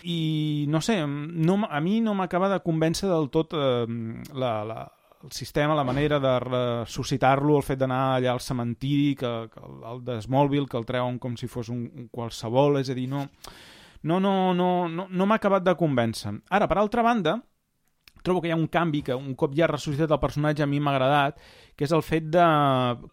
I, no sé, no, a mi no m'acaba de convèncer del tot eh, la, la, el sistema, la manera de ressuscitar-lo, el fet d'anar allà al cementiri, que, que el de Smallville, que el treuen com si fos un, un qualsevol, és a dir, no, no, no, no, no, no m'ha acabat de convèncer. Ara, per altra banda, trobo que hi ha un canvi que un cop ja ha ressuscitat el personatge a mi m'ha agradat, que és el fet de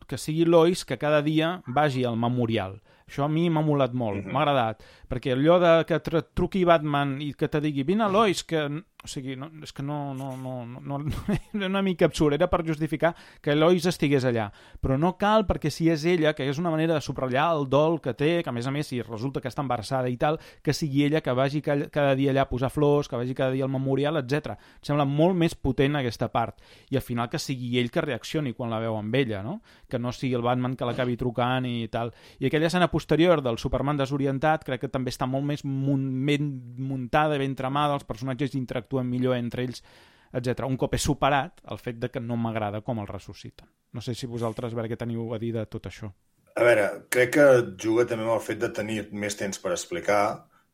que sigui Lois que cada dia vagi al memorial. Això a mi m'ha molat molt, m'ha agradat, perquè allò de que truqui Batman i que te digui vine Lois, que... O sigui, no, és que no, no, no, no, no, era una mica absurd, era per justificar que Lois estigués allà. Però no cal, perquè si és ella, que és una manera de subratllar el dol que té, que a més a més, si resulta que està embarassada i tal, que sigui ella que vagi cada dia allà a posar flors, que vagi cada dia al memorial, etcètera. Em sembla molt més potent aquesta part. I al final que sigui ell que reaccioni quan la veu amb ella, no? Que no sigui el Batman que l'acabi trucant i tal. I aquella escena posterior del Superman desorientat crec que també està molt més ben muntada, ben tramada, els personatges interactuen millor entre ells, etcètera. Un cop he superat el fet de que no m'agrada com el ressusciten. No sé si vosaltres, a veure què teniu a dir de tot això. A veure, crec que juga també amb el fet de tenir més temps per explicar,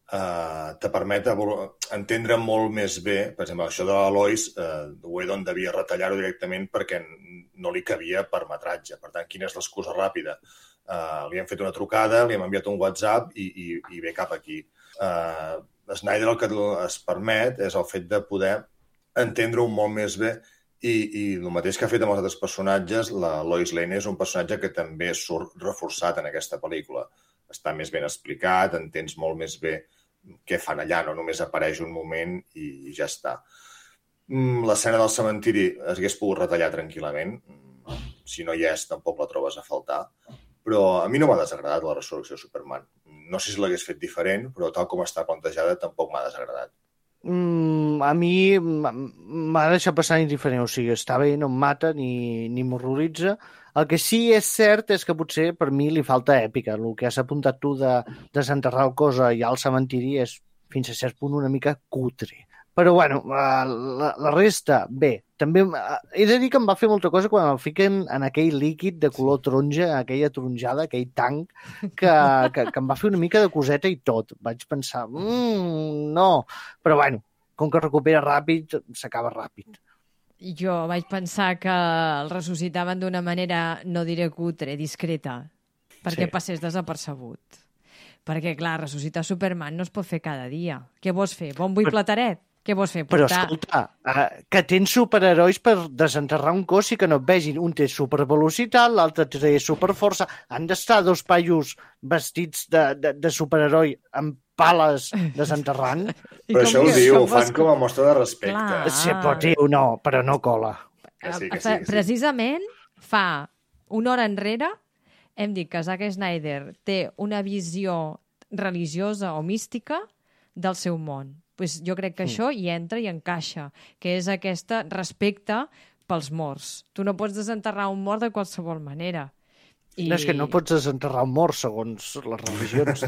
eh, te permet entendre molt més bé, per exemple, això de la Lois, eh, Whedon devia retallar-ho directament perquè no li cabia per metratge. Per tant, quina és l'excusa ràpida? Eh, li hem fet una trucada, li hem enviat un WhatsApp i, i, i ve cap aquí. Eh, Snyder el que es permet és el fet de poder entendre-ho molt més bé i, i el mateix que ha fet amb els altres personatges, la Lois Lane és un personatge que també surt reforçat en aquesta pel·lícula. Està més ben explicat, entens molt més bé què fan allà, no només apareix un moment i ja està. L'escena del cementiri es hagués pogut retallar tranquil·lament. Si no hi és, tampoc la trobes a faltar. Però a mi no m'ha desagradat la resurrecció de Superman. No sé si l'hagués fet diferent, però tal com està plantejada tampoc m'ha desagradat. Mm, a mi m'ha deixat passar indiferent, o sigui, està bé, no em mata ni, ni m'horroritza. El que sí és cert és que potser per mi li falta èpica. El que has apuntat tu de desenterrar el cos allà al cementiri és fins a cert punt una mica cutre. Però, bueno, la, la resta, bé. També he de dir que em va fer molta cosa quan el fiquen en aquell líquid de color taronja, aquella taronjada, aquell tanc, que, que, que em va fer una mica de coseta i tot. Vaig pensar, mmm, no. Però, bueno, com que recupera ràpid, s'acaba ràpid. Jo vaig pensar que el ressuscitaven d'una manera, no diré cutre, discreta, perquè Sí. passés desapercebut. Perquè, clar, ressuscitar Superman no es pot fer cada dia. Què vols fer? Bon bull plataret? Què vols fer? Però, Portar... escolta, uh, que tens superherois per desenterrar un cos i que no et vegin. Un té supervelocitat, l'altre té superforça. Han d'estar dos paios vestits de, de, de superheroi amb pales desenterrant. Però això ho que- diu, ho com fan vols- com a mostra de respecte. Clar. Sí, però, tio, no, però no cola. Que sí, que sí, Fa- que sí. Precisament fa una hora enrere hem dit que Zack Snyder té una visió religiosa o mística del seu món. Pues jo crec que Mm. això hi entra i encaixa, que és aquesta respecte pels morts. Tu no pots desenterrar un mort de qualsevol manera. I... No és que no pots desenterrar un mort segons les religions.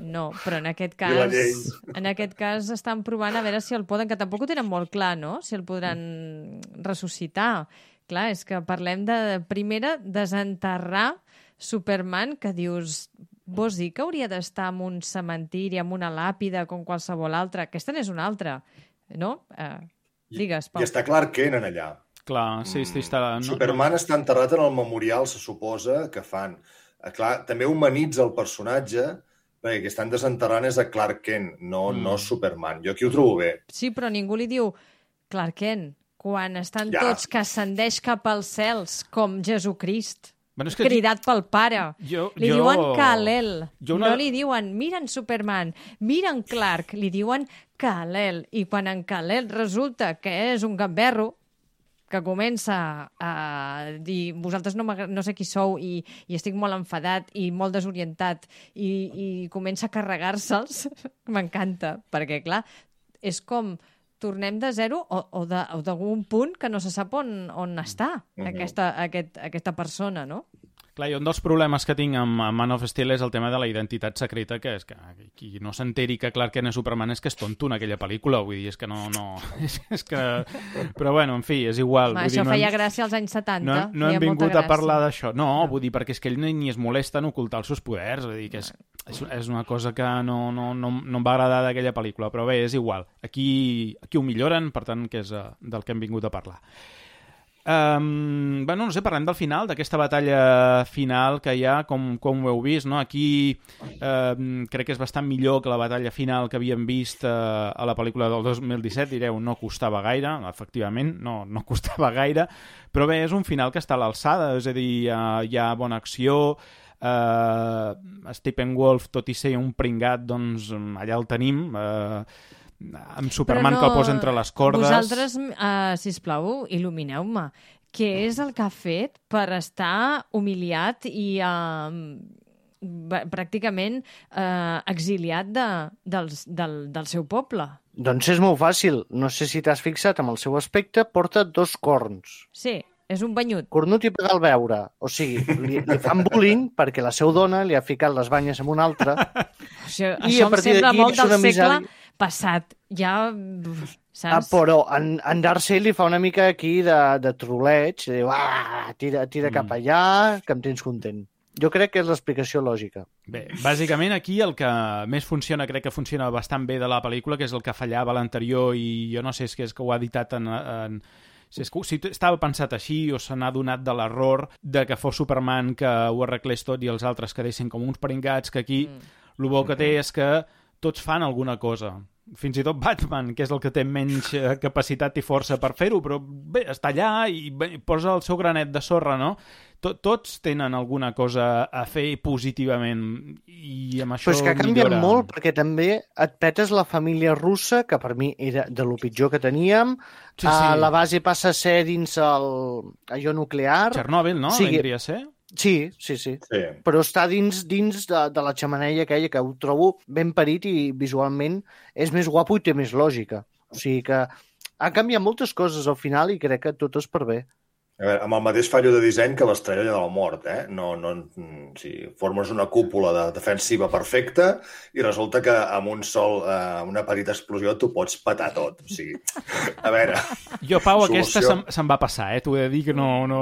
No, però en aquest I la cas, llei. en aquest cas estan provant a veure si el poden, que tampoc ho tenen molt clar, no? Si el podran ressuscitar. Clar, és que parlem de, primera, desenterrar Superman, que dius, vols dir que hauria d'estar en un cementiri, en una làpida, com qualsevol altra? Aquesta n'és una altra, no? Eh, digues, Pau. I està Clark Kent en allà. Clar, sí, sí, està... No, Superman està enterrat en el memorial, se suposa, que fan. Eh, Clar, també humanitza el personatge, perquè que estan desenterrant és a Clark Kent, no, Mm. no Superman. Jo aquí ho trobo bé. Sí, però ningú li diu Clark Kent, quan estan Ja. tots que ascendeix cap als cels, com Jesucrist. Bueno, és que Cridat pel pare. Jo- li jo- diuen Kal-El. jo una- No li diuen, mira en Superman, mira en Clark, li diuen Kal-El. I quan en Kal-El resulta que és un gamberro, que comença a dir vosaltres no, m'agra- no sé qui sou i, i estic molt enfadat i molt desorientat i, i comença a carregar-se'ls, m'encanta, perquè clar, és com tornem de zero o, o de- o d'algun punt que no se sap on, on està Mhm. aquesta, aquest, aquesta persona, no? Clar, i un dels problemes que tinc amb amb Man of Steel és el tema de la identitat secreta, que és que qui no s'enteri que Clark Kent és Superman és que és tonto en aquella pel·lícula, vull dir, és que no... no és, és que... Però bueno, en fi, és igual. Home, vull això dir, no feia hem, gràcia als anys setanta. no, no feia hem vingut molta a parlar gràcia. d'això. No, vull dir, perquè és que ell ni, ni es molesta en ocultar els seus poders, vull dir que és, és, és una cosa que no, no, no, no em va agradar d'aquella pel·lícula, però bé, és igual. Aquí, aquí ho milloren, per tant, que és uh, del que hem vingut a parlar. Um, bueno, no sé, parlem del final, d'aquesta batalla final que hi ha, com, com ho heu vist, no? Aquí um, crec que és bastant millor que la batalla final que havíem vist uh, a la pel·lícula del dos mil disset, direu, no costava gaire, efectivament, no, no costava gaire, però bé, és un final que està a l'alçada, és a dir, hi ha, hi ha bona acció, uh, Steppenwolf, tot i ser un pringat, doncs allà el tenim, uh, amb Superman que el posa entre les cordes. Vosaltres, uh, sisplau, il·lumineu-me. Què és el que ha fet per estar humiliat i uh, pràcticament uh, exiliat de, del, del, del seu poble? Doncs és molt fàcil. No sé si t'has fixat amb el seu aspecte, porta dos corns. Sí, és un banyut. Cornut i pegar al veure. O sigui, li, li fan bullying perquè la seva dona li ha ficat les banyes amb una altra. Això, I això a em partir sembla d'aquí molt és del una segle misèria. passat. Ja, Ah, saps? però en, en Darcy li fa una mica aquí de, de troleig. Diu, ah, tira, tira Mm. cap allà, que em tens content. Jo crec que és l'explicació lògica. Bé, bàsicament aquí el que més funciona, crec que funciona bastant bé de la pel·lícula, que és el que fallava a l'anterior i jo no sé si és que ho ha editat en... en si, és que, si estava pensat així o se n'ha donat de l'error de que fos Superman que ho arreglés tot i els altres quedessin com uns pringats, que aquí mm. el bo que té és que tots fan alguna cosa. Fins i tot Batman, que és el que té menys eh, capacitat i força per fer-ho, però bé, està allà i bé, posa el seu granet de sorra, no? Tot, tots tenen alguna cosa a fer positivament i amb això Però és que ha canviat millora. molt, perquè també et petes la família russa, que per mi era de lo pitjor que teníem. Sí, sí. Uh, la base passa a ser dins el allò nuclear. Txernòbil, no? Sí. Vindria a ser? Sí, sí, sí. Sí. Però està dins dins de, de la xemeneia aquella, que ho trobo ben parit i visualment és més guapo i té més lògica. O sigui que ha canviat moltes coses al final i crec que tot és per bé. A veure, amb el mateix fallo de disseny que l'estrella de la mort, eh? No, no, si formes una cúpula de defensiva perfecta i resulta que amb un sol, eh, una petita explosió t'ho pots petar tot. O sigui, a veure... Jo, Pau, solució... aquesta se'm, se'm va passar, eh? T'ho he de dir que no... no...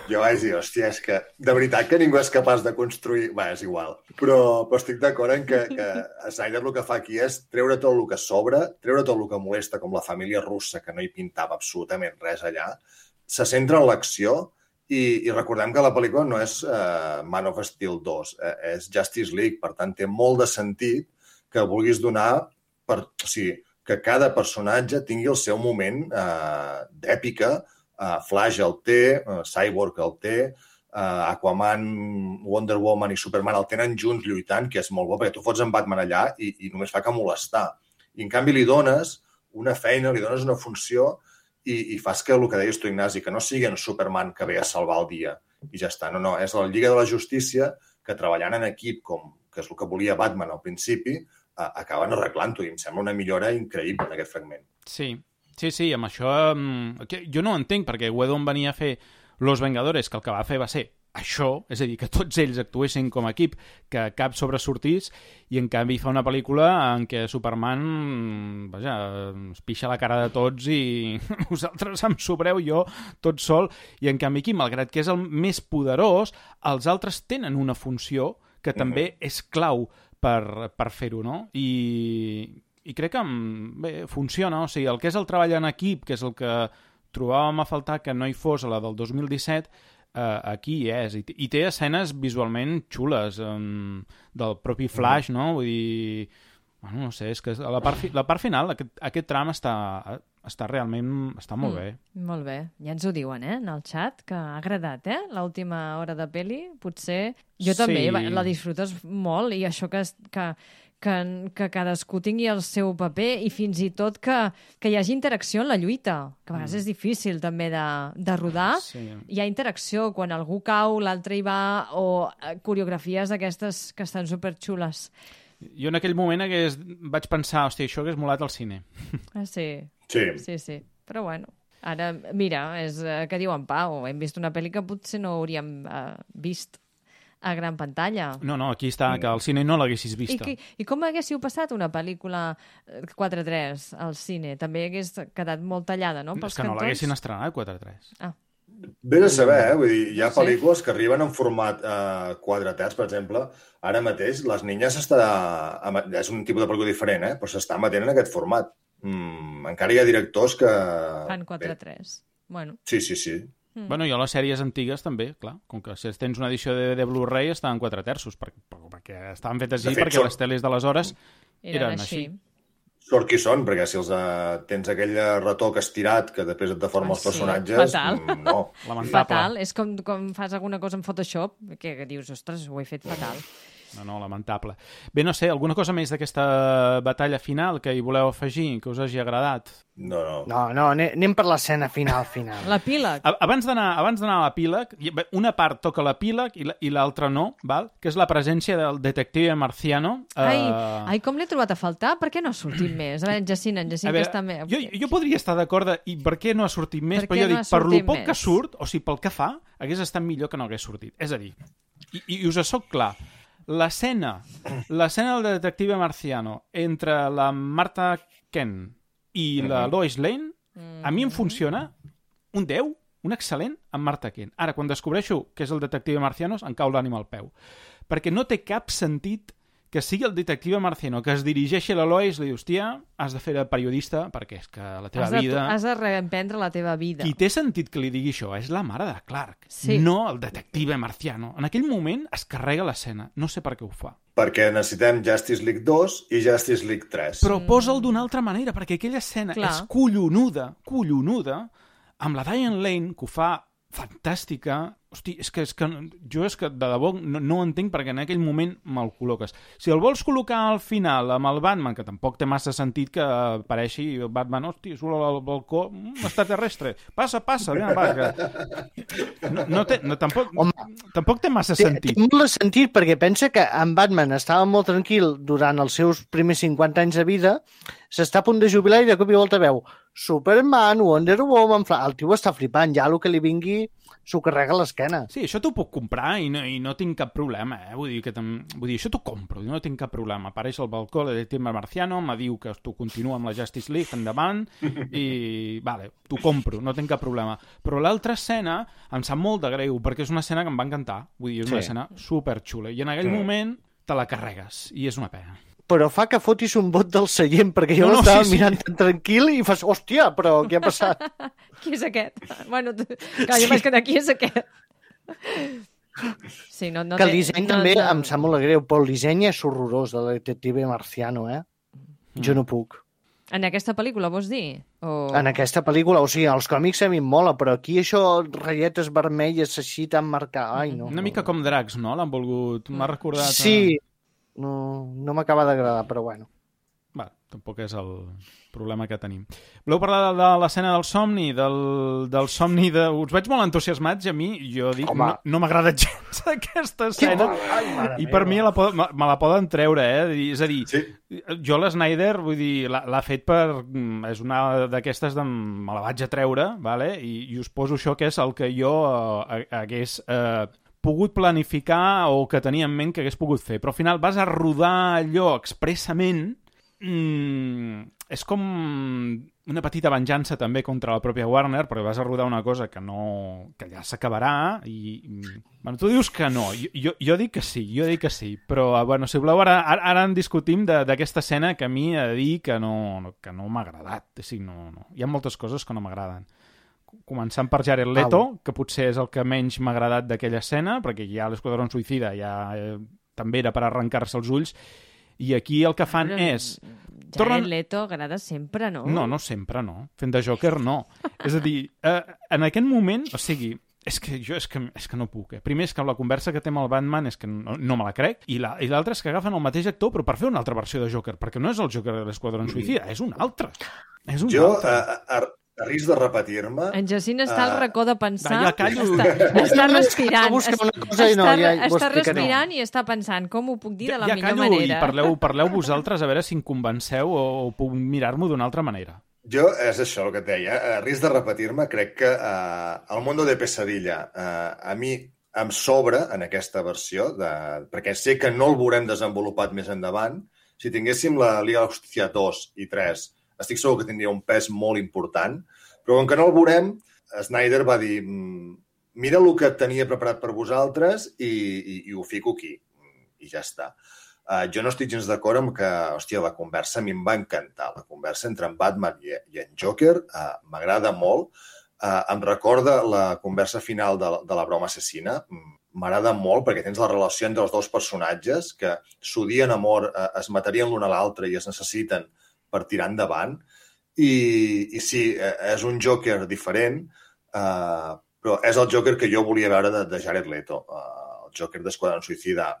Jo vaig dir, hòstia, és que de veritat que ningú és capaç de construir... Bé, és igual. Però, però estic d'acord en que, que Snyder el que fa aquí és treure tot el que sobra, treure tot el que molesta, com la família russa, que no hi pintava absolutament res allà, se centra en l'acció i, i recordem que la pel·lícula no és uh, Man of Steel dos, eh, és Justice League, per tant té molt de sentit que vulguis donar, per, o sigui, que cada personatge tingui el seu moment uh, d'èpica, uh, Flash el té, uh, Cyborg el té, uh, Aquaman, Wonder Woman i Superman el tenen junts lluitant, que és molt bo, perquè tu fots en Batman allà i, i només fa que molestar. I en canvi li dones una feina, li dones una funció i, i fas que el que deies tu, Ignasi, que no sigui en Superman que ve a salvar el dia i ja està. No, no, és la Lliga de la Justícia que treballant en equip, com que és el que volia Batman al principi, eh, acaben arreglant-ho i em sembla una millora increïble en aquest fragment. Sí, sí, sí, amb això... Eh, jo no ho entenc, perquè Whedon venia a fer Los Vengadores, que el que va fer va ser això, és a dir, que tots ells actuessin com a equip, que cap sobresortís, i en canvi fa una pel·lícula en què Superman, vaja, es pixa la cara de tots i vosaltres em sobreu, jo tot sol, i en canvi aquí, malgrat que és el més poderós, els altres tenen una funció que també uh-huh. és clau per, per fer-ho, no? I, i crec que bé, funciona, o sigui, el que és el treball en equip, que és el que trobàvem a faltar que no hi fos a la del dos mil disset, Uh, aquí hi és, I, i té escenes visualment xules, um, del propi Flash, no? Vull dir... Bueno, no sé, és que a la part, fi, la part final, aquest, aquest tram està, està realment... està molt mm, bé. Molt bé. Ja ens ho diuen, eh, en el xat, que ha agradat, eh, l'última hora de peli. Potser... Jo també, sí. La disfrutes molt, i això que... que Que, que cadascú tingui el seu paper i fins i tot que, que hi hagi interacció en la lluita, que a vegades mm. és difícil també de, de rodar. Sí. Hi ha interacció, quan algú cau, l'altre hi va, o coreografies d'aquestes que estan superxules. Jo en aquell moment hagués, vaig pensar, hòstia, això hagués molat al cine. Ah, sí. Sí. Sí, sí. Però bueno, ara, mira, és eh, que diu en Pau, hem vist una pel·li que potser no hauríem eh, vist a gran pantalla. No, no, aquí està, que al cine no l'haguessis vista. I, I com haguéssiu passat una pel·lícula quatre tres al cine? També hagués quedat molt tallada, no? Pels és que cantons? no l'haguessin estrenat, quatre tres. Ah. Vés a saber, eh? Vull dir, hi ha pel·lícules que arriben en format eh, quatre terç, per exemple. Ara mateix, Les Niñas està... és un tipus de pel·lícula diferent, eh? Però s'està emetent en aquest format. Mm, encara hi ha directors que... Fan quatre tres. Bueno. Sí, sí, sí. Mm. Bueno, i a les sèries antigues també, clar, com que si tens una edició de, de Blu-ray estaven quatre terços, per, per, perquè estaven fetes així, fet, perquè sort... les teles d'aleshores eren, eren així. així. Sort qui són, perquè si els uh, tens aquell retoc estirat que després et deforma ah, els personatges... Sí. Fatal. Mm, no. Fatal. És com, com fas alguna cosa en Photoshop, que, que dius, ostres, ho he fet fatal. No, no, lamentable. Bé, no sé, alguna cosa més d'aquesta batalla final que hi voleu afegir, que us hagi agradat? No, no. No, no, anem per l'escena final, final. L'epíleg. Abans d'anar abans d'anar a l'epíleg, una part toca l'epíleg i l'altra no, val? Que és la presència del detective marciano. Ai, uh... ai com l'he trobat a faltar? Per què no ha sortit més? A veure, en Jacint, en Jacint que està més... Jo, jo podria estar d'acord de i per què no ha sortit més, per però jo no dic, per lo poc més? que surt, o sigui, pel que fa, hagués estat millor que no hagués sortit. És a dir, i, i us soc clar, l'escena l'escena del detective marciano entre la Martha Kent i la Lois Lane, a mi em funciona un deu, un excel·lent amb Martha Kent. Ara, quan descobreixo que és el detective marciano, em cau l'ànima al peu. Perquè no té cap sentit que sigui el detective marciano que es dirigeixi a la Lois i li diu, hòstia, has de fer de periodista perquè és que la teva has de, vida... Has de reemprendre la teva vida. Qui té sentit que li digui això és la mare de Clark, sí. No el detective marciano. En aquell moment es carrega l'escena. No sé per què ho fa. Perquè necessitem Justice League dos i Justice League tres. Però mm. posa'l d'una altra manera, perquè aquella escena Clar. és collonuda, collonuda, amb la Diane Lane, que ho fa fantàstica. Hosti, és que, és que jo és que de debò no, no ho entenc perquè en aquell moment me'l col·loques. Si el vols col·locar al final amb el Batman, que tampoc té massa sentit que apareixi el Batman, hosti, surt al balcó, mm, extraterrestre, passa, passa, vinga, va, que... No, no té, no, tampoc, tampoc té massa té, sentit. Té molt de sentit perquè pensa que en Batman estava molt tranquil durant els seus primers cinquanta anys de vida, s'està a punt de jubilar i de cop i volta veu Superman, Wonder Woman, el tio està flipant, ja el que li vingui s'ho carrega a l'esquena. Sí, això t'ho puc comprar i no, i no tinc cap problema, eh? Vull dir, que vull dir, això t'ho compro, no tinc cap problema. Apareix al balcó de Tim Marciano, me diu que tu continua amb la Justice League endavant i, vale, t'ho compro, no tinc cap problema. Però l'altra escena em sap molt de greu, perquè és una escena que em va encantar. Vull dir, és una sí. escena superxula. I en aquell sí. moment te la carregues, i és una pena. Però fa que fotis un bot del seient, perquè jo no, no, l'estava sí, mirant sí. tan tranquil i fas, hòstia, però què ha passat? Qui és aquest? Bueno, tu... clar, jo sí. m'he quedat, qui és aquest? Sí, no, no que el té, disseny no, també no... em sap molt greu, però el disseny és horrorós, del detective Marciano, eh? Mm. Jo no puc. En aquesta pel·lícula, vols dir? O... En aquesta pel·lícula, o sigui, els còmics a mi em mola, però aquí això, ratlletes vermelles així tan marcades, ai, no. Una no. mica com Drax, no? L'han volgut... M'ha recordat... Sí, no, no m'acaba d'agradar, però bueno. Va, tampoc és el problema que tenim. Voleu parlar de, de l'escena del somni? Del, del somni de... Us veig molt entusiasmats i a mi, jo dic, Home. no, no m'agrada gens aquesta escena. Ai, I per mi la pod, me, me la poden treure, eh? És a dir, sí. jo l'Snyder, vull dir, l'ha fet per... És una d'aquestes de... Me la vaig a treure, vale? I, i us poso això que és el que jo eh, hagués... Eh, pogut planificar o que tenia en ment que hagués pogut fer, però al final vas a rodar allò expressament, mm, és com una petita venjança també contra la pròpia Warner, perquè vas a rodar una cosa que no que ja s'acabarà i... Bueno, tu dius que no, jo, jo, jo dic que sí, jo dic que sí, però bueno, si voleu ara, ara en discutim d'aquesta escena que a mi he de dir que no, que no m'ha agradat, o sigui, no, no. Hi ha moltes coses que no m'agraden. Començant per Jared Leto, ah, que potser és el que menys m'ha agradat d'aquella escena, perquè ja l'Esquadrón Suïcida ja eh, també era per arrencar-se els ulls, i aquí el que fan Però, és... Jared tornen... Leto agrada sempre, no? No, no sempre, no. Fent de Joker, no. És a dir, eh, en aquest moment, o sigui, és que jo és que, és que no puc. Eh? Primer és que la conversa que té amb el Batman és que no, no me la crec, i l'altre és que agafen el mateix actor, però per fer una altra versió de Joker, perquè no és el Joker de l'Esquadrón Suïcida, és un altre. És un jo, altre. A, a, a risc de repetir-me... En Jacint està uh... al racó de pensar... Ja callo. Està, està respirant. Està, cosa i no, ja, està respirant i està pensant com ho puc dir de la ja, ja millor callo, manera. I parleu, parleu vosaltres a veure si em convenceu o, o puc mirar-m'ho d'una altra manera. Jo, és això el que et deia, a risc de repetir-me, crec que uh, el Mundo de Pesadilla uh, a mi em sobra en aquesta versió, de... perquè sé que no el veurem desenvolupat més endavant. Si tinguéssim la Liga de la Justícia dos i tres, estic segur que tindria un pes molt important, però com que no el veurem, Snyder va dir mira el que tenia preparat per vosaltres i, i, i ho fico aquí. I ja està. Uh, jo no estic gens d'acord amb que, hòstia, la conversa a mi em va encantar. La conversa entre en Batman i, i en Joker uh, m'agrada molt. Uh, em recorda la conversa final de, de la broma assassina. M'agrada molt perquè tens la relació entre els dos personatges que s'odien a mort, uh, es matarien l'un a l'altre i es necessiten per tirar endavant. I, i sí, és un Joker diferent, uh, però és el Joker que jo volia veure de, de Jared Leto. Uh, el Joker d'Esquadrón Suïcida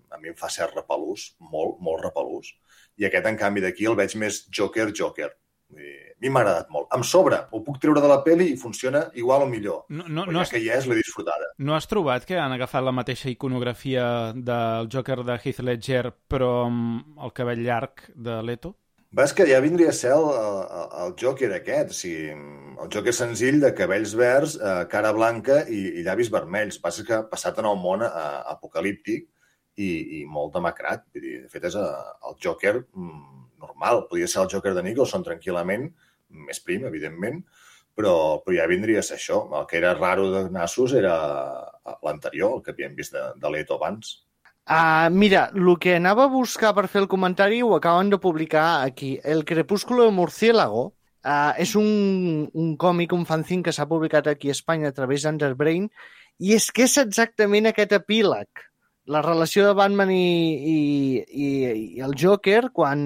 a mi em fa ser repelús, molt, molt repelús. I aquest, en canvi, d'aquí el veig més Joker-Joker. I a mi m'ha agradat molt. Em sobra, ho puc treure de la pel·li i funciona igual o millor. No, no, però no ja has... que ja és, l'he disfrutada. No has trobat que han agafat la mateixa iconografia del Joker de Heath Ledger, però amb el cabell llarg de Leto? Ves que ja vindria a ser el, el, el Joker aquest, o sigui, el Joker senzill de cabells verds, eh, cara blanca i, i llavis vermells. Passa que passat en el món eh, apocalíptic i, i molt demacrat. Vull dir, de fet, és eh, el Joker mm, normal. Podria ser el Joker de Nicholson tranquil·lament, més prim, evidentment, però, però ja vindria a ser això. El que era raro de nassos era l'anterior, el que havíem vist de, de Leto abans. Uh, mira, el que anava a buscar per fer el comentari ho acaben de publicar aquí. El Crepúsculo de Murciélago uh, és un, un còmic, un fanzine que s'ha publicat aquí a Espanya a través d'Underbrain, i és que és exactament aquest epíleg. La relació de Batman i, i, i, i el Joker quan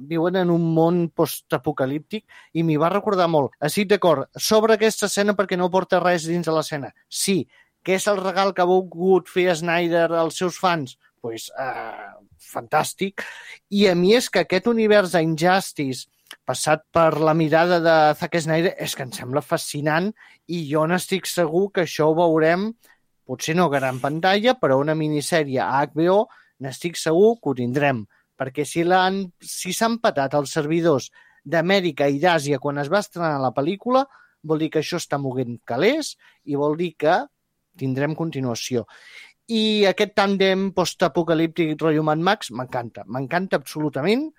viuen en un món postapocalíptic, i m'hi va recordar molt. Estic d'acord, sobre aquesta escena perquè no porta res dins de l'escena. Sí, que és el regal que ha volgut fer Snyder als seus fans? Doncs, pues, uh, fantàstic. I a mi és que aquest univers d'Injustice passat per la mirada de Zack Snyder és que em sembla fascinant i jo n'estic segur que això ho veurem, potser no a gran pantalla, però una minissèrie a H B O n'estic segur que ho tindrem. Perquè si l'han, si s'han patat els servidors d'Amèrica i d'Àsia quan es va estrenar la pel·lícula, vol dir que això està moguent calés i vol dir que tindrem continuació. I aquest tàndem postapocalíptic rotllo Mad Max m'encanta, m'encanta absolutament,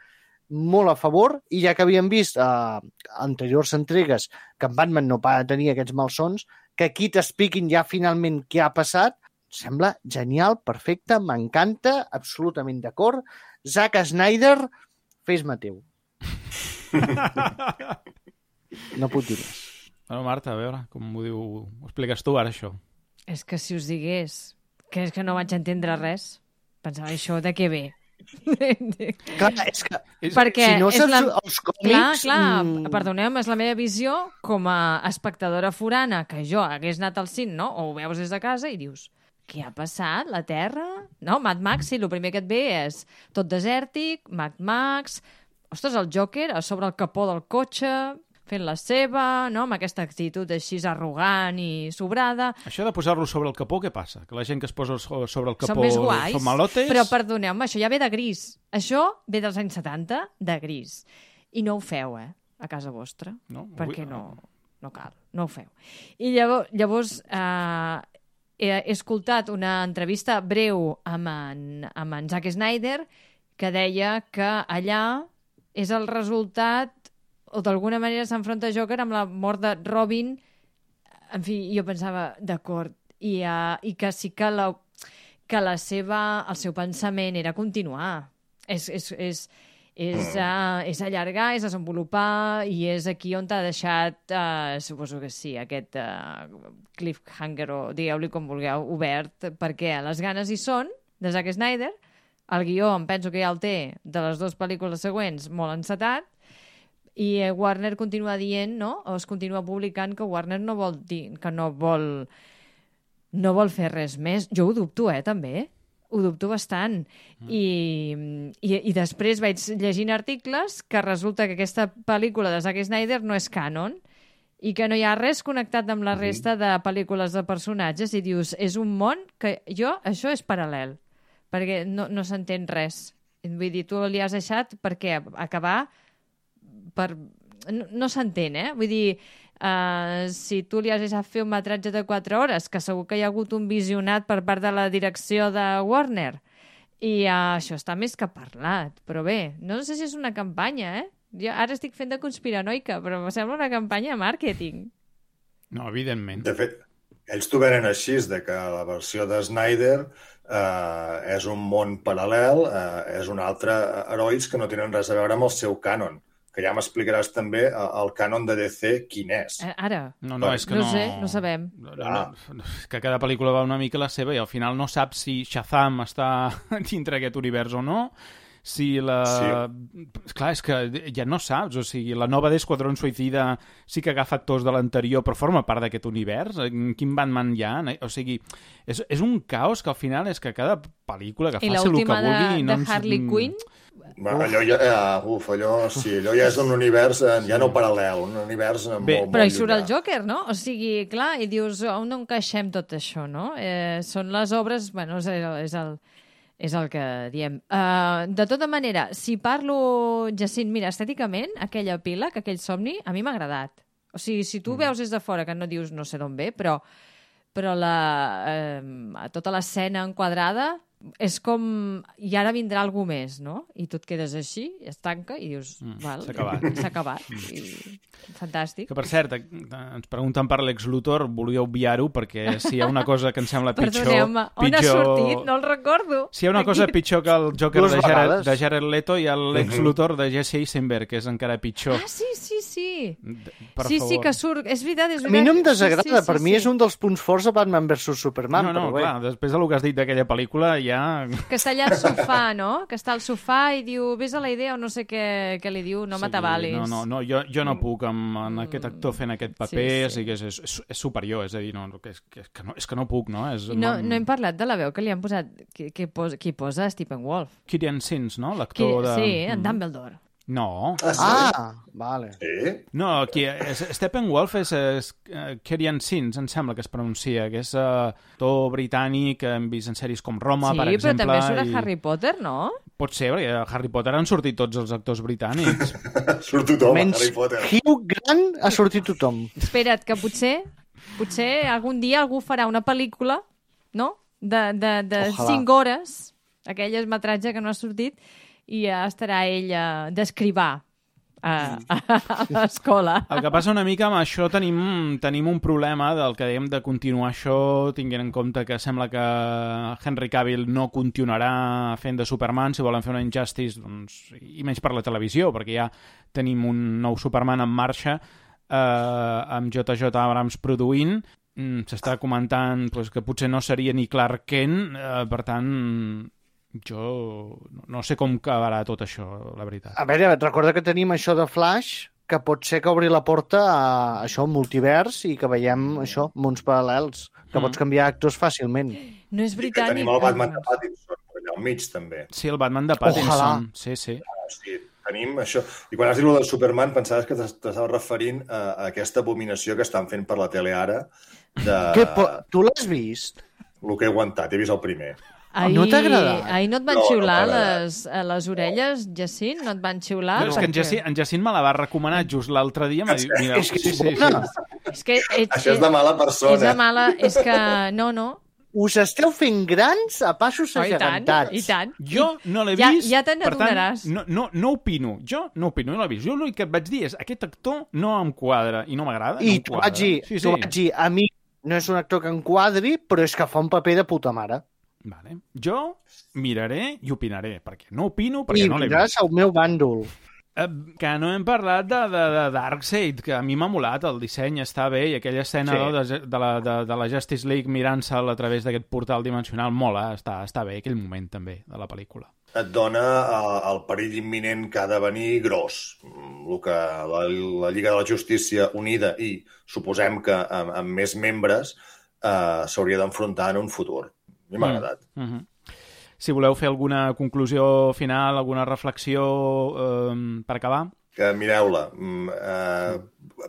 molt a favor, i ja que havíem vist a uh, anteriors entregues que en Batman no para de tenir aquests malsons, que aquí t'expliquin ja finalment què ha passat, sembla genial, perfecte, m'encanta, absolutament d'acord. Zack Snyder, fes-me teu. No puc dir més. Bueno, Marta, a veure, com ho diu, ho expliques tu ara, això? És que si us digués que és que no vaig entendre res, pensava això de què ve. Clar, és que perquè si no és saps la... els còmics... Clar, clar, mm... perdoneu, és la meva visió com a espectadora forana, que jo hagués anat al cine, no? O ho veus des de casa i dius, què ha passat? La Terra? No, Mad Max, sí, el primer que et ve és tot desèrtic, Mad Max, ostres, el Joker a sobre el capó del cotxe, fent la seva, no? Amb aquesta actitud així arrogant i sobrada. Això de posar-lo sobre el capó, què passa? Que la gent que es posa sobre el capó són més guais, són malotes? Però perdoneu-me, això ja ve de gris. Això ve dels anys setanta, de gris. I no ho feu, eh, a casa vostra. No? Perquè no, no cal, no ho feu. I llavors, llavors eh, he escoltat una entrevista breu amb en, amb en Zack Snyder que deia que allà és el resultat, o d'alguna manera s'enfronta Joker amb la mort de Robin. En fi, jo pensava, d'acord, i, uh, i que sí que, la, que la seva, el seu pensament era continuar. És, és, és, és, uh, és allargar, és desenvolupar, i és aquí on t'ha deixat, uh, suposo que sí, aquest uh, cliffhanger, o digueu-li com vulgueu, obert, perquè les ganes hi són, de Zack Snyder. El guió, em penso que ja el té, de les dues pel·lícules següents, molt encetat, i Warner continua dient, no? O es continua publicant que Warner no vol dir, que no vol no vol fer res més. Jo ho dubto, eh, també. Ho dubto bastant. Mm. I, i, I després vaig llegint articles que resulta que aquesta pel·lícula de Zack Snyder no és canon i que no hi ha res connectat amb la resta de pel·lícules de personatges, i dius, és un món que jo, això és paral·lel, perquè no, no s'entén res. Vull dir, tu li has deixat perquè acabar per... No, no s'entén, eh? Vull dir, uh, si tu li has deixat fer un metratge de quatre hores, que segur que hi ha hagut un visionat per part de la direcció de Warner, i uh, això està més que parlat. Però bé, no sé si és una campanya, eh? Jo ara estic fent de conspiranoica, però em sembla una campanya de màrqueting. No, evidentment. De fet, ells t'ho venen així, de que la versió de Snyder eh, és un món paral·lel, eh, és un altre herois que no tenen res a veure amb el seu cànon. Que ja m'explicaràs també el cànon de D C quin és. Ara. No, no, és que no... no... sé, no sabem. No, no, que cada pel·lícula va una mica la seva i al final no saps si Shazam està dintre aquest univers o no, si la... Sí. Clar, és que ja no saps, o sigui, la nova d'Esquadrón Suïcida sí que agafa actors de l'anterior, però forma part d'aquest univers. Quin Batman hi ha? O sigui, és, és un caos que al final és que cada pel·lícula que faci el que vulgui... I l'última de, no de Harley ens... Quinn? Bueno, allò ja, uh, uf, allò, sí, allò ja és un univers uh, ja no paral·lel, un univers uh, Bé, molt, però molt hi surt llunyà. el Joker, no? O sigui, clar, i dius, on encaixem tot això, no? Eh, són les obres, bueno, és el, és el, és el que diem. Uh, de tota manera, si parlo, Jacint, mira, estèticament, aquella pila, aquell somni, a mi m'ha agradat. O sigui, si tu mm. veus des de fora, que no dius no sé d'on ve, però, però la, eh, tota l'escena enquadrada és com... I ara vindrà algú més, no? I tu et quedes així, es tanca i dius... Mm, val, s'ha acabat. S'ha acabat. I... Fantàstic. Que, per cert, ens pregunten per Lex Luthor, volia obviar-ho, perquè si hi ha una cosa que em sembla pitjor... Perdoneu-me, on pitjor... ha sortit? No el recordo. Si hi ha una cosa pitjor que el Joker Dues de Jared, vegades. de Jared Leto i el Lex Luthor de Jesse Eisenberg, que és encara pitjor. Ah, sí, sí, sí. Per sí, favor. sí, que surt... És veritat, és A veritat. mi no em desagrada, sí, sí, per sí, mi sí. és un dels punts forts de Batman versus Superman. No, no, però bé. clar, després del que has dit d'aquella pel·lícula ja... Que està allà al sofà, no? Que està al sofà i diu, vés a la idea o no sé què, què li diu, no Sí, m'atabalis. no, no, no, jo, jo no puc amb, amb aquest actor fent aquest paper, Sí, sí. o sigui, és, és, és superior, és a dir, no, que, és, que, és que no, és que no puc, no? És, I no, no hem parlat de la veu que li han posat, qui, qui, posa, qui posa Steppenwolf. Kieran Sins, no? Qui, L'actor de... sí, en Dumbledore. No, Ah, sí? Ah, vale. Sí? no, qui, és, Steppenwolf és, és uh, Kieran Sins, em sembla que es pronuncia, que és uh, actor britànic que hem vist en sèries com Roma, Sí, per però exemple. també surt a i... Harry Potter, no? Pot ser, perquè a Harry Potter han sortit tots els actors britànics. Surt tothom, Menys Harry Potter. Hugh Grant ha sortit tothom. Espera't, que potser, potser algun dia algú farà una pel·lícula, no?, de, de, de Ojalà. cinc hores, aquell metratge que no ha sortit, i ja estarà ell a d'escrivar a, a, a l'escola. El que passa una mica amb això, tenim, tenim un problema del que dèiem de continuar això, tinguent en compte que sembla que Henry Cavill no continuarà fent de Superman, si volen fer una Injustice, doncs, i menys per la televisió, perquè ja tenim un nou Superman en marxa, eh, amb J J Abrams produint. Mm, s'està comentant pues, que potser no seria ni Clark Kent, eh, per tant, jo no sé com acabarà tot això, la veritat. A veure, recorda que tenim això de Flash, que pot ser que obri la porta a això, multivers, i que veiem això, mons paral·lels, que Mm. pots canviar actors fàcilment. No és I que britànic. tenim el Batman de Pattinson, allà al mig, també. Sí, el Batman de Pattinson. Ojalà. Sí, sí. O sigui, tenim això. I quan has dit el del Superman, pensaves que t'estaves referint a, a aquesta abominació que estan fent per la tele ara, de Que po... Tu l'has vist? el que he aguantat. He vist el primer. Ahir, No t'ha agradat? Ahir no et van No, no xiular m'ha agradat. les, a les orelles, Jacint? No et van xiular? No, és que en Perquè- Jacint, en Jacint me la va recomanar just l'altre dia. M'ha dit, mira, És que sí, és sí, bona. sí. És que ets, Això és de mala persona. És de mala... És que... No, no. Us esteu fent grans a passos Oh, I tant, agegantats. i tant. Jo no l'he Ja- vist, ja te per tant, n'adonaràs. no, no, no opino. Jo no opino, no l'he vist. Jo l'únic que et vaig dir és aquest actor no em quadra i no m'agrada. I no em t'ho quadra. vaig dir, sí, t'ho sí. vaig dir, a mi no és un actor que em quadri, però és que fa un paper de puta mare. Vale. Jo miraré i opinaré, perquè no opino, perquè I no l'he vindràs vist. al meu bàndol. Eh, que no hem parlat de, de, de Darkseid, que a mi m'ha molat, el disseny està bé, i aquella escena Sí. no, de, de, la, de, de la Justice League mirant-se'l a través d'aquest portal dimensional mola, està, està bé aquell moment també de la pel·lícula. Et dona el, el perill imminent que ha de venir gros. El que la, la Lliga de la Justícia Unida i suposem que amb, amb més membres eh, s'hauria d'enfrontar en un futur. A mi m'ha agradat. Mm -hmm. Si voleu fer alguna conclusió final, alguna reflexió eh, per acabar. Que mireu-la. Mm, eh,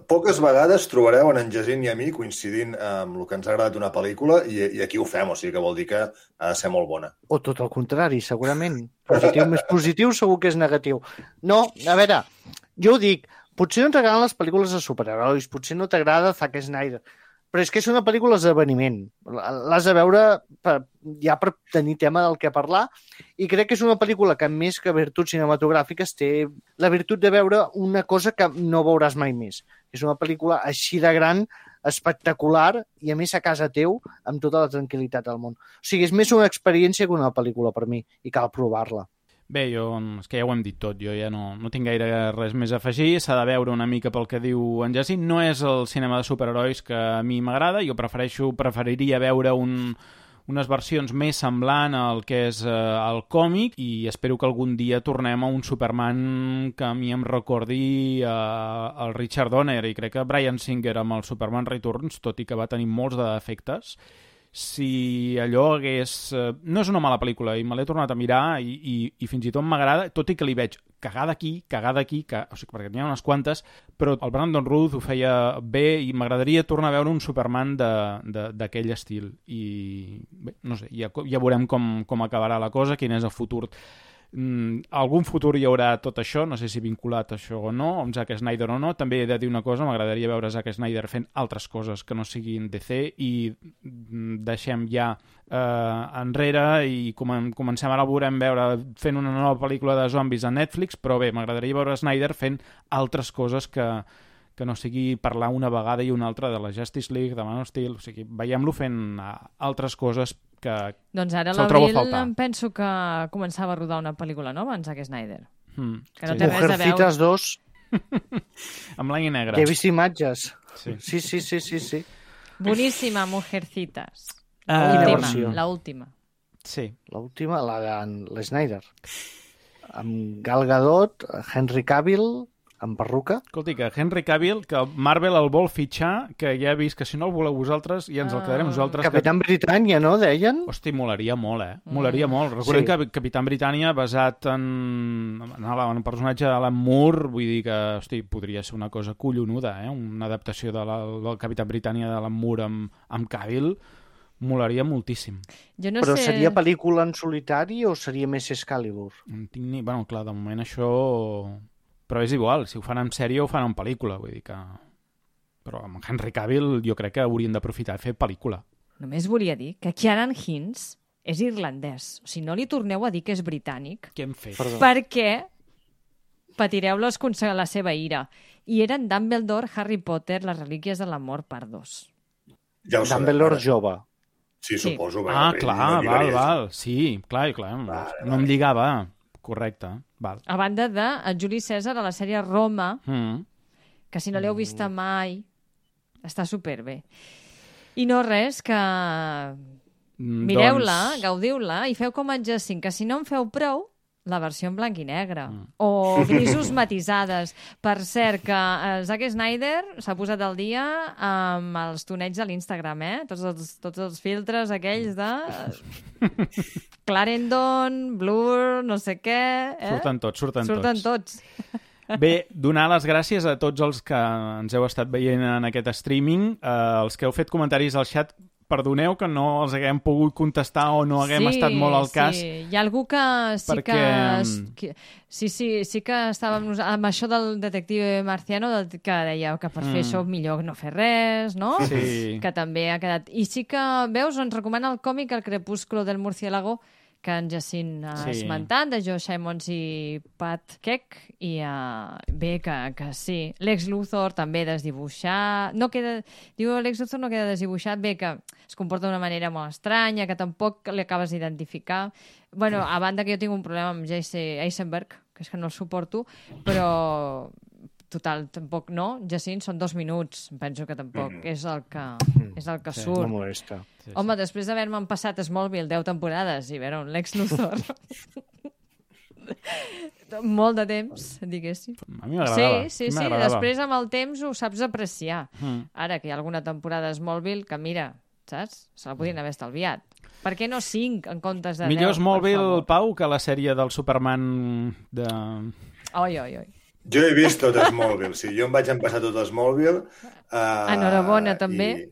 poques vegades trobareu en en Jacint i a mi coincidint amb el que ens ha agradat una pel·lícula i, i aquí ho fem, o sigui que vol dir que ha de ser molt bona. O tot el contrari, segurament. Positiu més positiu segur que és negatiu. No, a veure, jo ho dic, potser no t'agraden les pel·lícules de superherois, potser no t'agrada Zack Snyder, però és que és una pel·lícula d'esdeveniment. L'has de veure per, ja per tenir tema del que parlar, i crec que és una pel·lícula que, més que virtuts cinematogràfiques, té la virtut de veure una cosa que no veuràs mai més. És una pel·lícula així de gran, espectacular, i a més a casa teu, amb tota la tranquil·litat del món. O sigui, és més una experiència que una pel·lícula per mi, i cal provar-la. Bé, jo, és que ja ho hem dit tot, jo ja no, no tinc gaire res més a afegir, s'ha de veure una mica pel que diu en Jacint, no és el cinema de superherois que a mi m'agrada, jo prefereixo, preferiria veure un, unes versions més semblant al que és eh, el còmic, i espero que algun dia tornem a un Superman que a mi em recordi eh, el Richard Donner, i crec que Bryan Singer amb el Superman Returns, tot i que va tenir molts de defectes, si allò hagués... Eh, no és una mala pel·lícula, i me l'he tornat a mirar i, i, i fins i tot m'agrada, tot i que li veig cagar d'aquí, cagar d'aquí, que, o sigui, perquè n'hi ha unes quantes, però el Brandon Routh ho feia bé i m'agradaria tornar a veure un Superman d'aquell estil. I bé, no sé, ja, ja veurem com, com acabarà la cosa, quin és el futur. Mm, algun futur hi haurà tot això, no sé si vinculat a això o no, amb Zack Snyder o no. També he de dir una cosa, m'agradaria veure Zack Snyder fent altres coses que no siguin D C, i deixem ja eh, enrere i com, comencem ara a veurem veure fent una nova pel·lícula de zombis a Netflix, però bé, m'agradaria veure Snyder fent altres coses que, que no sigui parlar una vegada i una altra de la Justice League, de Man of Steel, o sigui, veiem-lo fent altres coses que Doncs ara se'l trobo a l'abril faltar. em penso que començava a rodar una pel·lícula nova en Zack Snyder. Mm, Que no sí. té res a veure. Mujercitas dos, En blanc i negre. que he vist imatges. Sí. Sí, sí, sí, sí, sí. Boníssima, Mujercitas. Ah, Quina Última, versió? la última. Sí. L'última, la de l'Snyder. Amb Gal Gadot, Henry Cavill, amb perruca. Escolti, que Henry Cavill, que Marvel el vol fitxar, que ja he vist que si no el voleu vosaltres, ja ens el quedarem nosaltres. Capitán Britània, no, deien? Que... Hosti, molaria molt, eh? Molaria molt. Recordem Sí. que Capitán Britània, basat en, en, en el personatge d'Alan Moore, vull dir que, hosti, podria ser una cosa collonuda, eh? Una adaptació de la, del Capitán Britània d'Alan Moore amb, amb Cavill. Molaria moltíssim. Jo no Però sé... seria pel·lícula en solitari o seria més Excalibur? No tinc ni... Bueno, clar, de moment això... Però és igual, si ho fan en sèrie o ho fan en pel·lícula, vull dir que... Però amb Henry Cavill jo crec que haurien d'aprofitar i fer pel·lícula. Només volia dir que Ciarán Hinds és irlandès. O sigui, no li torneu a dir que és britànic. Què hem fet? Perdó. Perquè patireu les conse- la seva ira. I eren Dumbledore, Harry Potter, les relíquies de la mort, part dos. Ja ho sabem. Dumbledore ara. jove. Sí, Sí. suposo. Ah, perquè clar, no val, lligaries. val. Sí, clar, clar. Vale, No em lligava. Correcte, val. A banda de el Juli César a la sèrie Roma, Mm. que si no l'heu vista mai, està superbé. I no res, que Mm, mireu-la, doncs... gaudiu-la i feu com en Jacint, que si no en feu prou, la versió en blanc i negre. Mm. O grisos matisades. Per cert, que eh, Zack Snyder s'ha posat al dia amb els tonets de l'Instagram, eh? Tots els, tots els filtres aquells de... Clarendon, Blur, no sé què... Eh? Surten tots, surten, Surten tots. tots. Bé, donar les gràcies a tots els que ens heu estat veient en aquest streaming, eh, els que heu fet comentaris al xat, perdoneu que no els haguem pogut contestar o no haguem sí, estat molt al cas. Sí, hi ha algú que sí perquè... que... que sí, sí, sí que estàvem nos- amb això del detective marciano, del, que deia que per mm. fer això millor no fer res, no? Sí. Que també ha quedat... I sí que, veus, ens recomana el còmic El crepúsculo del murciélago, que en Jacint ha Sí. esmentat, de Joe Simons i Pat Keck, i uh, bé, que, que sí. Lex Luthor també desdibuixat... No queda... Diu, Lex Luthor no queda desdibuixat, bé, que es comporta d'una manera molt estranya, que tampoc l'acabes d'identificar. Bueno, a banda que jo tinc un problema amb Jesse Eisenberg, que és que no el suporto, però... Total, tampoc no. Jacint, són dos minuts. Penso que tampoc mm. és el que, és el que Sí, surt. No molesta. Sí, Home, després d'haver-me'n passat Smallville deu temporades i veure un Lex Luthor... molt de temps, diguéssim. A mi m'agradava. Sí, sí, a mi sí. m'agradava. Després, amb el temps, ho saps apreciar. Mm. Ara que hi ha alguna temporada de Smallville que, mira, saps? Se la podien haver estalviat. Per què no cinc en comptes de Millor deu, Smallville, per favor? Pau, que la sèrie del Superman de... Oi, oi, oi. Jo he vist tot Smallville, sí. Jo em vaig empassar tot Smallville. Uh, Enhorabona, també. I,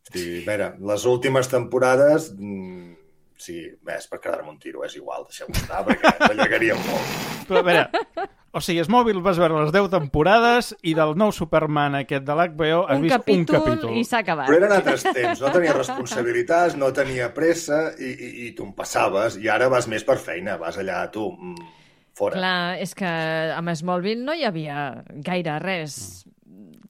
sí, a veure, les últimes temporades... Mm, sí, bé, és per quedar-me un tiro, és igual, deixeu-ho estar, perquè t'allargaríem molt. Però a veure, o sigui, Smallville vas veure les deu temporades i del nou Superman aquest de l'H B O has Un vist capítol, un capítol. i s'ha acabat. Però eren altres temps, no tenia responsabilitats, no tenia pressa i, i, i tu em passaves, i ara vas més per feina, vas allà, tu, mm, fora. Clar, és que amb Smallville no hi havia gaire res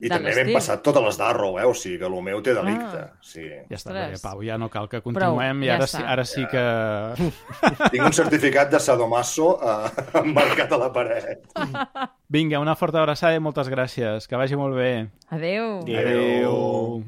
I de també l'estil. m'hem passat totes les d'Arrow, eh? O sigui que el meu té delicte. Ah. Sí. Ja està Ostres. bé, Pau, ja no cal que continuem Prou, i ja ara, està. sí, ara sí que... Tinc un certificat de sadomaso eh, emmarcat a la paret. Vinga, una forta abraçada i moltes gràcies. Que vagi molt bé. Adéu. Adéu.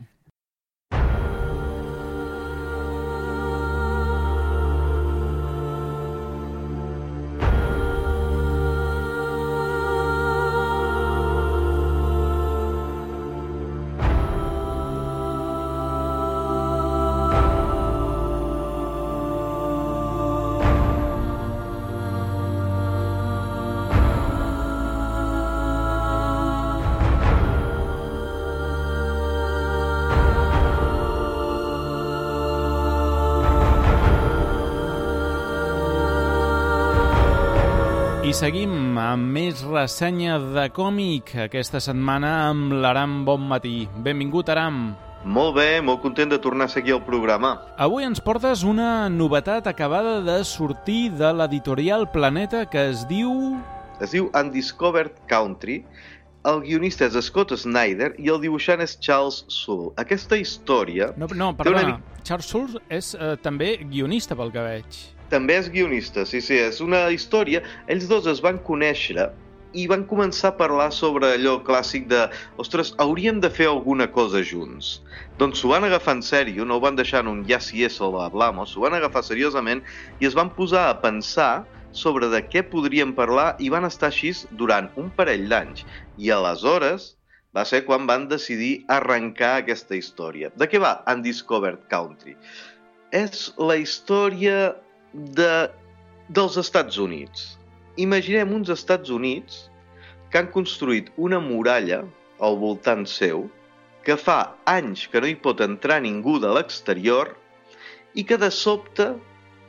I seguim amb més ressenya de còmic aquesta setmana amb l'Aram Bonmatí. Benvingut, Aram. Molt bé, molt content de tornar a seguir el programa. Avui ens portes una novetat acabada de sortir de l'editorial Planeta que es diu... Es diu Undiscovered Country. El guionista és Scott Snyder i el dibuixant és Charles Soule. Aquesta història... No, no té perdona, una mica- Charles Soule és eh, també guionista pel que veig. També és guionista, sí, sí, és una història... Ells dos es van conèixer i van començar a parlar sobre allò clàssic de ostres, hauríem de fer alguna cosa junts. Doncs s'ho van agafar en sèrio, no ho van deixar en un ja si eso lo hablamos, s'ho van agafar seriosament i es van posar a pensar sobre de què podríem parlar i van estar així durant un parell d'anys. I aleshores va ser quan van decidir arrencar aquesta història. De què va Undiscovered Country? És la història de, dels Estats Units. Imaginem uns Estats Units que han construït una muralla al voltant seu, que fa anys que no hi pot entrar ningú de l'exterior i que de sobte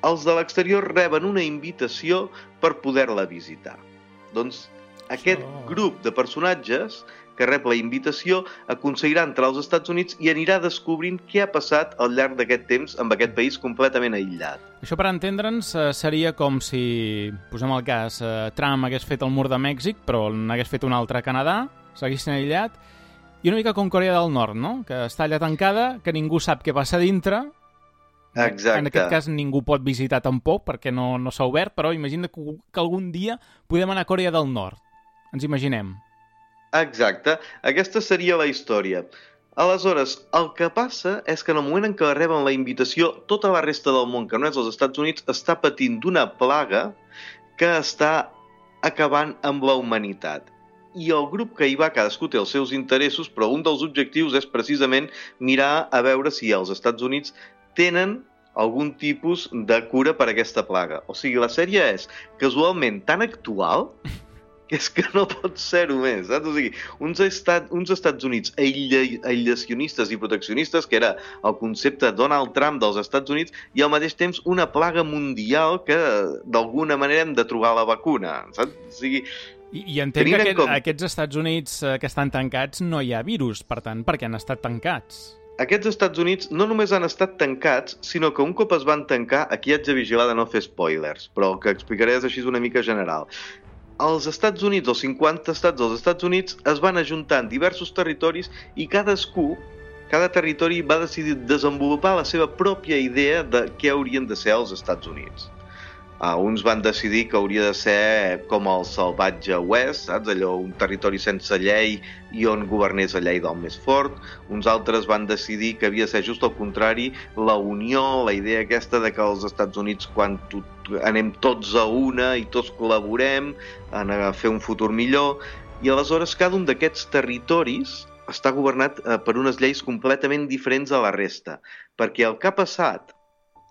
els de l'exterior reben una invitació per poder-la visitar. Doncs aquest grup de personatges que rep la invitació aconseguirà entrar als Estats Units i anirà descobrint què ha passat al llarg d'aquest temps amb aquest país completament aïllat. Això, per entendre'ns, seria com si, posem el cas, Trump hagués fet el mur de Mèxic, però n'hagués fet un altre a Canadà, s'haguessin aïllat, i una mica com Corea del Nord, no? Que està allà tancada, que ningú sap què passa dintre. Exacte. En aquest cas ningú pot visitar tampoc, perquè no, no s'ha obert, però imagina que, que algun dia podem anar a Corea del Nord. Ens imaginem. Exacte, aquesta seria la història. Aleshores, el que passa és que en el moment en què reben la invitació, tota la resta del món, que no és als Estats Units, està patint d'una plaga que està acabant amb la humanitat. I el grup que hi va, cadascú té els seus interessos, però un dels objectius és precisament mirar a veure si els Estats Units tenen algun tipus de cura per a aquesta plaga. O sigui, la sèrie és casualment tan actual que és que no pot ser-ho més, saps? O sigui, uns, estat, uns Estats Units aïlla, aïllacionistes i proteccionistes, que era el concepte Donald Trump dels Estats Units, i al mateix temps una plaga mundial que d'alguna manera hem de trobar la vacuna, saps? O sigui, I, i entenc que aquest, com... aquests Estats Units que estan tancats no hi ha virus, per tant, perquè han estat tancats. Aquests Estats Units no només han estat tancats, sinó que un cop es van tancar, aquí haig de vigilar de no fer spoilers, però el que explicaré és així una mica general. Els Estats Units, els cinquanta estats dels Estats Units, es van ajuntar en diversos territoris i cadascú, cada territori va decidir desenvolupar la seva pròpia idea de què haurien de ser els Estats Units. Uh, uns van decidir que hauria de ser com el salvatge oest, saps? Allò, un territori sense llei i on governés la llei del més fort. Uns altres van decidir que havia de ser just al contrari, la unió, la idea aquesta de que els Estats Units, quan tot, anem tots a una i tots col·laborem en a fer un futur millor. I aleshores cada un d'aquests territoris està governat uh, per unes lleis completament diferents a la resta, perquè el que ha passat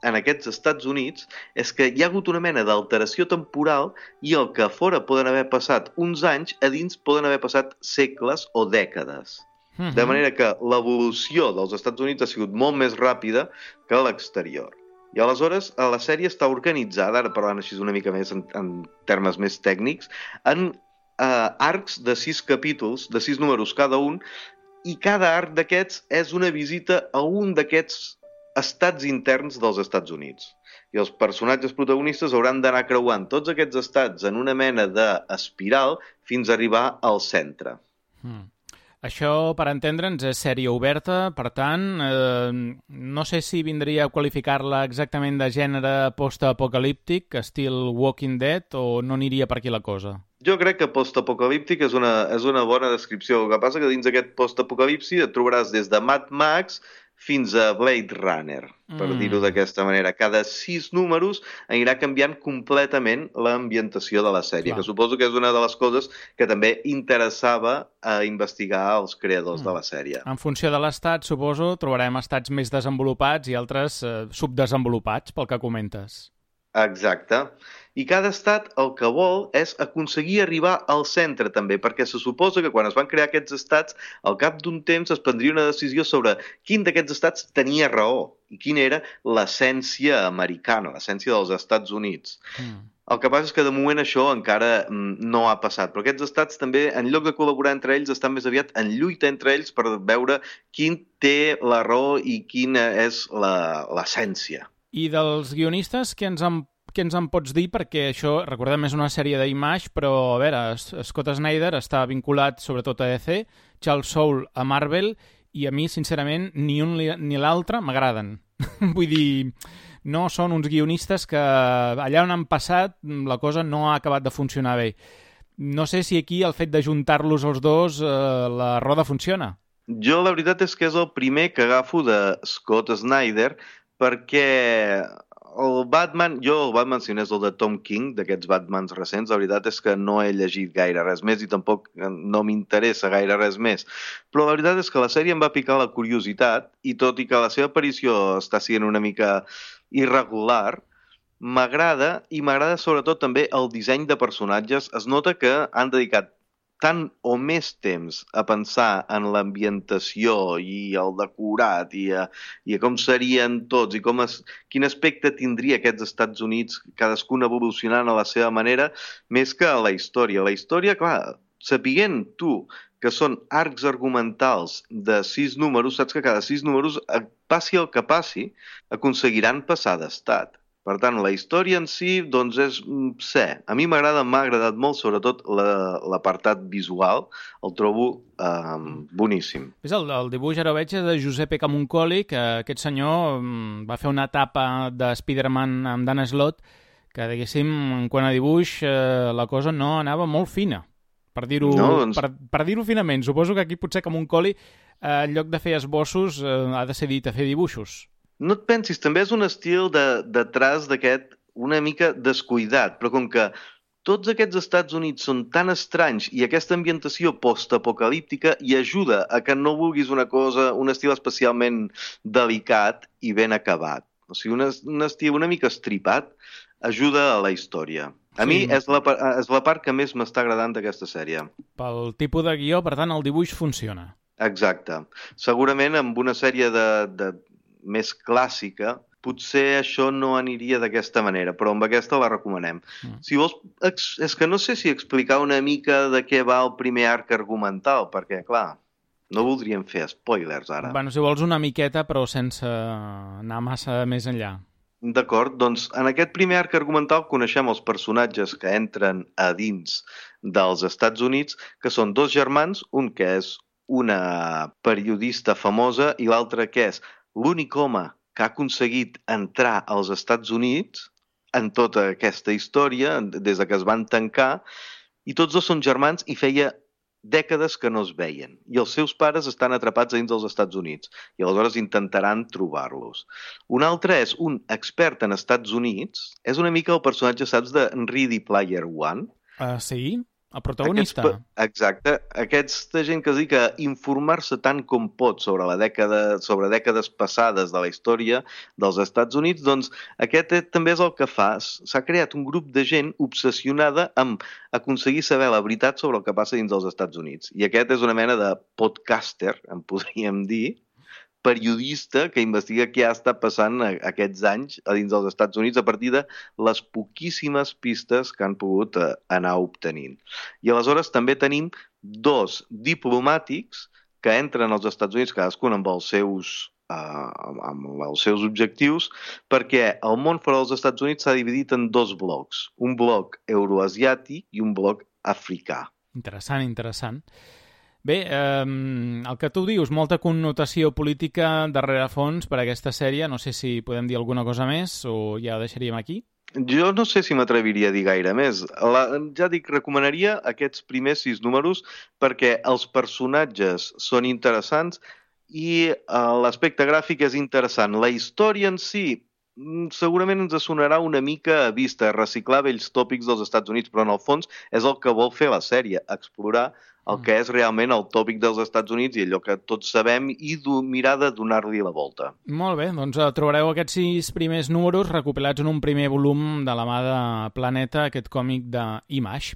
en aquests Estats Units és que hi ha hagut una mena d'alteració temporal i el que a fora poden haver passat uns anys, a dins poden haver passat segles o dècades. Uh-huh. De manera que l'evolució dels Estats Units ha sigut molt més ràpida que a l'exterior. I aleshores la sèrie està organitzada, ara parlant així una mica més en, en termes més tècnics, en eh, arcs de sis capítols, de sis números cada un, i cada arc d'aquests és una visita a un d'aquests estats interns dels Estats Units. I els personatges protagonistes hauran d'anar creuant tots aquests estats en una mena d'espiral fins a arribar al centre. Mm. Això, per entendre'ns, és sèrie oberta, per tant, eh, no sé si vindria a qualificar-la exactament de gènere post-apocalíptic, estil Walking Dead, o no aniria per aquí la cosa? Jo crec que post-apocalíptic és una, és una bona descripció. El que passa que dins d'aquest post-apocalipsi et trobaràs des de Mad Max fins a Blade Runner, per mm. dir-ho d'aquesta manera. Cada sis números anirà canviant completament l'ambientació de la sèrie, Clar. que suposo que és una de les coses que també interessava a investigar als creadors mm. de la sèrie. En funció de l'estat, suposo, trobarem estats més desenvolupats i altres eh, subdesenvolupats, pel que comentes. Exacte. I cada estat el que vol és aconseguir arribar al centre també, perquè se suposa que quan es van crear aquests estats, al cap d'un temps es prendria una decisió sobre quin d'aquests estats tenia raó i quina era l'essència americana, l'essència dels Estats Units. Mm. El que passa és que de moment això encara no ha passat, però aquests estats també, en lloc de col·laborar entre ells, estan més aviat en lluita entre ells per veure quin té la raó i quina és l'essència. I dels guionistes, què ens han Què ens en pots dir? Perquè això, recordem, és una sèrie d'Image, però, a veure, Scott Snyder està vinculat sobretot a D C, Charles Soule a Marvel, i a mi, sincerament, ni un ni l'altre m'agraden. Vull dir, no són uns guionistes que allà on han passat la cosa no ha acabat de funcionar bé. No sé si aquí el fet d'ajuntar-los els dos eh, la roda funciona. Jo la veritat és que és el primer que agafo de Scott Snyder, perquè el Batman, jo el Batman, si no és el de Tom King, d'aquests Batmans recents, la veritat és que no he llegit gaire res més i tampoc no m'interessa gaire res més. Però la veritat és que la sèrie em va picar la curiositat i tot i que la seva aparició està sent una mica irregular, m'agrada i m'agrada sobretot també el disseny de personatges. Es nota que han dedicat tant o més temps a pensar en l'ambientació i el decorat i a, i a com serien tots i com es, quin aspecte tindria aquests Estats Units, cadascun evolucionant a la seva manera, més que a la història. La història, clar, sapiguent tu que són arcs argumentals de sis números, saps que cada sis números, passi el que passi, aconseguiran passar d'estat. Per tant, la història en si, doncs, és sé. A mi m'agrada, m'ha agradat molt, sobretot l'apartat visual, el trobo eh, boníssim. És el, el dibuix, ara veig, de Giuseppe Camuncoli, que aquest senyor va fer una etapa de Spider-Man amb Dan Slott, que, diguéssim, quan a dibuix eh, la cosa no anava molt fina, per dir-ho no, doncs... per, per dir-ho finament. Suposo que aquí potser Camuncoli, eh, en lloc de fer esbossos, eh, ha decidit a fer dibuixos. No et pensis, també és un estil de, de traç d'aquest una mica descuidat, però com que tots aquests Estats Units són tan estranys i aquesta ambientació postapocalíptica hi ajuda a que no vulguis una cosa, un estil especialment delicat i ben acabat. O sigui, un, un estil una mica estripat ajuda a la història. A sí. mi és la, és la part que més m'està agradant d'aquesta sèrie. Pel tipus de guió, per tant, el dibuix funciona. Exacte. Segurament amb una sèrie de... de més clàssica, potser això no aniria d'aquesta manera, però amb aquesta la recomanem. Mm. Si vols, és que no sé si explicar una mica de què va el primer arc argumental, perquè, clar, no voldríem fer spoilers ara. Bueno, si vols una miqueta, però sense anar massa més enllà. D'acord, doncs en aquest primer arc argumental coneixem els personatges que entren a dins dels Estats Units, que són dos germans, un que és una periodista famosa i l'altre que és l'únic home que ha aconseguit entrar als Estats Units en tota aquesta història, des de que es van tancar, i tots dos són germans i feia dècades que no es veien. I els seus pares estan atrapats dins dels Estats Units i aleshores intentaran trobar-los. Un altre és un expert en Estats Units, és una mica el personatge, saps, de Ready Player One? Uh, sí? El protagonista. Aquests, exacte. Aquesta gent que es dedica a informar-se tant com pot sobre la dècada, sobre dècades passades de la història dels Estats Units, doncs aquest també és el que fa. S'ha creat un grup de gent obsessionada amb aconseguir saber la veritat sobre el que passa dins dels Estats Units. I aquest és una mena de podcaster, en podríem dir, periodista que investiga què ha estat passant aquests anys a dins dels Estats Units a partir de les poquíssimes pistes que han pogut anar obtenint. I aleshores també tenim dos diplomàtics que entren als Estats Units, cadascun amb els seus, uh, amb els seus objectius, perquè el món fora dels Estats Units s'ha dividit en dos blocs, un bloc euroasiàtic i un bloc africà. Interessant, interessant. Bé, eh, el que tu dius, molta connotació política darrere fons per a aquesta sèrie. No sé si podem dir alguna cosa més o ja ho deixaríem aquí. Jo no sé si m'atreviria a dir gaire més. La, ja dic, recomanaria aquests primers sis números perquè els personatges són interessants i uh, l'aspecte gràfic és interessant. La història en si segurament ens sonarà una mica a vista, reciclar vells tòpics dels Estats Units, però en el fons és el que vol fer la sèrie, explorar el que és realment el tòpic dels Estats Units i allò que tots sabem i mirar de donar-li la volta. Molt bé, doncs trobareu aquests sis primers números recopilats en un primer volum de la mà de Planeta, aquest còmic d'Image.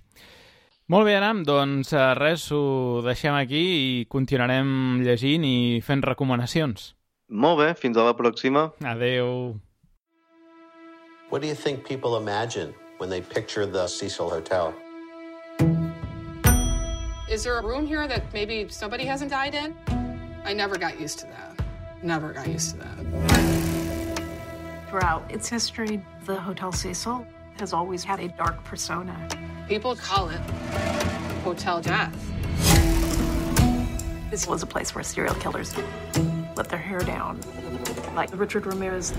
Molt bé, Aram, doncs res, ho deixem aquí i continuarem llegint i fent recomanacions. Molt bé, fins a la pròxima. Adeu. What do you think people imagine when they picture the Cecil Hotel? Is there a room here that maybe somebody hasn't died in? I never got used to that. Never got used to that. Throughout its history, the Hotel Cecil has always had a dark persona. People call it Hotel Death. This was a place where serial killers let their hair down, like Richard Ramirez.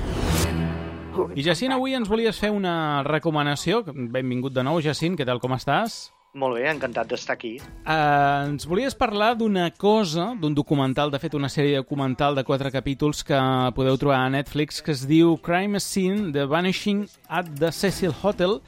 I Jacint, avui ens volies fer una recomanació. Benvingut de nou, Jacint, què tal, com estàs? Molt bé, encantat d'estar aquí. Uh, ens volies parlar d'una cosa, d'un documental, de fet una sèrie documental de quatre capítols que podeu trobar a Netflix, que es diu Crime Scene, The Vanishing at the Cecil Hotel.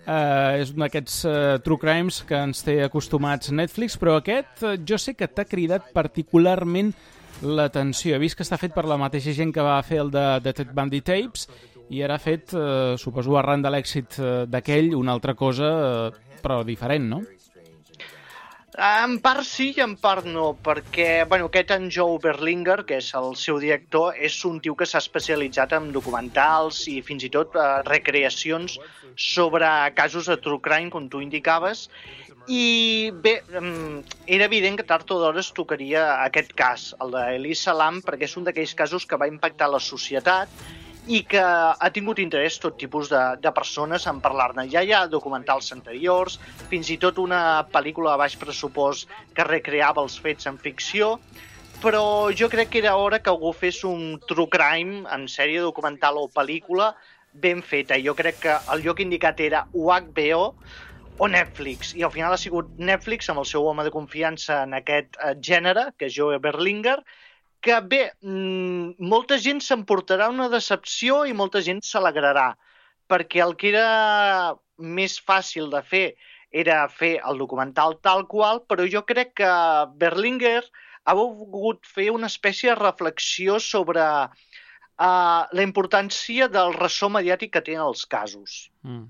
Uh, és un d'aquests uh, true crimes que ens té acostumats Netflix, però aquest uh, jo sé que t'ha cridat particularment l'atenció. He vist que està fet per la mateixa gent que va fer el de, de Ted Bundy Tapes i ara ha fet, uh, suposo, arran de l'èxit uh, d'aquell, una altra cosa... Uh, però diferent, no? En part sí i en part no, perquè bueno, aquest en Joe Berlinger, que és el seu director, és un tio que s'ha especialitzat en documentals i fins i tot eh, recreacions sobre casos de true crime, com tu indicaves, i bé, era evident que tard o d'hora es tocaria aquest cas, el d'Elisa Lam, perquè és un d'aquells casos que va impactar la societat i que ha tingut interès tot tipus de, de persones en parlar-ne. Ja hi ha documentals anteriors, fins i tot una pel·lícula de baix pressupost que recreava els fets en ficció, però jo crec que era hora que algú fes un true crime en sèrie documental o pel·lícula ben feta. Jo crec que el lloc indicat era o H B O o Netflix, i al final ha sigut Netflix amb el seu home de confiança en aquest gènere, que és Joe Berlinger, que bé, molta gent s'emportarà una decepció i molta gent s'alegrarà, perquè el que era més fàcil de fer era fer el documental tal qual, però jo crec que Berlinger ha volgut fer una espècie de reflexió sobre uh, la importància del ressò mediàtic que tenen els casos. Mm.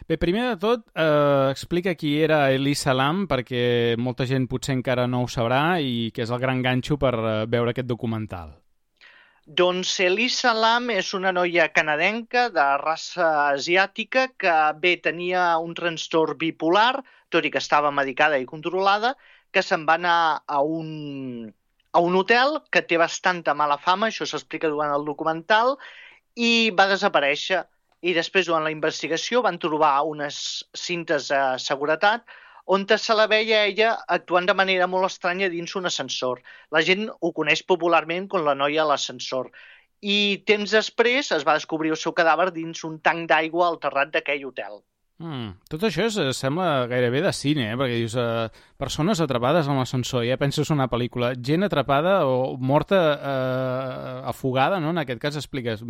Bé, primer de tot, eh, explica qui era Elisa Lam, perquè molta gent potser encara no ho sabrà i que és el gran ganxo per eh, veure aquest documental. Doncs Elisa Lam és una noia canadenca de raça asiàtica que bé tenia un trastorn bipolar, tot i que estava medicada i controlada, que se'n va anar a un, a un hotel que té bastanta mala fama, això s'explica durant el documental, i va desaparèixer. I després, durant la investigació, van trobar unes cintes de seguretat on se la veia ella actuant de manera molt estranya dins un ascensor. La gent ho coneix popularment com la noia a l'ascensor. I temps després es va descobrir el seu cadàver dins un tanc d'aigua al terrat d'aquell hotel. Mm, tot això és, sembla gairebé de cine, eh? Perquè dius, eh, persones atrapades en l'ascensor, ja penses una pel·lícula, gent atrapada o morta eh, afogada, no? En aquest cas expliques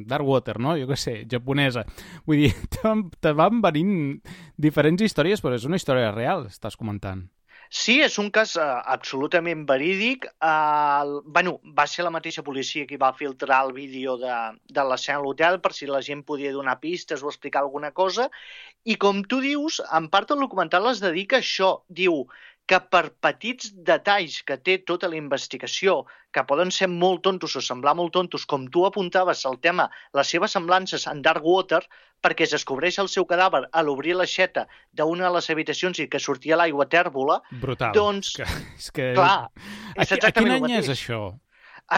Dark Water, no? Jo què sé, japonesa. Vull dir, te, te van venint diferents històries, però és una història real, estàs comentant. Sí, és un cas uh, absolutament verídic. Uh, bueno, va ser la mateixa policia qui va filtrar el vídeo de, de l'escena a l'hotel per si la gent podia donar pistes o explicar alguna cosa. I com tu dius, en part el documental es dedica a això. Diu que per petits detalls que té tota la investigació, que poden ser molt tontos o semblar molt tontos, com tu apuntaves al tema, les seves semblances en Dark Water, perquè es descobreix el seu cadàver a l'obrir l'aixeta d'una de les habitacions i que sortia l'aigua tèrbola. Brutal. Doncs, és que, és que... clar, és a, exactament a quin any és mateix. això?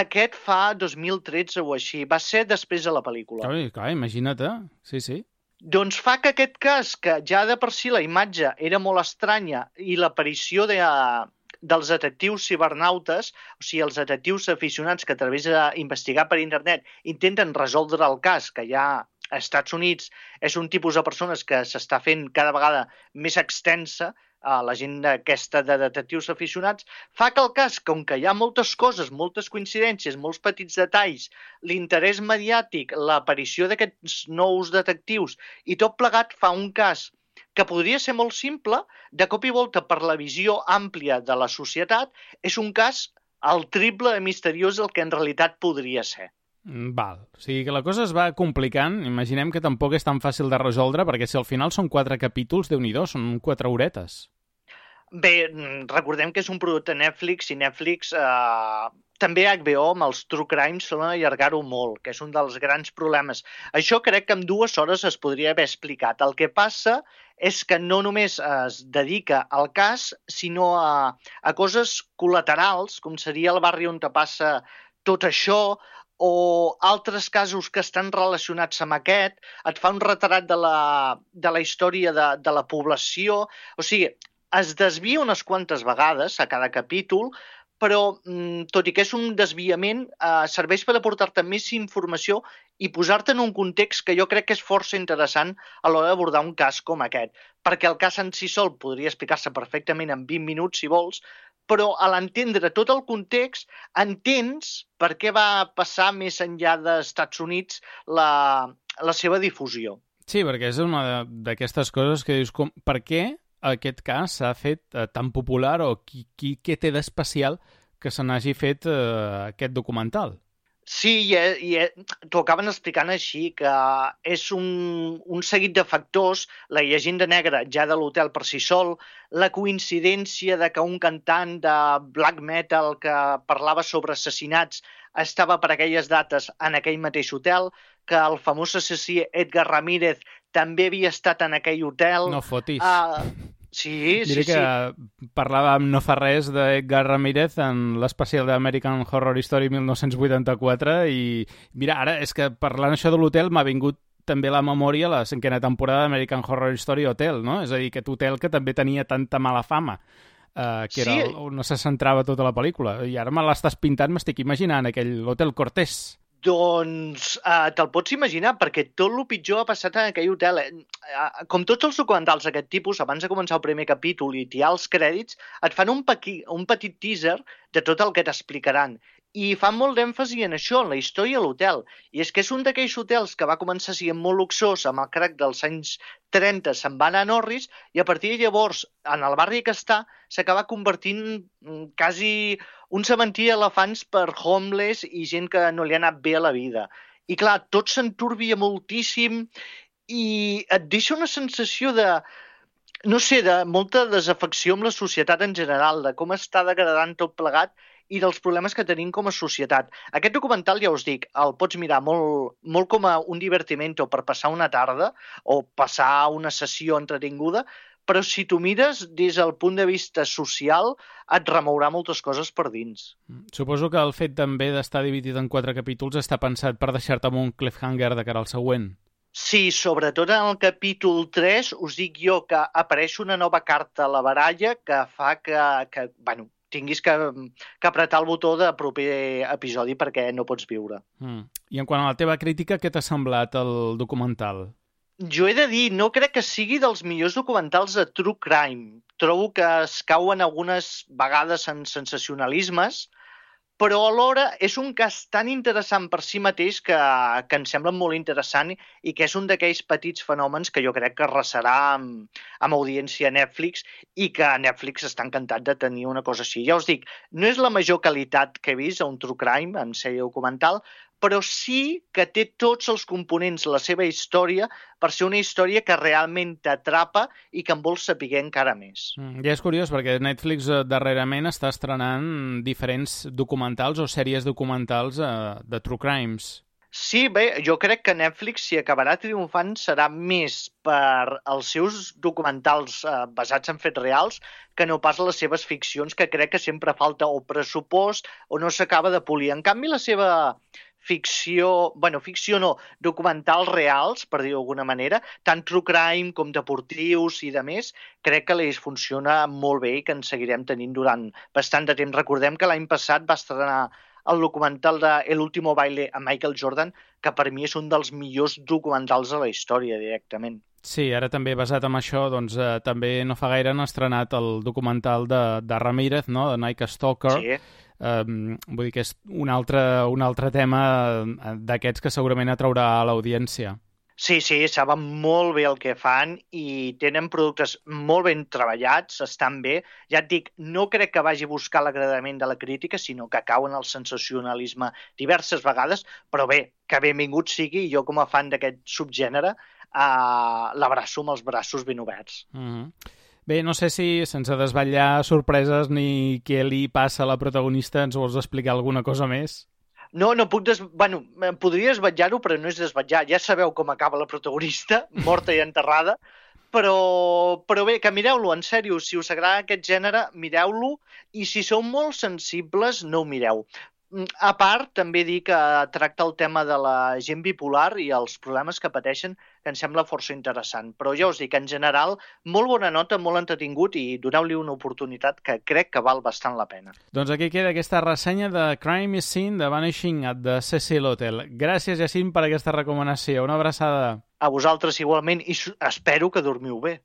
Aquest fa dos mil tretze o així. Va ser després de la pel·lícula. Clar, clar, imagina't, sí, sí. Doncs fa que aquest cas, que ja de per si la imatge era molt estranya i l'aparició de, dels detectius cibernautes, o sigui, els detectius aficionats que a través d'investigar per internet intenten resoldre el cas, que ja a Estats Units és un tipus de persones que s'està fent cada vegada més extensa, a la gent aquesta de detectius aficionats, fa que el cas, com que hi ha moltes coses, moltes coincidències, molts petits detalls, l'interès mediàtic, l'aparició d'aquests nous detectius i tot plegat fa un cas que podria ser molt simple, de cop i volta per la visió àmplia de la societat, és un cas al triple de misteriós del que en realitat podria ser. Val, o sigui que la cosa es va complicant, imaginem que tampoc és tan fàcil de resoldre, perquè si al final són quatre capítols, Déu-n'hi-do, són quatre horetes. Bé, recordem que és un producte Netflix i Netflix, eh, també H B O amb els True Crime solen allargar-ho molt, que és un dels grans problemes. Això crec que en dues hores es podria haver explicat. El que passa és que no només es dedica al cas, sinó a, a coses col·laterals, com seria el barri on te passa tot això, o altres casos que estan relacionats amb aquest, et fa un retrat de la, de la història de, de la població. O sigui, es desvia unes quantes vegades a cada capítol, però tot i que és un desviament, eh, serveix per aportar-te més informació i posar-te en un context que jo crec que és força interessant a l'hora d'abordar un cas com aquest. Perquè el cas en si sol podria explicar-se perfectament en vint minuts, si vols, però a l'entendre tot el context entens per què va passar més enllà dels Estats Units la, la seva difusió. Sí, perquè és una d'aquestes coses que dius, com, per què aquest cas s'ha fet eh, tan popular o qui, qui, què té d'especial que se n'hagi fet eh, aquest documental? Sí, i, i t'ho acaben explicant així, que és un, un seguit de factors, la llegenda negra ja de l'hotel per si sol, la coincidència de que un cantant de black metal que parlava sobre assassinats estava per aquelles dates en aquell mateix hotel, que el famós assassí Edgar Ramírez també havia estat en aquell hotel. No fotis. Uh, Sí, Diré sí, que sí. parlàvem no fa res d'Edgar Ramírez en l'especial d'American Horror Story mil nou-cents vuitanta-quatre i mira, ara és que parlant això de l'hotel m'ha vingut també a la memòria la cinquena temporada d'American Horror Story Hotel, no? És a dir, aquest hotel que també tenia tanta mala fama, eh, que era Sí. on se centrava tota la pel·lícula. I ara me l'estàs pintant, m'estic imaginant, aquell Hotel Cortés. Doncs uh, te'l pots imaginar, perquè tot el pitjor ha passat en aquell hotel. Uh, com tots els documentals d'aquest tipus, abans de començar el primer capítol i tirar els crèdits, et fan un, pequi, un petit teaser de tot el que t'explicaran. I fan molt d'èmfasi en això, en la història de l'hotel. I és que és un d'aquells hotels que va començar sent molt luxós, amb el crac dels anys trenta se'n va anar a Norris, i a partir de llavors, en el barri que està, s'acaba convertint quasi un cementiri d'elefants per homeless i gent que no li ha anat bé a la vida. I clar, tot s'enturbia moltíssim i et deixa una sensació de, no sé, de molta desafecció amb la societat en general, de com està degradant tot plegat i dels problemes que tenim com a societat. Aquest documental, ja us dic, el pots mirar molt, molt com a un divertimento per passar una tarda o passar una sessió entretinguda, però si tu mires des del punt de vista social et remourà moltes coses per dins. Suposo que el fet també d'estar dividit en quatre capítols està pensat per deixar-te amb un cliffhanger de cara al següent. Sí, sobretot en el capítol tres us dic jo que apareix una nova carta a la baralla que fa que, que bueno, tinguis que, que apretar el botó de proper episodi perquè no pots viure. Mm. I en quant a la teva crítica, què t'ha semblat el documental? Jo he de dir, no crec que sigui dels millors documentals de true crime. Trobo que es cauen algunes vegades en sensacionalismes, però alhora és un cas tan interessant per si mateix que, que em sembla molt interessant i que és un d'aquells petits fenòmens que jo crec que arrasarà amb, amb audiència a Netflix i que Netflix està encantat de tenir una cosa així. Ja us dic, no és la major qualitat que he vist a un true crime en sèrie documental, però sí que té tots els components de la seva història per ser una història que realment t'atrapa i que en vols saber encara més. Mm, ja és curiós, perquè Netflix eh, darrerament està estrenant diferents documentals o sèries documentals eh, de true crimes. Sí, bé, jo crec que Netflix, si acabarà triomfant, serà més per els seus documentals eh, basats en fets reals que no pas les seves ficcions, que crec que sempre falta o pressupost o no s'acaba de polir. En canvi, la seva ficció, bueno, ficció no, documentals reals, per dir-ho d'alguna manera, tant true crime com deportius i de més, crec que les funciona molt bé i que en seguirem tenint durant bastant de temps. Recordem que l'any passat va estrenar el documental de El último baile a Michael Jordan, que per mi és un dels millors documentals de la història, directament. Sí, ara també basat en això, doncs eh, també no fa gaire han estrenat el documental de, de Ramírez, no?, de Night Stalker. Sí. Um, vull dir que és un altre, un altre tema d'aquests que segurament atraurà a l'audiència. Sí, sí, saben molt bé el que fan i tenen productes molt ben treballats, estan bé. Ja et dic, no crec que vagi a buscar l'agradament de la crítica, sinó que cau en el sensacionalisme diverses vegades, però bé, que benvingut sigui, i jo com a fan d'aquest subgènere uh, l'abraço amb els braços ben oberts. Mm-hmm. Bé, no sé si, sense desvetllar sorpreses ni què li passa a la protagonista, ens vols explicar alguna cosa més? No, no puc des... Bueno, podria desvetllar-ho, però no és desvetllar. Ja sabeu com acaba la protagonista, morta i enterrada, però, però bé, que mireu-lo, en sèrio, si us agrada aquest gènere, mireu-lo, i si sou molt sensibles, no ho mireu. A part, també dir que tracta el tema de la gent bipolar i els problemes que pateixen, que em sembla força interessant. Però ja us dic, en general, molt bona nota, molt entretingut i doneu-li una oportunitat que crec que val bastant la pena. Doncs aquí queda aquesta ressenya de Crime is Seen de Vanishing at the Cecil Hotel. Gràcies, Jacint, per aquesta recomanació. Una abraçada. A vosaltres igualment i espero que dormiu bé.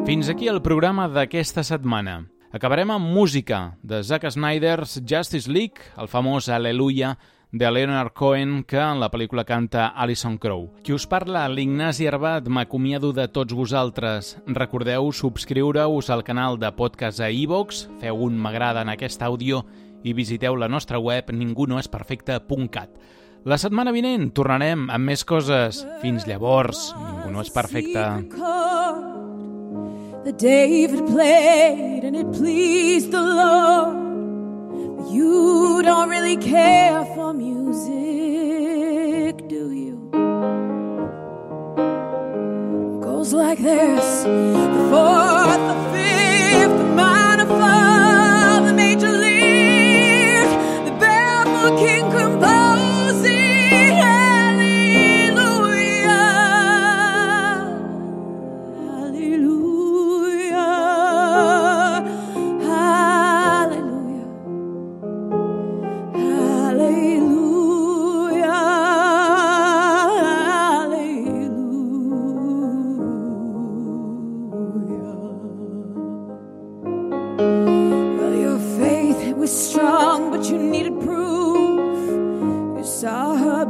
Fins aquí el programa d'aquesta setmana. Acabarem amb música de Zack Snyder's Justice League, el famós Aleluia de Leonard Cohen que en la pel·lícula canta Alison Krauss. Qui us parla, l'Ignasi Arbat, m'acomiado de tots vosaltres. Recordeu subscriure-us al canal de podcast a iVoox, feu un m'agrada en aquest àudio i visiteu la nostra web ningunoesperfecte punt cat. La setmana vinent tornarem amb més coses. Fins llavors, ningú no és perfecte. That David played and it pleased the Lord. But you don't really care for music, do you? It goes like this: the fourth, the fifth, the minor fall, the major league, the barefoot king composing.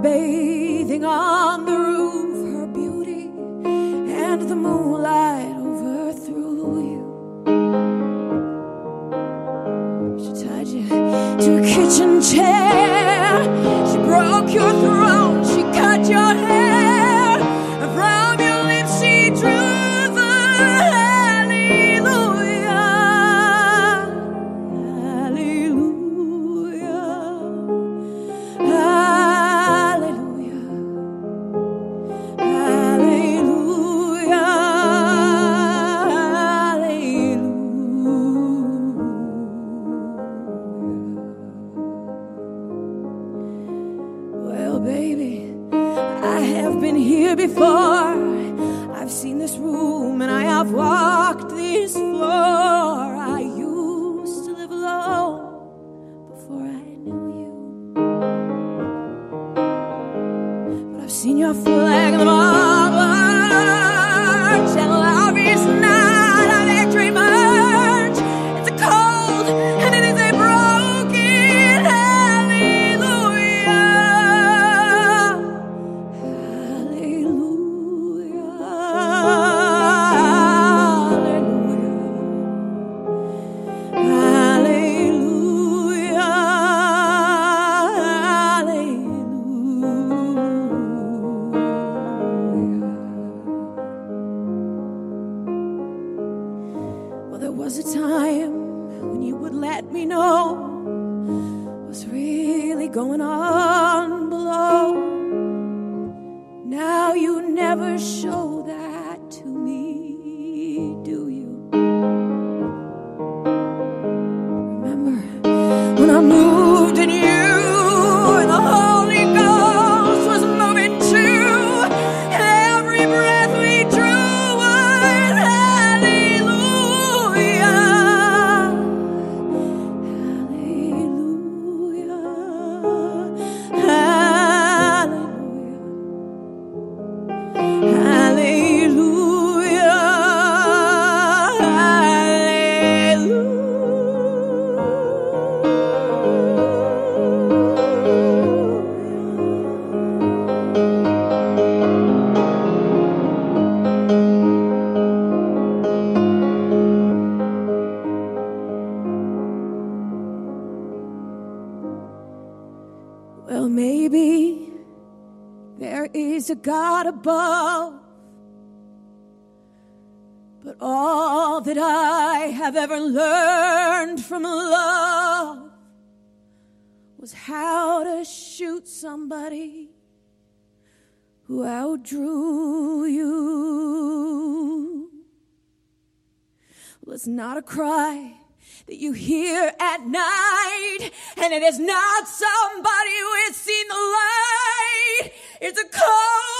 Bathing on the roof, her beauty and the moonlight overthrew you. She tied you to a kitchen chair, she broke your throne, she cut your hair, and from your lips she drew the hallelujah, hallelujah, hallelujah. Before I've seen this room and I have walked this floor. I used to live alone before I knew you, but I've seen your flag in the march, and love is not a victory march. It's a cold and it is a broken hallelujah. Going on below. Now you never show that to me, do you? Remember when I moved in you and the Holy Ghost was moving too, and every breath we drew was hallelujah. Well, maybe there is a God above, but all that I have ever learned from love was how to shoot somebody who outdrew you. Well, it's not a cry that you hear at night, and it is not somebody who has seen the light. It's a call